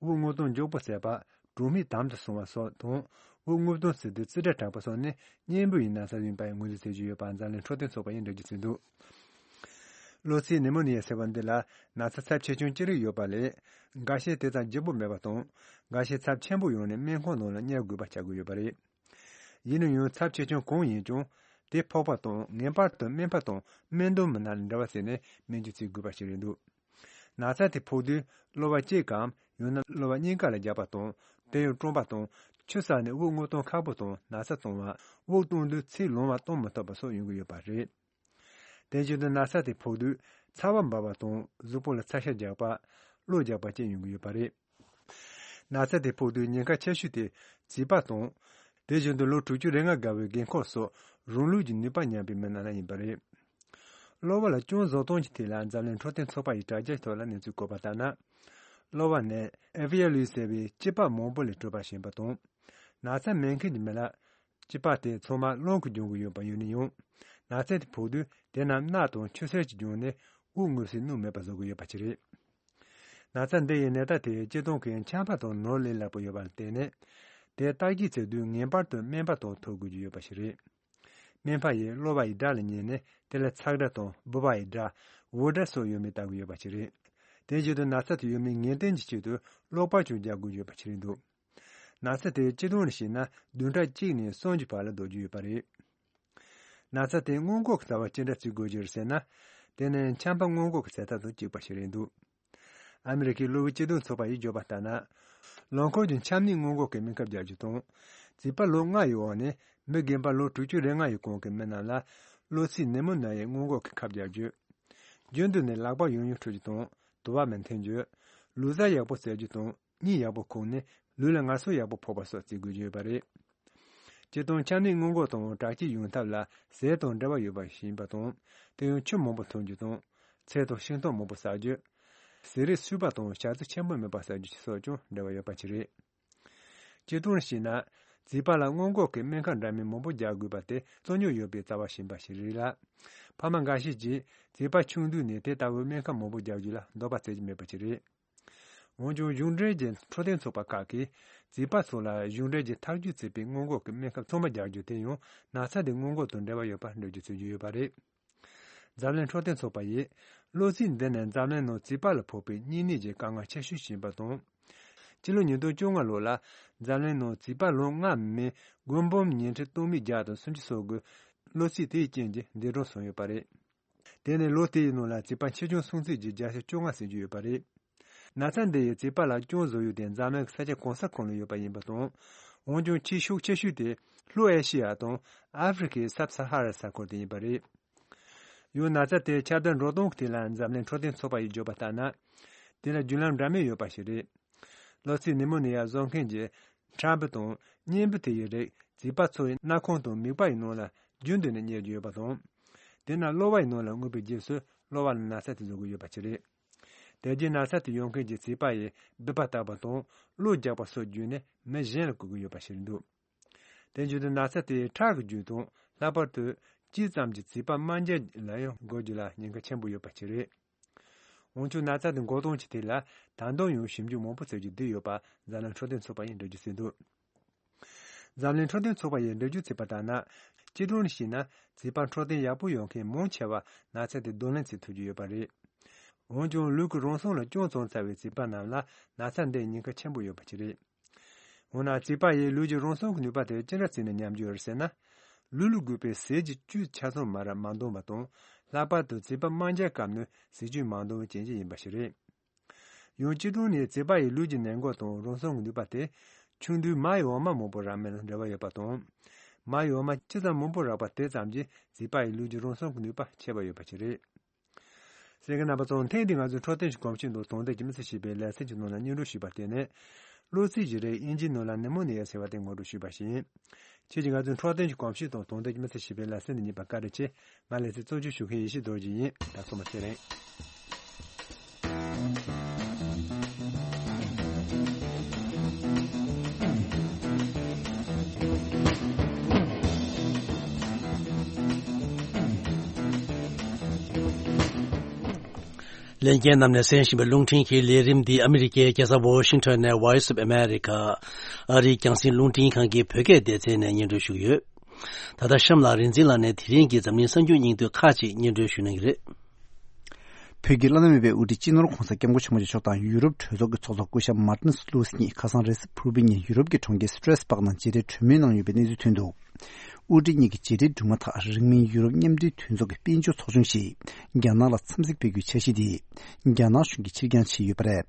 དབུགས་རྔུབ་གཏོང་མགྱོགས་པོ་བྱེད་པ། གྲོགས་མེད་དམ་དུ་སོང་བ་སོགས་དང་། དབུགས་རྔུབ་གཏོང་ཟེར་དུས་རྩིས་ཁྲ་དྲག་པ་སོགས་ནི་གཉན་འབུ་ཡི་ན་ཚ་ཡིན་པའི་ངོས་འཛིན་བྱེད་ཀྱི་ཡོད་པ་འཛམ་གླིང་འཕྲོད་བསྟེན་ཚོགས་པ་ཡིས་འགྲེལ་བརྗོད་བྱས་འདུག་གློ་ཚིགས་ནི་མོ་ནི་ཡ་ཟེར་བ་འདི་ལ་ན་ཚ་ཚབས་ཆེ་ཆུང་ཅི་རིགས་ཡོད་པ་ལས། འགའ་ཤས་དེ་ཙམ་ལྗིད་པོ་མེད་པ་དང་། འགའ་ཤས་ཚབས་ཆེན་པོ་ཡོང་ནས་སྨན་ཁང་ནང་ལ་བསྙལ་དགོས་པ་ཆགས་ཀྱི་ཡོད་པ་རེད། ཡིན་ན་ཡང་ཚབས་ཆེ་ཆུང་གང་ཡིན་ཀྱང་། དེ་ཕོག་པ་དང་ངེས་པར་དུ་སྨན་པ་དང་སྨན་འདོན་མི་སྣ་ལ་འབྲེལ་བ་བྱས་ནས་སྨན་བཅོས་བྱེད་དགོས་པ་ཞིག་རེད་འདུག་ན་ཚ་དེ་ཕོག་དུས་གློ་བ་གཅིག་གམ་ཡང་ན་གློ་བ་གཉིས་ཀ་ལ་རྒྱགས་པ་དང་། དེ་ཡང་གྲང་པ་དང་། ཆུ་བསགས་ནས་དབུགས་རྔུབ་གཏོང་ཁག་པོ་དང་ན་ཚ་གཏོང་བ། དབུགས་གཏོང་དུས་ཚིག་ལོང་བ་གཏོང་མི་ཐུབ་པ་སོགས་ཡོང་གི་ཡོད་པ་རེད། དེ་བཞིན་དུ་ན་ཚ་དེ་ཕོག་དུས་ཚ་བ་འབར་བ་དང་གཟུགས་པོ་ལ་ཚ་ཤ་རྒྱག་པ། གློ་རྒྱགས་པ་བཅས་ཡོང་གི་ཡོད་པ་རེད། ན་ཚ་དེ་ཕོག་དུས་ཉེན་ཁ་ཆེ་ཤོས་དེ་བྱིས་པ་དང་། དེ་བཞིན་དུ་ལོ་དྲུག་ཅུ་རེ་ལྔ་བརྒལ་བའི་རྒན་འཁོགས་སོགས་རང་ལུས་ཀྱི་ནུས་པ་ཉམས་པའི་མི་རྣམས་ལ་ཡིན་པ་རེད། གློ་བ་ལ་སྐྱོན་བཟོ་སྟངས་ཀྱི་ཐད་ལ་འཛམ་གླིང་འཕྲོད་བསྟེན་ཚོགས་པ་ཡི་དྲ་རྒྱའི་ཐོག་ལ་གནས་ཚུལ་བཀོད་པ་ལྟར་ན། གློ་བ་ནི་ཨེ་ཕི་ཨེལ་ཡུ་ཟེར་བའི་སྐྱི་པགས་མང་པོ་ལས་གྲུབ་པ་ཞིག་ཡིན་པ་དང་། ན་ཚ་མེད་མཁན་གྱི་མི་ལ། སྐྱི་པགས་དེ་ཚང་མ་རླུང་གིས་སྦྱོང་གི་ཡོད་པ་ཡིན་ན་ཡང་། ན་ཚ་དེ་ཕོག་དུས་དེ་རྣམས་རྣག་དང་ཆུ་སེར་གྱིས་སྦྱངས་ནས་དབུགས་རྔུབ་སའི་སྣུམ་མེད་པ་བཟོ་གི་ཡོད་པ་ཞིག་རེད། ན་ཚ་འདི་ཡི་ནད་རྟགས་དེ་སྤྱིར་བཏང་གི་ཆམ་པ་དང་ནོར་ལས་སླ་པོ་ཡོད་པ་ལ་བརྟེན་ནས། དེ་བརྟག་དཔྱད་བྱེད་དུས་ངེས་པར་དུ་སྨན་པ་དང་ཐུག་དགོས་ཀྱི་ཡོད་པ་ཞིག་རེད། སྨན་པ་ཡིས་གློ་བ་ཡི་སྒྲ་ལ་ཉན་ནས་དེ་ལ་ཚ་སྒྲ་དང་ལྦུ་བ་ཡི་སྒྲ། འུར་སྒྲ་སོགས་ཡོད་མེད་བལྟ་དགོས་ཡོད་པ་ཞིག་རེད། དེ་བཞིན་དུ་ན་ཚ་དེ་ཡོད་མེད་ངེས་གཏན་གྱི་ཆེད་དུ་གློག་པར་ཀྱང་རྒྱག་དགོས་ཡོད་པ་ཞིག་རེད་འདུག་ན་ཚ་དེ་སྤྱིར་བཏང་ནས་བཤད་ན་བདུན་ཕྲག་གཅིག་ནས་གསུམ་གྱི་བར་ལ་ལྡོག་རྒྱུ་ཡོད་པ་རེད། ན་ཚ་དེ་སྔོན་འགོག་གི་རྩ་བ་ཅི་འདྲ་བྱེད་དགོས་ཀྱི་རེད་ཟེར་ན། དེ་ནི་ཆམ་པ་སྔོན་འགོག་གི་ཚད་ཐབས་དང་གཅིག་པ་ཞིག་རེད་འདུག་ཨ་མི་རི་ཀའི་གློ་བའི་སྤྱི་མཐུན་ཚོགས་པ་ཡིས་བརྗོད་པ་ལྟར་ན། ལོ་འཁོར་གྱི་ཆམ་ནད་སྔོན་འགོག་གི་སྨན་ཁབ་རྒྱག་རྒྱུ་དང་། བྱིས་པ་ལོ་ལྔ་ཡི་འོག་ནས་མི་རྒན་པ་ལོ་དྲུག་ཅུ་རེ་ལྔ་ཡི་གོང་གི་མི་རྣམས་ལ་གློ་ཚིགས་ནད་མུག་ནད་ཡའི་སྔོན་འགོག་གི་ཁབ་རྒྱག་རྒྱུ། རྒྱུན་དུ་ནས་ལག་པ་ཡང་ཡང་འཁྲུ་རྒྱུ་དང་དུ་བ་མི་འཐེན་རྒྱུ། ལུས་རྩལ་ཡག་པོ་རྩེ་རྒྱུ་དང་གཉིད་ཡག་པོ་ཁུག་ནས་ལུས་ལ་ངལ་གསོ་ཡག་པོ་ཕོག་པ་སོགས་བྱེད་དགོས་ཀྱི་ཡོད་པ་རེད། སྤྱིར་བཏང་ཆམ་ནད་སྔོན་འགོག་དང་དྲག་སྐྱེད་ཡོང་ཐབས་ལ་ཟས་དང་འབྲེལ་བ་ཡོད་པ་ཞིག་ཡིན་པ་དང་། དེ་ཡང་ཆུ་མང་པོ་འཐུང་རྒྱུ་དང་། ཚལ་དང་ཤིང་ཏོག་མང་པོ་བཟའ་རྒྱུ། ཟས་རིགས་སོས་པ་དང་བྱ་རྩི་ཆེན་པོ་མེད་པ་བཟའ་རྒྱུ་སོགས་ཀྱང་འབྲེལ་བ་ཡོད་པ་ཞིག་རེད། སྤྱིར་བཏང་བྱས་ན། བྱིས་པ་ལ་སྔོན་འགོག་གི་སྨན་ཁབ་འདྲ་མིན་མང་པོ་རྒྱག་དགོས་པ་དེ་རྩོད་རྙོག་ཡོད་པའི་རྩ་བ་ཞིག་ཡིན་པ་ཞིག་རེད་ལ། ཕ་མ་འགའ་ཤས་ཀྱིས་བྱིས་པ་ཆུང་དུས་ནས་དེ་ལྟ་བུའི་སྨན་ཁབ་མང་པོ་རྒྱག་རྒྱུ་ལ་འདོད་པ་བརྩི་གི་མེད་པ་ཞིག་རེད། འོན་ཀྱང་གཞུང་འབྲེལ་གྱི་འཕྲོད་བསྟེན་ཚོགས་པ་ཁག་གིས་བྱིས་པ་ཚོ་ལ་གཞུང་འབྲེལ་གྱི་ཐག་གཅོད་བྱས་པའི་སྔོན་འགོག་གི་སྨན་ཁབ་ཚང་མ་རྒྱག་རྒྱུ་དེ་ཡང་ན་ཚ་དེ་སྔོན་འགོག་དང་འབྲེལ་བ་ཡོད་པར་འགྲེལ་བརྗོད་བྱེད་ཀྱི་ཡོད་པ་རེད། འཛམ་གླིང་འཕྲོད་བསྟེན་ཚོགས་པ་ཡིས་གློ་ཚིགས་འདི་ནི་འཛམ་གླིང་ནང་རྩིས་པ་ལ་ཕོག་པའི་གཉན་ནད་ཀྱི་དཀའ་ངལ་ཆེ་ཤོས་ཤིག་ཡིན་པ་དང་། སྤྱི་ལོ་ཉིས་སྟོང་བཅོ་ལྔ་ལོ་ལ་འཛམ་གླིང་ནང་རྩིས་པ་ལོ་ལྔ་མིན་མགོན་པོ་ཉིས་ཁྲི་སྟོང་མི་བརྒྱ་དང་སུམ་ཅུ་སོ་དགུ་གློ་ཚིགས་དེའི་རྐྱེན་གྱིས་འདས་གྲོངས་སོང་ཡོད་པ་རེད། དེ་ནི་ལོ་དེའི་ནང་ལ་རྩིས་པ་ཆེ་ཆུང་སུམ་ཅུ་ཡི་བརྒྱ་ཆ་བཅོ་ལྔ་ཟིན་རྒྱུ་ཡོད་པ་རེད། ན་ཚ་འདི་ཡི་རྩིས་པ་ལ་ཅུང་བཟོ་ཡུལ་དེ་འཛམ་གླིང་གི་ས་ཆ་གང་ས་གང་ལ་ཡོད་པ་ཡིན་པ་དང་། འོན་ཀྱང་ཆེས་ཤུགས་ཆེ་ཤོས་དེ་ལྷོ་ཨེ་ཤི་ཡ་དང་ཨ་ཧྥེ་རི་ཁའི་སབ་ས་ཧ་ར་ས་ཁུལ་དེ་ཡིན་པ་རེད། ཡང་ན་ཚ་དེ་ཁྱབ་གདལ་འགྲོ་སྟངས་ཀྱི་ཐད་ལ་འཛམ་གླིང་འཕྲོད་བསྟེན་ཚོགས་པ་ཡིས་བརྗོད་པ་ལྟར་ན། དེ་ལ་བརྒྱུད་ལམ་འདྲ་མིན་ཡོད་པ་ཞིག་རེད། གློ་ཚིགས་ནི་མོ་ནི་ཡ་བཟོ་མཁན་གྱི་ཁྲག་འབུ་དང་གཉན་འབུ་དེ་ཡི་རིགས་རྩིས་པ་ཚོ་ཡི་སྣ་ཁུང་དང་མིད་པ་ཡི་ནང་ལ་རྒྱུན་དུ་ནས་རྙེད་རྒྱུ་ཡོད་པ་དང་། དེ་ན་གློ་བ་ཡི་ནང་ལ་མངོན་པའི་རྗེས་སུ་གློ་བ་ལ་ན་ཚ་དེ་བཟོ་གི་ཡོད་པ་ཞིག་རེད། དེ་རྗེས་ན་ཚ་དེ་ཡོང་མཁན་གྱི་རྩིས་པ་ཡིས་སྦུད་པ་བཏབ་པ་དང་གློ་རྒྱག་པ་སོགས་བརྒྱུད་ནས་མི་གཞན་ལ་འགོ་གི་ཡོད་པ་ཞིག་འདུག་དེ་བཞིན་དུ་ན་ཚ་དེ་ཁྲག་གི་བརྒྱུད་དང་ལྷག་པར་དུ་ལྕེ་ཙམ་གྱི་རྩིས་པ་རྨ་རྒྱལ་ལ་ཡང་འགོ་རྒྱུ་ལ་ཉེན་ཁ་ཆེན་པོ་ཡོད་པ་ཞིག་རེད། འོན་ཀྱང་ན་ཚ་དེ་འགོག་སྟངས་ཀྱི་ཐད་ལ་ད་དུང་ཡང་ཞིབ་འཇུག་མང་པོ་བྱེད་རྒྱུ་བསྡད་ཡོད་པ་འཛམ་གླིང་འཕྲོད་བསྟེན་ཚོགས་པ་ཡིས་འགྲེལ་བརྗོད་བྱས་འདུག་འཛམ་གླིང་འཕྲོད་བསྟེན་ཚོགས་པ་ཡིས་འགྲེལ་བརྗོད་བྱས་པ་ལྟར་ན། སྤྱི་བཏང་ནས་བཤད་ན་རྩིས་པ་འཕྲོད་བསྟེན་ཡག་པོ་ཡོད་མཁན་མང་ཆེ་བ་ན་ཚ་དེ་གདོང་ལེན་བྱེད་ཐུབ་ཀྱི་ཡོད་པ་རེད། འོན་ཀྱང་ལུས་ཀྱི་རང་སྲུང་ལ་ཅུང་ཙམ་རྩ་བའི་རྩིས་པ་རྣམས་ལ་ན་ཚ་འདིའི་ཉེན་ཁ་ཆེན་པོ་ཡོད་པ་ཅིག་རེད། འོ་ན་རྩིས་པ་ཡིས་ལུས་ཀྱི་རང་སྲུང་གི་ནུས་པ་དེ་ཅི་འདྲ་བརྩིས་ནས་ཉམས་རྒྱུ་རེད་ཟེར་ན། ལུས་ལ་དགོས་པའི་ཟས་ཀྱི་བཅུད་ཆ་ཚང་མ་ར་མ་འདོན་པ་དང་། ལྷག་པར་དུ་རྩིས་པ་རྨ་རྒྱལ་སྐབས་ནས་ཟས་བཅུད་མ་འདོན་པའི་རྐྱེན་གྱིས་ཡིན་པ་ཞིག་རེད། ཡང་སྤྱི་བཏང་ནས་རྩིས་པ་ཡི་ལུས་ཀྱི་ནད་འགོག་དང་རང་སྲུང་གི་ནུས་པ་དེ་ཆུང་དུས་མ་ཡི་འོ་མ་མང་པོ་རག་མིན་ལ་འབྲེལ་བ་ཡོད་པ་དང་། མ་ཡི་འོ་མ་ཅི་ཙམ་མང་པོ་རག་པ་དེ་ཙམ་གྱིས་རྩིས་པ་ཡི་ལུས་ཀྱི་རང་སྲུང་གི་ནུས་པ་ཆེ་བ་ཡོད་པ་ཞིག་རེད། གསན་མཁན་རྣམ་པ་ཚོ། ཐེངས་འདིའི་ང་ཚོའི་འཕྲོད་བསྟེན་གྱི་གོམས་གཤིས་དང་དོན་དག་གི་མི་ཚེ་ཞེས་པའི་ལེ་ཚན་གྱི་ནང་ལ་སྙན་སྒྲོན་ཞུས་པ་དེ་ནི། གློ་ཚིགས་ཀྱི་རིགས་དབྱིན་ཇིའི་ནང་ལ་ནི་མོ་ནི་ཡ་ཟེར་བ་དེ་ངོ་སྤྲོད་ཞུས་པ་ཞིག་ཡིན། ཁྱེད་ཀྱིས་ང་ཚོའི་འཕྲོད་བསྟེན་གྱི་གོམས་གཤིས་དང་དོན་དག་གི་མི་ཚེ་ཞེས་པའི་ལེ་ཚན་འདི་གཉིས་པ་བཀའ་དྲིན་ཆེ། ང་ལེ་ཚན་གཙོ་སྐྱོང་ཞུ་མཁན་ཡེ་ཤེས་རྡོ་རྗེ་ཡིན། ད་སོ་མ་ཚེ་རིང་། ལྷན་རྒྱས་རྣམས་ནས་གསན་བཞིན་པའི་རླུང་འཕྲིན་གྱི་ལས་རིམ་འདི་ཨ་མི་རི་ཀའི་རྒྱལ་ས་ཝོ་ཤིང་ཊོན་ནས་Voice of America ཨ་རིའི་རྒྱང་སྲིང་རླུང་འཕྲིན་ཁང་གི་བོད་སྐད་སྡེ་ཚན་ནས་སྙན་སྒྲོན་ཞུ་གི་ཡོད། ད་ལྟ་གཤམ་ལ་རིག་འཛིན་ལགས་ནས་དེ་རིང་གི་འཛམ་གླིང་གསར་འགྱུར་སྙིང་བསྡུས་ཁག་ཅིག་སྙན་སྒྲོན་ཞུ་གནང་གི་རེད། བོད་ཀྱི་བླ་ན་མེད་པའི་དབུ་ཁྲིད་སྤྱི་ནོར་༧གོང་ས་༧སྐྱབས་མགོན་ཆེན་པོ་མཆོག་དང་ཡུ་རོབ་གྲོས་ཚོགས་ཀྱི་ཚོགས་གཙོ་སྐུ་ཞབས་མར་ཏིན་སི་ལུའུ་སི་གཉིས་ཁ་སང་རེས་གཟའ་ཕུར་བུའི་ཉིན་ཡུ་རོབ་ཀྱི་གྲོང་ཁྱེར་སི་ཏྲེས་སྦག་ནང་མཇལ་འཕྲད་གྲོས་མོལ་གནང་ཡོད་པའི་གནས་ཚུལ་ཐོན་འདུག་དབུ་ཁྲིད་གཉིས་ཀྱི་མཇལ་འཕྲད་གྲུབ་མ་ཐག་རིང་མིན་ཡུ་རོབ་མཉམ་འབྲེལ་མཐུན་ཚོགས་ཀྱི་དཔལ་འབྱོར་ཚོགས་ཆུང་ཞིག་རྒྱ་ནག་ལ་འཚམས་གཟིགས་སྤེལ་རྒྱུའི་འཆར་གཞི་དེ་རྒྱ་ནག་གཞུང་གིས་ཕྱིར་འགྱངས་བྱས་ཡོད་པ་རེད།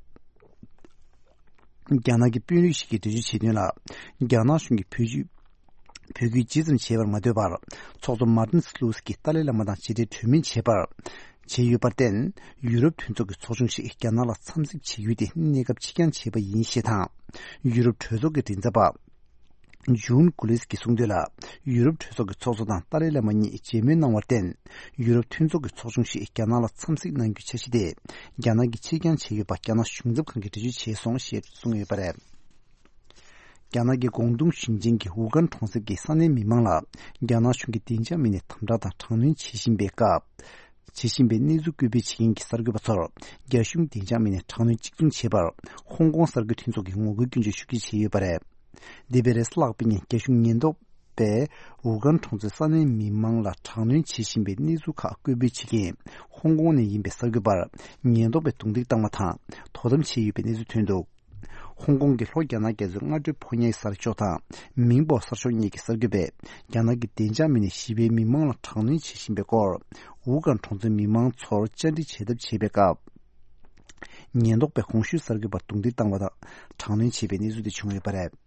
རྒྱ་ནག་གི་དཔོན་རིགས་ཤིག་གིས་འགྲེལ་བརྗོད་བྱས་དོན་ལ། རྒྱ་ནག་གཞུང་གིས་བོད་བརྒྱུད་བོད་བརྒྱུད་ཇི་ཙམ་བྱས་པར་མ་ལྟོས་པར། ཚོགས་གཙོ་མར་ཏིན་སི་ལུའུ་སི་ཀྱིས་ཏཱ་ལའི་བླ་མ་དང་མཇལ་འཕྲད་གྲོས་མོལ་བྱས་པར། བྱས་ཡོད་པར་བརྟེན། ཡུ་རོབ་མཐུན་ཚོགས་ཀྱི་ཚོགས་ཆུང་ཞིག་རྒྱ་ནག་ལ་འཚམས་གཟིགས་བྱེད་རྒྱུ་དེ་གནས་སྐབས་ཕྱིར་འགྱངས་བྱས་པ་ཡིན་ཞེས་དང་། ཡུ་རོབ་གྲོས་ཚོགས་ཀྱི་མགྲིན་ཚབ་པ། ཇུན་གུ་ལིས་ཀྱིས་གསུངས་དོན་ལ། ཡུ་རོབ་གྲོས་ཚོགས་ཀྱི་ཚོགས་གཙོ་དང་ཏཱ་ལའི་བླ་མ་གཉིས་མཇལ་མོལ་གནང་བར་བརྟེན། ཡུ་རོབ་མཐུན་ཚོགས་ཀྱི་ཚོགས་ཆུང་ཞིག་རྒྱ་ནག་ལ་འཚམས་གཟིགས་གནང་རྒྱུའི་འཆར་གཞི་དེ། རྒྱ་ནག་གིས་ཕྱིར་འགྱངས་བྱས་ཡོད་པ་རྒྱ་ནག་གཞུང་ཚབ་ཁང་གིས་འགྲེལ་བརྗོད་བྱས་སོང་ཞེས་གསུངས་ཡོད་པ་རེད། རྒྱ་ནག་གི་ཀོང་ཏུང་ཞིང་ཆེན་གྱི་ཝུ་ཀན་གྲོང་གསེབ་ཀྱི་ས་གནས་མི་མང་ལ། རྒྱ་ནག་གཞུང་གིས་བདེ་འཇགས་མི་སྣས་དམ་དྲག་དང་དྲག་གནོན་བྱེད་བཞིན་པའི་སྐབས། བྱེད་བཞིན་པའི་གནས་ཚུལ་སྐུལ་སྤེལ་བྱེད་མཁན་གྱི་གསར་འགོད་པ་ཚོར། རྒྱ་གཞུང་བདེ་འཇགས་མི་སྣས་དྲག་གནོན་གཅིག་མཚུངས་བྱས་པར། ཧོང་ཀོང་གསར་འགོད་མཐུན་ཚོགས་ཀྱིས་ངོ་རྒོལ་སྐྱོན་བརྗོད་ཤུགས་ཆེ་བྱས་ཡོད་པ་རེད། འདས་པའི་རེས་གཟའ་ལྷག་པའི་ཉིན་རྒྱ་གཞུང་ཉེན་རྟོག་པས་ཝུ་ཀན་གྲོང་ཚོའི་ས་གནས་མི་མང་ལ་དྲག་གནོན་བྱེད་བཞིན་པའི་གནས་ཚུལ་ཁག་སྐུལ་སྤེལ་བྱེད་མཁན་ཧོང་ཀོང་ནས་ཡིན་པའི་གསར་འགོད་པར་ཉེན་རྟོག་པས་རྡུང་རྡེག་བཏང་བ་དང་དོ་དམ་བྱས་ཡོད་པའི་གནས་ཚུལ་ཐོན་འདུག་ཧོང་ཀོང་གི་ལྷོ་རྒྱ་ནག་རྒྱ་མཚོའི་སྔ་དྲོའི་ཕོ་ཉའི་གསར་ཤོག་དང་མིང་པོ་གསར་ཤོག་གཉིས་ཀྱི་གསར་འགོད་པས་རྒྱ་ནག་གི་བདེ་འཇགས་མི་སྣས་ཞི་བའི་མི་མང་ལ་དྲག་གནོན་བྱེད་བཞིན་པའི་སྐོར། ཝུ་ཀན་གྲོང་ཚོའི་མི་མང་ཚོར་བཅར་འདྲི་བྱེད་ཐབས་བྱེད་པའི་སྐབས། ཉེན་རྟོག་པས་གོང་ཞུས་གསར་འགོད་པར་རྡུང་རྡེག་བཏང་བ་དང་དྲག་གནོན་བྱས་པའི་གནས་ཚུལ་དེ་བྱུང་ཡོད་པ་རེད།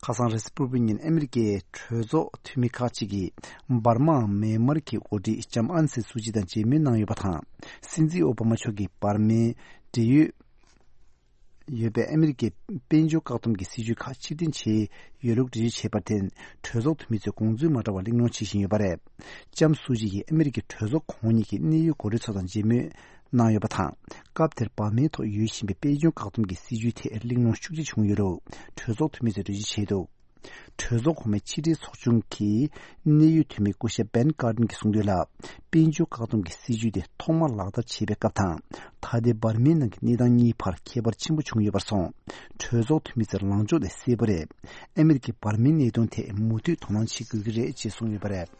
ཁ་སང་རེས་གཟའ་ཕུར་བུའི་ཉིན་ཨ་མི་རི་ཀའི་གྲོས་ཚོགས་འཐུས་མི་ཁག་ཅིག་གིས་འབར་མའམ་མེན་མར་གྱི་འགོ་ཁྲིད་ལྕམ་ཨང་སན་སུའུ་ཅི་དང་མཇལ་མོལ་གནང་ཡོད་པ་དང་། སྲིད་འཛིན་ཨོ་བྷ་མ་མཆོག་གིས་འབར་མའི་འབྲེལ་ཡོད་ཡོད་པའི་ཨ་མི་རི་ཀའི་དཔལ་འབྱོར་བཀག་སྡོམ་གྱི་སྲིད་ཇུས་ཁག་ཕྱིར་འཐེན་བྱས་ཡོད་ལུགས་འགྲེལ་བརྗོད་བྱས་པར་བརྟེན། གྲོས་ཚོགས་འཐུས་མི་ཚོས་དགོངས་ཚུལ་མ་འདྲ་བ་གླེང་སློང་བྱེད་བཞིན་ཡོད་པ་རེད། ལྕམ་སུའུ་ཅི་ཡིས་ཨ་མི་རི་ཀའི་གྲོས་ཚོགས་གོང་གཉིས་ཀྱི་གནད་ཡོད་འགོ་ཁྲིད་ཚོ་དང་མཇལ་མོལ་གནང་ཡོད་པ་དང་། སྐབས་དེར་འབར་མའི་ཐོག་ཡོད་བཞིན་པའི་དཔལ་འབྱོར་བཀག་སྡོམ་གྱི་སྲིད་ཇུས་ཐད་གླེང་སློང་ཤུགས་ཆེ་བྱུང་ཡོད་ལུགས་གྲོས་ཚོགས་འཐུས་མི་ཚོས་འགྲེལ་བརྗོད་བྱས་འདུག་གྲོས་ཚོགས་གོང་མའི་ཕྱི་དྲིལ་ཚོགས་ཆུང་གི་གནད་ཡོད་འཐུས་མི་སྐུ་ཞབས་བན་ཀར་ཏན་གྱིས་གསུངས་དོན་ལ། དཔལ་འབྱོར་བཀག་སྡོམ་གྱི་སྲིད་ཇུས་དེ་ཐོག་མར་ལག་བསྟར་བྱས་པའི་སྐབས་དང་། ད་ལྟའི་འབར་མའི་ནང་གི་གནས་སྟངས་གཉིས་བར་ཁྱད་པར་ཆེན་པོ་བྱུང་ཡོད་པར་སོང་། གྲོས་ཚོགས་འཐུས་མི་ཚོས་ལངས་ཕྱོགས་དེ་གསལ་པོ་རེད། ཨ་མི་རི་ཀས་འབར་མའི་གནད་དོན་ཐད་མུ་མཐུད་དོ་སྣང་བྱེད་དགོས་ཀྱི་རེད་ཅེས་གསུངས་ཡོད་པ་རེད།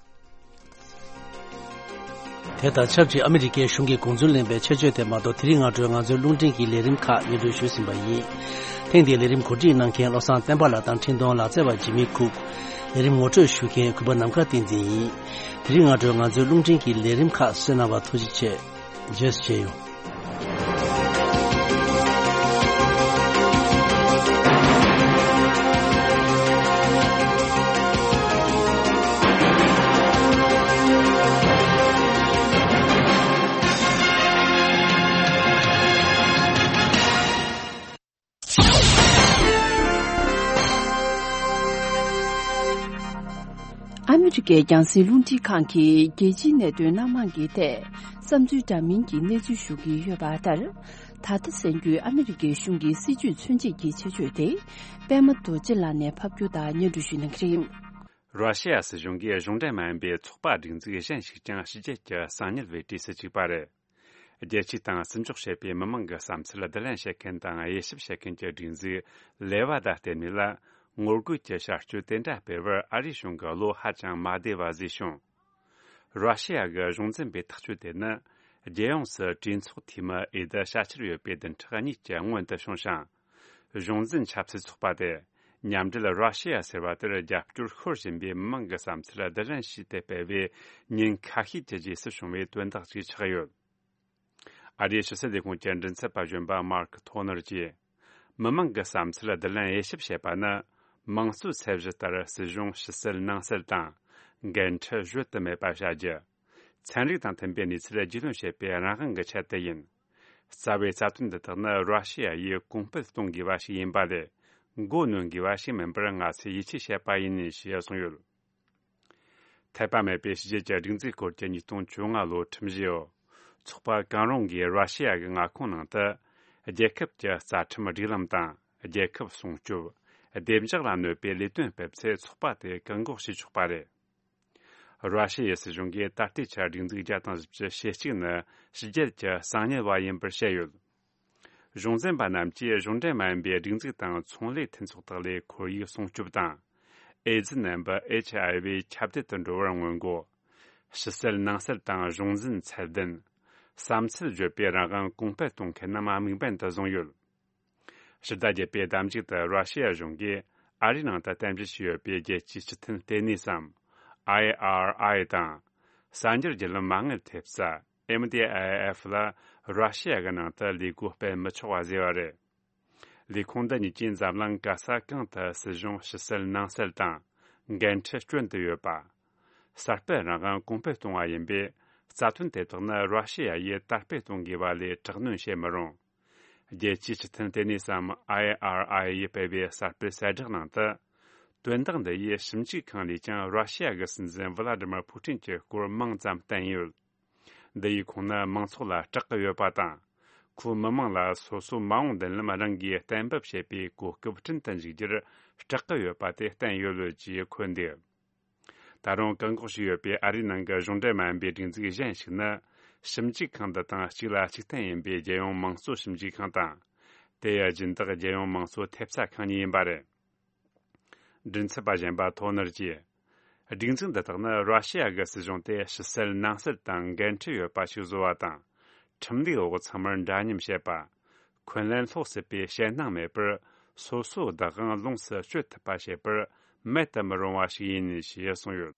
དེ་དང་ཆབས་ཅིག་ཨ་མི་རི་ཀའི་གཞུང་གི་དགོངས་ཚུལ་ལེན་པའི་ཆེད་བརྗོད་དེ་མ་གཏོགས། དེ་རིང་སྔ་དྲོའི་ང་ཚོའི་རླུང་འཕྲིན་གྱི་ལས་རིམ་ཁག་སྙན་སྒྲོན་ཞུས་ཟིན་པ་ཡིན། ཐེངས་འདིའི་ལས་རིམ་གོ་སྒྲིག་གནང་མཁན་བློ་བཟང་བསྟན་པ་ལགས་དང་འཕྲིན་གཏོང་ལག་རྩལ་བ་ཇི་མི་ཁུག་ལས་རིམ་ངོ་སྤྲོད་ཞུ་མཁན་གུས་པ་ནམ་མཁའ་བསྟན་འཛིན་ཡིན། དེ་རིང་སྔ་དྲོའི་ང་ཚོའི་རླུང་འཕྲིན་གྱི་ལས་རིམ་ཁག་གསན་གནང་བར་ཐུགས་རྗེ་ཆེ། རྗེས་སུ་མཇལ་ཡོང་། ཨ་མི་རི་ཀའི་རྒྱང་སྲིང་རླུང་འཕྲིན་ཁང་གིས་རྒྱལ་སྤྱིའི་གནད་དོན་སྣ་མང་གི་ཐད་བསམ་ཚུལ་འདྲ་མིན་གྱི་གནས་ཚུལ་ཞུ་གི་ཡོད་པ་ལྟར། ད་ལྟ་གསན་རྒྱུའི་ཨ་མི་རི་ཀའི་གཞུང་གི་སྲིད་བྱུས་མཚོན་བྱེད་ཀྱི་ཆེད་བརྗོད་དེ། པད་མ་རྡོ་རྗེ་ལགས་ནས་ཕབ་སྒྱུར་དང་སྙན་སྒྲོན་ཞུ་གནང་གི་རེད། ར་ཤི་ཡ་སྲིད་གཞུང་གིས་གཞུང་འབྲེལ་མ་ཡིན་པའི་ཚོགས་པ་སྒྲིག་འཛུགས་གཞན་ཞིག་ཀྱང་ཕྱི་རྒྱལ་གྱི་གསང་ཉུལ་བའི་གྲས་སུ་བཅུག་པ་རེད། རྒྱལ་སྤྱི་དང་བརྩི་འཇོག་བྱེད་པའི་མི་མང་གི་བསམ་ཚུལ་བསྡུ་ལེན་བྱེད་མཁན་དང་དབྱེ་ཞིབ་བྱེད་མཁན་གྱི་སྒྲིག་འཛུགས་ལེ་ཝ་ད་ལྟེ་གནས་ལ། ངོ་རྒོལ་གྱི་བྱ་སྤྱོད་དེ་འདྲ་སྤེལ་བར་ཨ་རིའི་གཞུང་གི་བློ་ཧ་ཅང་མ་བདེ་བ་བཟོས་བྱུང་། ར་ཤི་ཡ་གི་གཞུང་འཛིན་པའི་ཐག་གཅོད་དེ་ནི། རྒྱལ་ཡོངས་སུ་གྲོས་ཚོགས་འཐུས་མི་ཨེ་ད་ཤ་ཁྱེར་ཡོད་པའི་བདུན་ཕྲག་གཉིས་ཀྱི་སྔོན་དུ་བྱུང་ཞིང་། གཞུང་འཛིན་ཆབ་སྲིད་ཚོགས་པ་དེ། མཉམ་འབྲེལ་ར་ཤི་ཡ་ཟེར་བ་དེར་རྒྱབ་སྐྱོར་ཤོར་བཞིན་པའི་མི་མང་གི་བསམ་ཚུལ་བསྡུ་ལེན་བྱས་ཏེ་སྤེལ་བའི་ཉིན་ཁ་ཤས་ཀྱི་རྗེས་སུ་བྱུང་བའི་དོན་དག་ཅིག་ཆགས་ཡོད། ཨ་རིའི་ཕྱི་སྲིད་ལས་ཁུངས་ཀྱི་མགྲིན་ཚབ་པ་གཞོན་པ་མར་ཁ་ཐོ་ནར་གྱིས། མི་མང་གི་བསམ་ཚུལ་བསྡུ་ལེན་དབྱེ་ཞིབ་བྱེད་པ་ནི། དམངས་གཙོའི་ཚད་གཞི་ལྟར་སྲིད་གཞུང་ཕྱི་གསལ་ནང་གསལ་དང་། འགན་འཁྲི་གཞོལ་དུ་མེད་པ་བྱ་རྒྱུ། ཚན་རིག་དང་མཐུན་པའི་གནས་ཚུལ་རྒྱུས་ལོན་བྱེད་པའི་རང་དབང་གི་ཆེད་དུ་ཡིན། རྩ་བའི་རྩ་དོན་འདི་དག་ནི་ར་ཤི་ཡ་ཡིས་གོང་སྤེལ་གཏོང་དགོས་པ་ཞིག་ཡིན་པ་ལས། མགོ་གནོན་དགོས་པ་ཞིག་མིན་པར་ང་ཚོས་ཡིད་ཆེས་བྱས་པ་ཡིན་ཞེས་གསུངས་ཡོད། འཐད་པ་མེད་པའི་ཕྱི་རྒྱལ་གྱི་སྒྲིག་འཛུགས་སྐོར་གྱི་ཉིས་སྟོང་བཅོ་ལྔ་ལོའི་ཁྲིམས་གཞི་ཡོད། ཚོགས་པ་གང་རུང་གིས་ར་ཤི་ཡ་གི་མངའ་ཁོངས་ནང་དུ། རྒྱལ་ཁབ་ཀྱི་རྩ་ཁྲིམས་སྒྲིག་ལམ་དང་། རྒྱལ་ཁབ་སྲུང་སྐྱོབ། བདེ་འཇགས་ལ་གནོད་པའི་ལས་དོན་སྤེལ་ཚེ་ཚོགས་པ་དེ་བཀག་འགོག་བྱེད་ཆོག་པ་རེད། ར་ཤི་ཡའི་སྲིད་གཞུང་གིས་ད་ལྟའི་ཆར་སྒྲིག་འཛུགས་བརྒྱ་དང་བཞི་བཅུ་ཞེ་གཅིག་ནི་ཕྱི་རྒྱལ་གྱི་གསང་ཉུལ་བ་ཡིན་པར་བཤད་ཡོད། གཞུང་འཛིན་པ་རྣམས་ཀྱིས་གཞུང་འབྲེལ་མ་ཡིན་པའི་སྒྲིག་འཛུགས་དང་ཚོང་ལས་མཐུན་ཚོགས་དག་ལས་ཁོར་ཡུག་སྲུང་སྐྱོབ་དང་། ཨེ་ཛི་ནད་འབུ་ཨེཆ་ཨའི་ཝི་ཁྱབ་གདལ་དུ་འགྲོ་བར་སྔོན་འགོག་ཕྱི་གསལ་ནང་གསལ་དང་གཞུང་འཛིན་ཚད་ལྡན། བསམ་ཚུལ་བརྗོད་པའི་རང་དབང་གོང་སྤེལ་གཏོང་མཁན་རྣམས་དམིགས་འབེན་དུ་བཟུང་ཡོད། ཕྱི་ཟླ་བརྒྱད་པའི་ཟླ་མཇུག་ཏུ་ར་ཤི་ཡ་གཞུང་གིས་ཨ་རིའི་ནང་དུ་རྟེན་གཞི་བྱས་ཡོད་པའི་རྒྱལ་སྤྱིའི་སྤྱི་མཐུན་ལྟེ་གནས་སམ། ཨའི་ཨར་ཨའི་དང་། གསར་འགྱུར་བརྒྱུད་ལམ་མ་དངུལ་ཐེབས་རྩ། ཨེམ་ཌི་ཨའི་ཨེཕ་ལ་ར་ཤི་ཡ་གི་ནང་དུ་ལས་སྒོ་སྤེལ་མི་ཆོག་པ་བཟོས་པ་རེད། ལས་ཁུངས་འདི་གཉིས་ཀྱིས་འཛམ་གླིང་ག་ས་གང་དུ་སྲིད་གཞུང་ཕྱི་གསལ་ནང་གསལ་དང་། འགན་འཁྲི་སྐྱོན་དུ་ཡོད་པ། གསར་སྤེལ་རང་དབང་གོང་སྤེལ་གཏོང་བ་ཡིན་པས། རྩ་དོན་དེ་དག་ནི་ར་ཤི་ཡ་ཡིས་དར་སྤེལ་གཏོང་དགོས་པ་ལས་དྲག་གནོན་བྱེད་མི་རུང་། རྒྱལ་སྤྱིའི་སྤྱི་མཐུན་ལྟེ་གནས་སམ། ཨའི་ཨར་ཨའི་ཡིས་སྤེལ་བའི་གསར་སྤེལ་གསལ་བསྒྲགས་ནང་དུ། དོན་དག་འདི་ཡིས་ཞིབ་འཇུག་ཁང་ལས་ཀྱང་ར་ཤི་ཡ་གི་སྲིད་འཛིན་ཝི་ལ་ཏི་མར་ཕུ་ཏིན་གྱི་སྐོར་མང་ཙམ་བསྟན་ཡོད། འདི་ཡིས་ཁོང་ནི་མང་ཚོགས་ལ་སྐྲག་གི་ཡོད་པ་དང་། ཁོས་མི་མང་ལ་སོ་སོའི་མ་འོངས་མདུན་ལམ་རང་གིས་གཏན་འབེབས་བྱེད་པའི་གོ་སྐབས་བསྐྲུན་དུ་འཇུག་རྒྱུར་སྐྲག་གི་ཡོད་པ་དེ་བསྟན་ཡོད་ལོས་ཀྱིས་འཁོད་འདུག་ད་རུང་བཀག་འགོག་བྱས་ཡོད་པའི་ཨ་རིའི་ནང་གི་གཞུང་འབྲེལ་མ་ཡིན་པའི་སྒྲིག་འཛུགས་གཞན་ཞིག་ནི། ཞིབ་འཇུག་ཁང་འདི་དང་གཅིག་ལ་གཅིག་བརྟེན་ཡིན་པའི་རྒྱལ་ཡོངས་དམངས་གཙོ་ཞིབ་འཇུག་ཁང་དང་། དེའི་སྦྱིན་བདག་རྒྱལ་ཡོངས་དམངས་གཙོ་ཐེབས་རྩ་ཁང་གཉིས་ཡིན་པ་རེད། མགྲིན་ཚབ་པ་གཞན་པ་ཐོ་ནར་གྱིས། སྒྲིག་འཛུགས་འདི་དག་ནི་ར་ཤི་ཡ་གི་སྲིད་གཞུང་དེ་ཕྱི་གསལ་ནང་གསལ་དང་འགན་འཁྲི་ཡོད་པ་ཞིག་བཟོ་བ་དང་། ཁྲིམས་ལུགས་འོག་ཚང་མར་འདྲ་མཉམ་བྱེད་པ། འཁོན་ལན་སློག་སྲིད་པའི་ཞེད་སྣང་མེད་པར། སོ་སོའི་བདག་དབང་ལོངས་སུ་སྤྱོད་ཐུབ་པ་བྱེད་པར་མེད་དུ་མི་རུང་བ་ཞིག་ཡིན་ཞེས་གསུངས་ཡོད།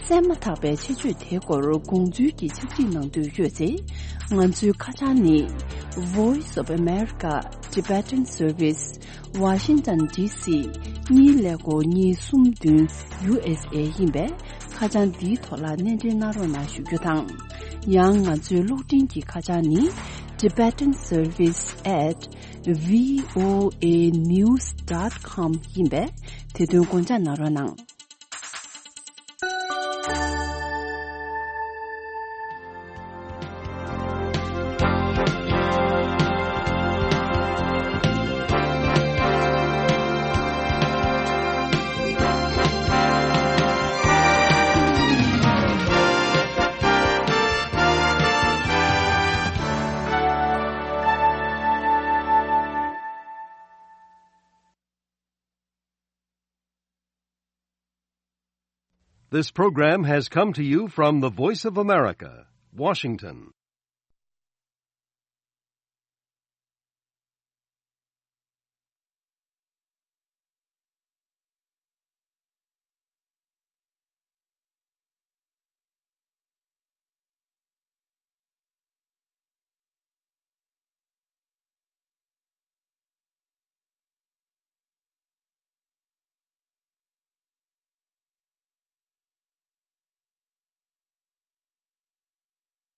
གསན་མ་ཐག་པའི་ཆེད་བརྗོད་དེའི་སྐོར་དགོངས་ཚུལ་གྱི་ཕྱག་བྲིས་གནང་འདོད་ཡོད་ཚེ། ང་ཚོའི་ཁ་བྱང་ནི། Voice of America Tibetan Service Washington D C གཉིས་ཀླད་ཀོར་གཉིས་གསུམ་བདུན་ཡུ་ཨེས་ཨེ་ཡིན་པས། ཁ་བྱང་འདིའི་ཐོག་ལ་སྣེ་འདྲེན་གནང་རོགས་གནང་ཞུ་རྒྱུ་དང་། ཡང་ང་ཚོའི་གློག་འཕྲིན་གྱི་ཁ་བྱང་ནི། Tibetan Service at V O A news dot com ཡིན་པས། དེ་དོན་དགོངས་འཇགས་གནང་རོགས་གནང་། This program has come to you from the Voice of America, Washington.